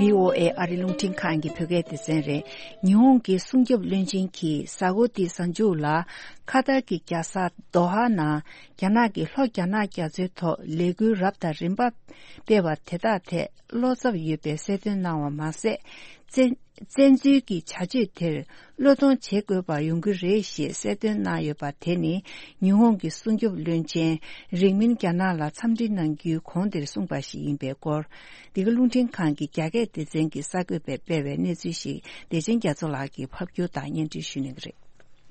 བྷི་ཨོ་ཨེ་ཨ་རི་རླུང་འཕྲིན་ཁང་གི་བོད་སྐད་སྡེ་ཚན་རེད། ཉི་ཧོང་གི་སྲུང་སྐྱོབ་བློན་ཆེན་གྱིས་གཟའ་འཁོར་འདིའི་གཟའ་མཇུག་ལ་ཁ་ཐར་གྱི་རྒྱལ་ས་དོ་ཧ་ནང་རྒྱ་ནག་གི་ལྷོ་རྒྱ་ནག་རྒྱ་མཚོའི་ཐོག་ལས་འགུལ་རབ་དང་རིམ་པ་སྤེལ་བ་དེ་དག་ཐད་བློ་འཚབ་ཡོད་པའི་གསལ་སྟོན་གནང་བ་མ་ཟད། བཙན་བཙན་འཛུལ་གྱི་བྱ་སྤྱོད་དེར་བློས་གཏོང་བྱེད་དགོས་པ་ཡོང་གི་རེད་ཞེས་གསལ་སྟོན་གནང་ཡོད་པ་དེ་ནི་ཉི་ཧོང་གི་སྲུང་སྐྱོབ་བློན་ཆེན་རིང་མིན་རྒྱ་ནག་ལ་འཚམས་འདྲི་གནང་རྒྱུའི་གོང་དེར་གསུངས་པ་ཞིག་ཡིན་པའི་སྐོར། འདི་ག་རླུང་འཕྲིན་ཁང་གི་རྒྱ་སྐད་སྡེ་ཚན་གྱི་གསར་འགོད་པས་སྤེལ་བའི་གནས་ཚུལ་ཞིག་བདེ་ཆེན་རྒྱ་མཚོ་ལགས་ཀྱིས་ཕབ་སྒྱུར་དང་སྙན་སྒྲོན་ཞུ་གནང་གི་རེད།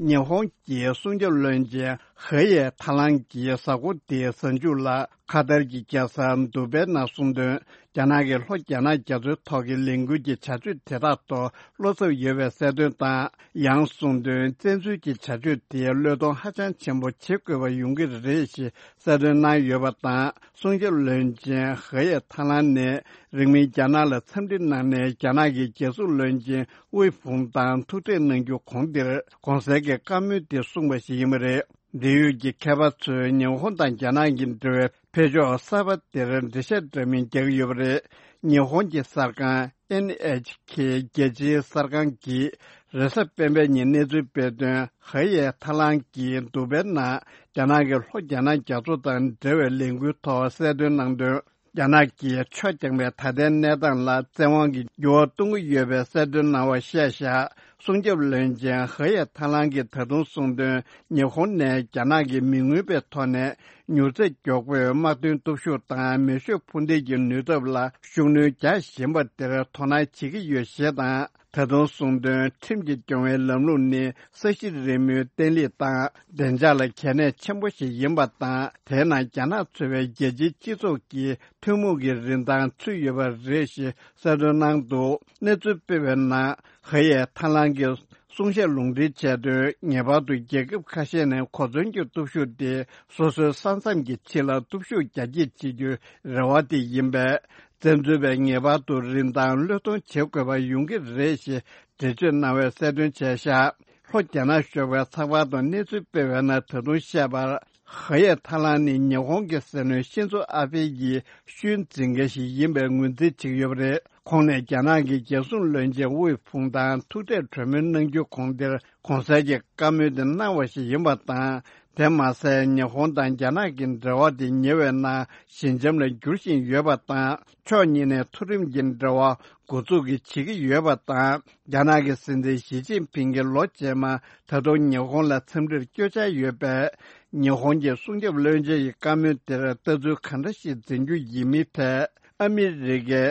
ཉི་ཧོང་གི་སྲུང་སྐྱོབ་བློན་ཆེན་ཧེ་ཡེ་ཐ་ལང་གིས་གཟའ་འཁོར་འདིའི་གཟའ་མཇུག་ལ་ཁ་ཐར་གྱི་རྒྱལ་ས་དུ་བྷེ་ནང་གསུངས་དོན། རྒྱ་ནག་གི་ལྷོ་རྒྱ་ནག་རྒྱ་མཚོའི་ཐོག་གི་ལས་འགུལ་གྱི་བྱ་སྤྱོད་དེ་དག་ཐོག་བློ་འཚབ་ཡོད་པའི་གསལ་སྟོན་དང་། ཡང་གསུངས་དོན། བཙན་འཛུལ་གྱི་བྱ་སྤྱོད་དེ་བློས་གཏོང་ཧ་ཅང་ཆེན་པོ་བྱེད་དགོས་པ་ཡོང་གི་རེད་ཞེས་གསལ་སྟོན་གནང་ཡོད་པ་དང་། སྲུང་སྐྱོབ་བློན་ཆེན་ཧེ་ཡེ་ཐ་ལན་ནས་རིང་མིན་རྒྱ་ནག་ལ་འཚམས་འདྲི་གནང་ནས། རྒྱ་ནག་གི་རྒྱལ་སྲུང་བློན་ཆེན་ཝེ་ཧྥུང་དང་ཐུག་འཕྲད་གནང་རྒྱུ་གོང་དེར་གོང་གསལ་གྱི་བཀའ་མོལ་དེ་གསུངས་པ་ཞིག་ཡིན་པ་རེད། འབྲེལ་ཡོད་ཀྱི་མཁས་པ་ཚོས་ཉི་ཧོང་དང་རྒྱ་ནག་གི་འབྲེལ་བའི་འཕེལ་ཕྱོགས་གསར་པ་དེར་འགྲེལ་བཤད་འདྲ་མིན་རྒྱག་གི་ཡོད་པ་རེད། ཉི་ཧོང་གི་གསར་ཁང་ཨེན་ཨེཆ་ཁེ་རྒྱལ་སྤྱིའི་གསར་ཁང་གིས་རེས་གཟའ་སྤེན་པའི་ཉིན་གནས་ཚུལ་སྤེལ་དོན། ཧེ་ཡེ་ཐ་ལང་གིས་དུ་བྷེ་ནང་རྒྱ་ནག་གི་ལྷོ་རྒྱ་ནག་རྒྱ་མཚོ་དང་འབྲེལ་བའི་ལས་འགུལ་ཐོག་གསལ་སྟོན་གནང་དོན། རྒྱ་ནག་གིས་ཆོས་རྒྱག་པའི་ད་ལྟའི་གནས་སྟངས་ལ་བཙན་དབང་གིས་འགྱུར་བ་གཏོང་གི་ཡོད་པའི་གསལ་སྟོན་གནང་བ་བཤད་བཞག་སྲུང་སྐྱོབ་བློན་ཆེན་ཧེ་ཡེ་ཐ་ལང་གིས་ད་དུང་གསུངས་དོན། ཉི་ཧོང་ནས་རྒྱ་ནག་གིས་མི་མངོན་པའི་ཐོག་ནས་མྱུར་ཚད་མགྱོགས་པོས་དམག་དོན་སྟོབས་ཤུགས་དང་མེ་ཤུགས་འཕུར་མདེལ་གྱི་ནུས་སྟོབས་ལ་ཤུགས་སྣོན་རྒྱག་བཞིན་པ་དེར་དོ་སྣང་བྱེད་ཀྱི་ཡོད་ཞེས་དང་། ད་དུང་གསུངས་དོན། ཁྲིམས་ཀྱིས་སྐྱོང་བའི་ལམ་ལུགས་ནི་ས་གཞི་རིལ་མོའི་བརྟན་ལྷིང་དང་བདེ་འཇགས་ལ་གལ་གནད་ཆེན་པོ་ཞིག་ཡིན་པ་དང་། དེའི་ནང་རྒྱ་ནག་ཚུད་པའི་རྒྱལ་སྤྱིའི་སྤྱི་ཚོགས་ཀྱི་ཐུན་མོང་གི་རིན་ཐང་ཚུད་ཡོད་པ་རེད་ཞེས་གསལ་སྟོན་གནང་འདུག་གནས་ཚུལ་སྤེལ་བའི་ནང་། ཧེ་ཡེ་ཐ་ལང་གིས་གསུང་བཤད་ལུང་འདྲེན་བྱས་དོན། ངེས་པར་དུ་རྒྱལ་ཁབ་ཁ་ཤས་ནས་གོ་མཚོན་གྱི་སྟོབས་ཤུགས་དེ་སོ་སོའི་ས་མཚམས་ཀྱི་ཕྱི་ལ་སྟོབས་ཤུགས་རྒྱ་སྐྱེད་བྱེད་རྒྱུའི་རེ་བ་དེ་ཡིན་པས། བཙན་འཛུལ་བས་ངེས་པར་དུ་རིན་ཐང་བློས་གཏོང་བྱེད་དགོས་པ་ཡོང་གི་རེད་ཞེས་འགྲེལ་བརྗོད་གནང་བའི་གསལ་སྟོན་བྱས་བཞག་ལྷོ་རྒྱ་ནག་ཞོགས་པའི་ཚགས་པར་དུ་གནས་ཚུལ་སྤེལ་བའི་ནང་ད་དུང་བཤད་པར། ཧེ་ཡེ་ཐ་ལང་ནི་ཉི་ཧོང་གི་སྲིད་བློན་ཤིན་ཛོ་ཨ་བྷེ་ཡི་ཤུལ་འཛིན་མཁན་ཞིག་ཡིན་པའི་ངོས་འཛིན་བྱེད་ཀྱི་ཡོད་པ་རེད། ཁོང་ནས་རྒྱ་ནག་གི་རྒྱལ་སྲུང་བློན་ཆེན་ཝེ་ཧྥུང་དང་ཐུག་འཕྲད་གྲོས་མོལ་གནང་རྒྱུ་གོང་དེར་གོང་གསལ་གྱི་བཀའ་མོལ་དེ་གནང་བ་ཞིག་ཡིན་པ་དང་། དེ་མ་ཟད། ཉི་ཧོང་དང་རྒྱ་ནག་གི་འབྲེལ་བ་དེ་ཉེ་བའི་ནང་ཞི་འཇམ་ལ་འགྱུར་བཞིན་ཡོད་པ་དང་། ཕྱོགས་གཉིས་ནས་མཐོ་རིམ་གྱི་འབྲེལ་བ་འགོ་འཛུགས་ཀྱི་བྱེད་ཀྱི་ཡོད་པ་དང་། རྒྱ་ནག་གི་སྲིད་འཛིན་ཞི་ཅིན་ཕིང་གིས་ལོ་རྗེས་མ་ད་དུང་ཉི་ཧོང་ལ་འཚམས་འདྲིར་བསྐྱོད་འཆར་ཡོད་པས། ཉི་ཧོང་གི་སྲུང་སྐྱོབ་བློན་ཆེན་ཡི་བཀའ་མོལ་དེར་ལྟ་ཚུལ་ག་འདྲ་ཞིག་འཛིན་རྒྱུ་ཡིན་མིན་ཐད། ཨ་མི་རི་ཀའི་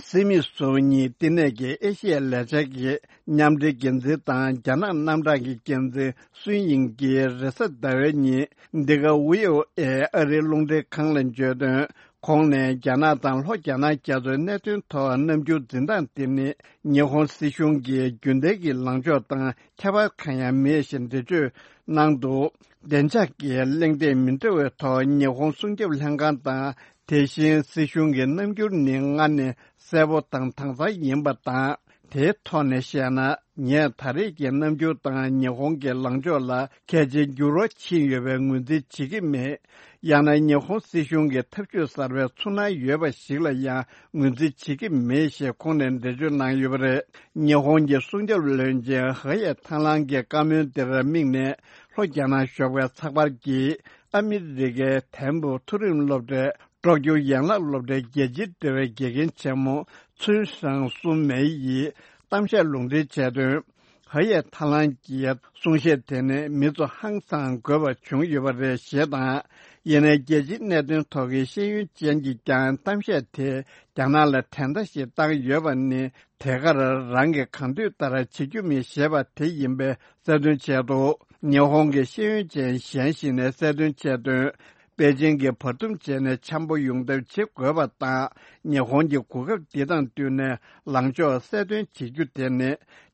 སྲིད་མི་ཟུར་གཉིས་བསྟི་གནས་ཀྱི་ཨེ་ཤི་ཡའི་ལས་འཆར་གྱི་མཉམ་འབྲེལ་འགན་འཛིན་དང་རྒྱ་ནག་རྣམ་གྲངས་ཀྱི་འགན་འཛིན་སུན་ཡིང་གིས་རེས་གཟའ་ཟླ་བའི་ཉིན་འདི་ག་ཝི་ཨོ་ཨེ་ཨ་རིའི་རླུང་འཕྲིན་ཁང་ལ་བརྗོད་དོན། ཁོང་ནས་རྒྱ་ནག་དང་ལྷོ་རྒྱ་ནག་རྒྱ་མཚོའི་གནད་དོན་ཐོག་རྣམ་འགྱུར་འཛིན་སྟངས་དེ་ནི་ཉི་ཧོང་སྲིད་གཞུང་གི་རྒྱུན་ལྡན་གྱི་ལངས་ཕྱོགས་དང་ཁྱད་པར་གང་ཡང་མེད་ཞེས་འགྲེལ་བརྗོད་གནང་འདུག་བདེ་འཇགས་ཀྱི་གླེང་སྟེགས་མི་འདྲ་བའི་ཐོག་ཉི་ཧོང་སྲུང་སྐྱོབ་ལྷན་ཁང་དང་དེ་བཞིན་སྲིད་གཞུང་གི་རྣམ་འགྱུར་ནི་སྔར་ནས་གསལ་པོ་དང་དྭངས་གཙང་ཡིན་པ་དང་། དེའི་ཐོག་ནས་བཤད་ན། ངས་ད་རེས་ཀྱི་རྣམ་འགྱུར་དང་ཉི་ཧོང་གི་ལངས་ཕྱོགས་ལ་གལ་ཆེའི་འགྱུར་བ་ཕྱིན་ཡོད་པའི་ངོས་འཛིན་བྱེད་ཀྱི་མེད། ཡང་ན་ཉི་ཧོང་སྲིད་གཞུང་གི་ཐབས་ཇུས་གསར་པའི་ཚུར་སྣང་ཡོད་པ་ཞིག་ལ་ཡང་ངོས་འཛིན་བྱེད་ཀྱི་མེད་ཞེས་ཁོང་ནས་འགྲེལ་བརྗོད་གནང་ཡོད་པ་རེད། ཉི་ཧོང་གི་སྲུང་སྐྱོབ་བློན་ཆེན་ཧེ་ཡེ་ཐང་ལང་གི་བཀའ་མོལ་འདིར་དམིགས་ནས། ལྷོ་རྒྱ་ནག་ཞོགས་པའི་ཚགས་པར་གྱིས་ཨ་མི་རི་ཀའི་ཐེམ་པོ་མཐོ་རིམ་སློབ་གྲྭའི་སྲོག་སྐྱོར་ཡན་ལག་སློབ་གྲྭའི་རྒྱལ་སྤྱིའི་འབྲེལ་བའི་དགེ་རྒན་ཆེན་མོ་ཚུན་ཧྲང་སུན་མེ་ཡིས་གཏམ་བཤད་ལུང་འདྲེན་བྱས་དོན། ཧ་ཡེ་ཐ་ལང་གིས་གསུང་བཤད་དེ་ནི་མི་ཚོ་ཧང་སང་དགོས་པ་བྱུང་ཡོད་པ་རེད་ཞེས་དང་། ཡིན་ནའི་རྒྱལ་སྤྱིའི་གནད་དོན་ཐོག་གི་ཤེས་ཡོན་ཅན་གྱིས་ཀྱང་གཏམ་བཤད་དེ་རྒྱ་ནག་ལ་དྲན་བརྡ་ཞིག་བཏང་ཡོད་པ་ནི། དེ་གར་རང་གིས་གང་འདོད་ལྟར་བྱེད་རྒྱུ་མིན་ཞེས་པ་དེ་ཡིན་པའི་གསལ་སྟོན་བྱས་འདུག་ཉི་ཧོང་གི་ཤེས་ཡོན་ཅན་གཞན་ཞིག་ནས་གསལ་སྟོན་བྱས་དོན། པེ་ཅིང་གིས་བར་འདུམ་བྱས་ནས་འཆམ་པོ་ཡོང་ཐབས་བྱེད་དགོས་པ་དང་། ཉི་ཧོང་གི་གོ་སྐབས་འདི་དང་བསྟུན་ནས་ལངས་ཕྱོགས་གསལ་སྟོན་བྱེད་རྒྱུ་དེ་ནི།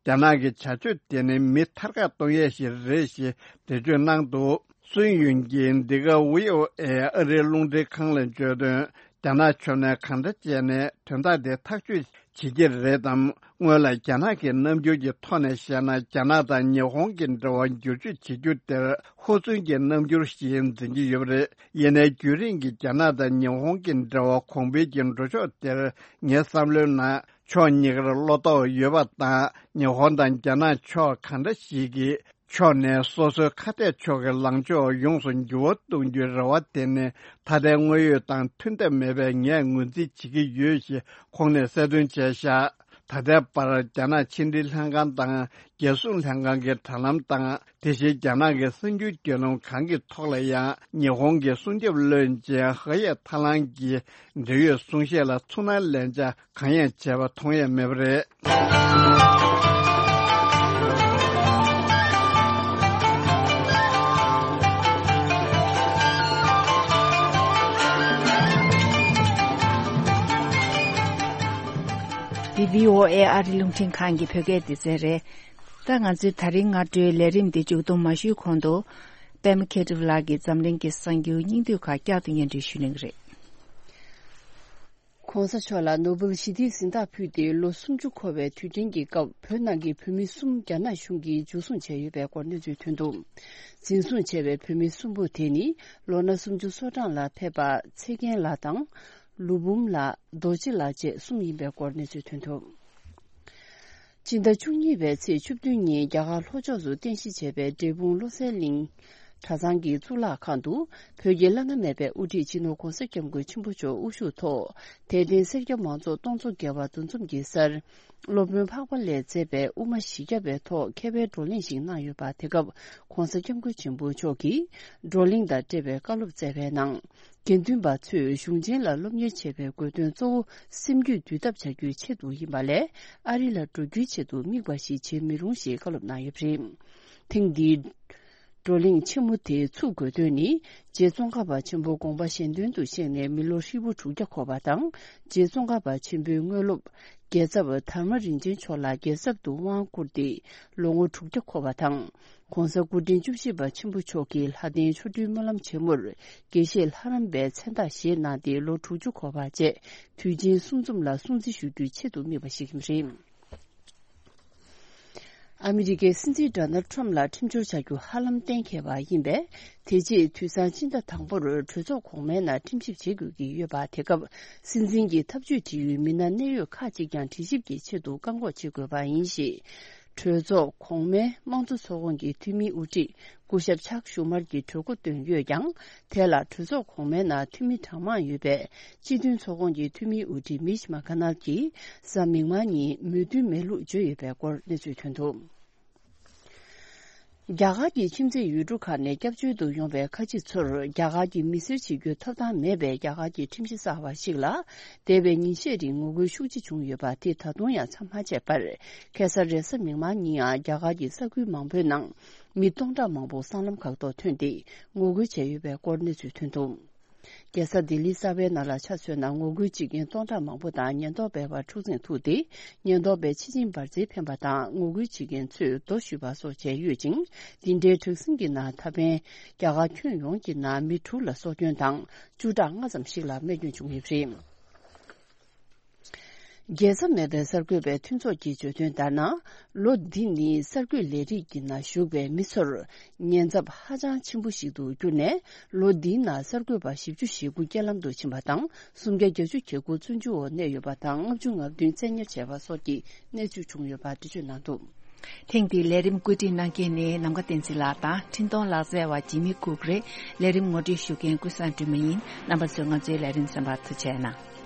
རྒྱ་ནག་གི་བྱ་སྤྱོད་དེ་ནི་མི་ཐར་ཀ་གཏོང་ཡས་ཤིག་རེད་ཞེས་འགྲེལ་བརྗོད་གནང་འདུག་སུན་ཡུན་གྱིས་འདི་ག་ཝི་ཨོ་ཨེ་ཨ་རིའི་རླུང་འཕྲིན་ཁང་ལ་བརྗོད་དོན། རྒྱ་ནག་ཕྱོགས་ནས་གང་འདྲ་བྱས་ནས་དོན་དག་དེ་ཐག་གཅོད་བྱེད་ཀྱི་རེད་དམ། སྔོན་ལ་རྒྱ་ནག་གི་རྣམ་འགྱུར་གྱི་ཐོག་ནས་བཤད་ན། རྒྱ་ནག་དང་ཉི་ཧོང་གི་འབྲེལ་བ་འགྱུར་བཅོས་བྱེད་རྒྱུ་དེར་ཧུར་བརྩོན་གྱི་རྣམ་འགྱུར་ཞིག་འཛིན་གྱི་ཡོད་པ་རེད། ཡིན་ནའི་རྒྱུན་རིང་གི་རྒྱ་ནག་དང་ཉི་ཧོང་གི་འབྲེལ་བ་གོང་འཕེལ་གྱི་འགྲོ་ཕྱོགས་དེར་ངའི་བསམ་བློའི་ནང་ཕྱོགས་གཉིས་ཀར་བློ་དོགས་ཡོད་པ་དང་། ཉི་ཧོང་དང་རྒྱ་ནག་ཕྱོགས་གང་འདྲ་ཞིག་གིས། ཕྱོགས་ནས་སོ་སོའི་ཁ་གཏད་ཕྱོགས་ཀྱི་ལངས་ཕྱོགས་ཡོངས་སུ་འགྱུར་བ་གཏོང་རྒྱུའི་རེ་བ་དེ་ནི་ད་ལྟའི་དངོས་ཡོད་དང་མཐུན་ཐབས་མེད་པས་ངས་ངོས་འཛིན་བྱེད་ཀྱི་ཡོད་ཞེས་ཁོང་ནས་གསལ་སྟོན་བྱས་བཞག་ད་ལྟའི་བར་རྒྱ་ནག་ཕྱི་འབྲེལ་ལྷན་ཁང་དང་རྒྱལ་སྲུང་ལྷན་ཁང་གི་དྲ་ལམ་དང་། དེ་བཞིན་རྒྱ་ནག་གི་གསར་འགྱུར་བརྒྱུད་ལམ་གང་གི་ཐོག་ལ་ཡང་ཉི་ཧོང་གི་སྲུང་སྐྱོབ་བློན་ཆེན་ཧེ་ཡེ་ཐ་ལང་གི་འབྲེལ་ཡོད་གསུང་བཤད་ལ་ཚུར་སྣང་ལན་ཆགས་གང་ཡང་བྱས་པ་མཐོང་ཡས་མེད་པ་རེད། འདི་བྷི་ཨོ་ཨེ་ཨ་རི་རླུང་འཕྲིན་ཁང་གི་བོད་སྐད་སྡེ་ཚན་རེད། ད་ང་ཚོའི་ད་རིང་སྔ་དྲོའི་ལས་རིམ་འདི་མཇུག་སྡོམ་མ་ཞུས་གོང་དུ། པད་མ་མཁས་གྲུབ་ལགས་ཀྱིས་འཛམ་གླིང་གི་གསར་འགྱུར་སྙིང་བསྡུས་ཁག་བསྐྱར་དུ་སྙན་སྒྲོན་ཞུ་གནང་གི་རེད། ༸གོང་ས་མཆོག་ལ་ནོ་བེལ་ཞི་བདེའི་གཟེངས་རྟགས་ཕུལ་ཏེ་ལོ་སུམ་ཅུ་འཁོར་བའི་དུས་དྲན་གྱི་སྐབས་བོད་ནང་གི་བོད་མི་གསུམ་རྒྱ་ནག་གཞུང་གིས་འཇུ་བཟུང་བྱས་ཡོད་པའི་སྐོར་གནས་ཚུལ་ཐོན་འདུག་འཛིན་བཟུང་བྱས་པའི་བོད་མི་གསུམ་པོ་དེ་ནི་ལོ་ན་སུམ་ཅུ་སོ་གྲངས་ལ་ཕེབས་པ་ཚེ་རྒྱན་ལགས་དང་། ལུས་འབུམ་ལགས། རྡོ་རྗེ་ལགས་བཅས་གསུམ་ཡིན་པའི་སྐོར་གནས་ཚུལ་ཐོན་འདུག་སྤྱི་ཟླ་བཅུ་གཉིས་པའི་ཚེས་བཅུ་བདུན་ཉིན་རྒྱ་གར་ལྷོ་ཕྱོགས་སུ་རྟེན་གཞི་བྱས་པའི་འབྲས་སྤུངས་བློ་གསལ་གླིང་གྲྭ་ཚང་གི་གཙུག་ལག་ཁང་དུ་བོད་ཀྱི་བླ་ན་མེད་པའི་དབུ་ཁྲིད་སྤྱི་ནོར་༸གོང་ས་༸སྐྱབས་མགོན་ཆེན་པོ་མཆོག་དབུ་བཞུགས་ཐོག་དད་ལྡན་སེར་སྐྱ་མང་ཚོགས་སྟོང་ཚོ་བརྒལ་བ་འདུ་འཛོམས་ཀྱི་སར། སློབ་དཔོན་འཕགས་པ་ལས་མཛད་པའི་དབུ་མ་བཞི་བརྒྱ་པའི་ཐོག་མཁས་པའི་བགྲོ་གླེང་ཞིག་གནང་ཡོད་པ། དེ་སྐབས་༸གོང་ས་༸སྐྱབས་མགོན་ཆེན་པོ་མཆོག་གིས་བགྲོ་གླེང་དང་འབྲེལ་བའི་བཀའ་སློབ་སྩལ་བའི་ནང་། དགེ་འདུན་པ་ཚོས་གཞུང་ཆེན་ལ་སློབ་གཉེར་བྱེད་པའི་དགོས་དོན་གཙོ་བོ་སེམས་རྒྱུད་འདུལ་ཐབས་བྱ་རྒྱུའི་ཆེད་དུ་ཡིན་པ་ལས། ཨ་རི་ལ་འགྲོ་རྒྱུའི་ཆེད་དུ་དམིགས་པ་ཞིག་བྱེད་མི་རུང་ཞེས་བཀའ་སློབ་གནང་ཡོད་པ་རེད། ཐེངས་འདིའི་བགྲོ་གླེང་ཆེན་མོ་དེའི་ཚུགས་དགོས་དོན་ནི། རྗེ་ཙོང་ཁ་པ་ཆེན་པོ་དགོངས་པ་གཞན་དོན་དུ་གཤེགས་ནས་མི་ལོ་ཧྲིལ་པོ་དྲུག་བརྒྱ་འཁོར་བ་དང་། རྗེ་ཙོང་ཁ་པ་ཆེན་པོའི་དངོས་སློབ། རྒྱལ་ཚབ་དྷརྨ་རིན་ཆེན་མཆོག་ལ་རྒྱལ་ཚབ་ཏུ་དབང་བསྐུར་ཏེ་ལོ་ངོ་དྲུག་བརྒྱ་འཁོར་བ་དང་། ༸གོང་ས་སྐུ་ཕྲེང་བཅུ་བཞི་པ་ཆེན་པོ་མཆོག་གིས་ལྷ་ལྡན་ཆོ་འཕྲུལ་སྨོན་ལམ་ཆེན་མོར་དགེ་བཤེས་ལྷ་རམས་པའི་མཚན་རྟགས་བཞེས་གནང་སྟེ་ལོ་དྲུག་ཅུ་འཁོར་བ་བཅས་དུས་ཆེན་གསུམ་འཛོམས་ལ་སྲུང་བརྩི་ཞུ་རྒྱུའི་ཆེད་དུ་དམིགས་པ་ཞིག་ཡིན་པ་རེད། ཨ་མི་རི་ཀའི་སྲིད་འཛིན་ཌོ་ནལ་ཁྲམ་ལ་ཁྲིམས་སྦྱོར་བྱ་རྒྱུ་ཧ་ལམ་གཏན་འཁེལ་བ་ཡིན་པས། དེ་རྗེས་དུས་སང་སྤྱི་ཟླ་དང་པོར་གྲོས་ཚོགས་གོང་མའི་ནང་ཁྲིམས་ཞིབ་བྱེད་དགོས་ཀྱི་ཡོད་པ། དེ་སྐབས་སྲིད་འཛིན་གྱི་ཐབས་ཇུས་འབྲེལ་ཡོད་མི་སྣ་གནད་ཡོད་ཁག་ཅིག་ཀྱང་དྲི་ཞིབ་ཀྱི་ཆེད་དུ་བཀག་འགོག་བྱེད་དགོས་པ་ཡིན་ཞེས། གྲོས་ཚོགས་གོང་མའི་དམངས་གཙོ་ཚོགས་ཁོངས་ཀྱི་འཐུས་མིའི་དབུ་ཁྲིད་སྐུ་ཞབས་ཆག་ཤུ་མར་གྱིས་གྲོས་འགོ་བཏོན་ཡོད་ཀྱང་། དེ་ལ་གྲོས་ཚོགས་གོང་མའི་ནང་འཐུས་མི་གྲངས་མང་ཡོད་པས། སྤྱི་མཐུན་ཚོགས་ཁོངས་ཀྱི་འཐུས་མིའི་དབུ་ཁྲིད་མིཆ་མ་ཀ་ནལ་གྱིས་གཟའ་མིག་དམར་ཉིན་མོས་མཐུན་མེད་ལུགས་བརྗོད་ཡོད་པའི་སྐོར་གནས་ཚུལ་ཐོན་འདུག་རྒྱ་གར་གྱི་ཁྱིམ་མཚེས་ཡུལ་གྲུ་ཁག་ནས་སྐྱབས་བཅོལ་དུ་ཡོང་བའི་ཁ་ཆེ་ཚོར་རྒྱ་གར་གྱི་མི་སེར་བྱེད་རྒྱུའི་ཐོབ་ཐང་མེད་པའི་རྒྱ་གར་གྱི་ཁྲིམས་གཞི་གསར་བ་ཞིག་ལ། འདས་པའི་ཉིན་ཤས་རིང་ངོ་རྒོལ་ཤུགས་ཆེ་བྱུང་ཡོད་པ་དེ་ད་དུང་ཡང་མཚམས་མ་ཆད་པར། ཁ་སང་རེས་གཟའ་མིག་དམར་ཉིན་ཡང་རྒྱ་གར་གྱི་ས་ཁུལ་མང་པོའི་ནང་མི་སྟོང་ཕྲག་མང་པོ་སྲང་ལམ་ཁག་ཐོག་ཐོན་ཏེ་ངོ་རྒོལ་བྱས་ཡོད་པའི་སྐོར་གནས་ཚུལ་ཐོན་འདུག་རྒྱལ་ས་ལྡི་ལི་གསར་པའི་ནང་ལ་ཆ་མཚོན་ན། ངོ་རྒོལ་བྱེད་མཁན་སྟོང་ཕྲག་མང་པོ་དང་ཉེན་རྟོག་པའི་བར་འཁྲུག་འཛིང་ཐུག་སྟེ། ཉེན་རྟོག་པས་ཕྱི་ཆིངས་འབར་རྫས་འཕེན་པ་དང་ངོ་རྒོལ་བྱེད་མཁན་ཚོས་རྡོ་གཞུས་པ་སོགས་བྱས་ཡོད་ཅིང་། འདི་འདྲའི་དྲག་ཟིང་གི་ནང་ད་ཕན་རྒྱ་གར་ཁྱོན་ཡོངས་ཀྱི་ནང་མི་དྲུག་ལ་སྲོག་སྐྱོན་དང་། བཅུ་ཕྲག་ལྔ་ཙམ་ཞིག་ལ་རྨས་སྐྱོན་བྱུང་ཡོད་པ་རེད། རྒྱལ་ས་མེད་པའི་གསར་འགོད་པའི་མཐུན་ཚོགས་ཀྱིས་བརྗོད་དོན་ལྟར་ན། ལོ་འདི་ནི་གསར་འགོད་ལས་རིགས་ཀྱི་ནང་ཞུགས་པའི་མི་ཚོར་ཉེན་ཚབས་ཧ་ཅང་ཆེན་པོ་ཞིག་ཏུ་གྱུར་ནས། ལོ་འདིའི་ནང་གསར་འགོད་པ་བཞི་བཅུ་ཞེ་དགུ་རྐྱེན་ལམ་དུ་ཕྱིན་པ་དང་། སུམ་བརྒྱ་བརྒྱད་ཅུ་གྱ་དགུ་བཙོན་འཇུག་འོག་གནས་ཡོད་པ་དང་། ལྔ་བཅུ་ང་བདུན་བཙན་ཉར་བྱས་པ་སོགས་ཀྱི་གནས་ཚུལ་བྱུང་ཡོད་པ་འགྲེལ་བརྗོད་གནང་འདུག། ཐེངས་འདིའི་ལས་རིམ་བཀོད་སྒྲིག་གནང་མཁན་ནི་ནམ་མཁའ་བསྟན་འཛིན་ལགས་དང་། འཕྲིན་གཏོང་ལག་རྩལ་བ་ཇི་མི་ཀུག་རེད། ལས་རིམ་ངོ་སྤྲོད་ཞུ་མཁན་ཀུན་བཟང་སྒྲོལ་མ་ཡིན། རྣམ་པ་ཚོས་ང་ཚོའི་ལས་རིམ་གསན་པར་ཐུགས་རྗེ་གནང་།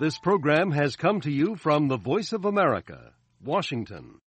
This program has come to you from the Voice of America, Washington.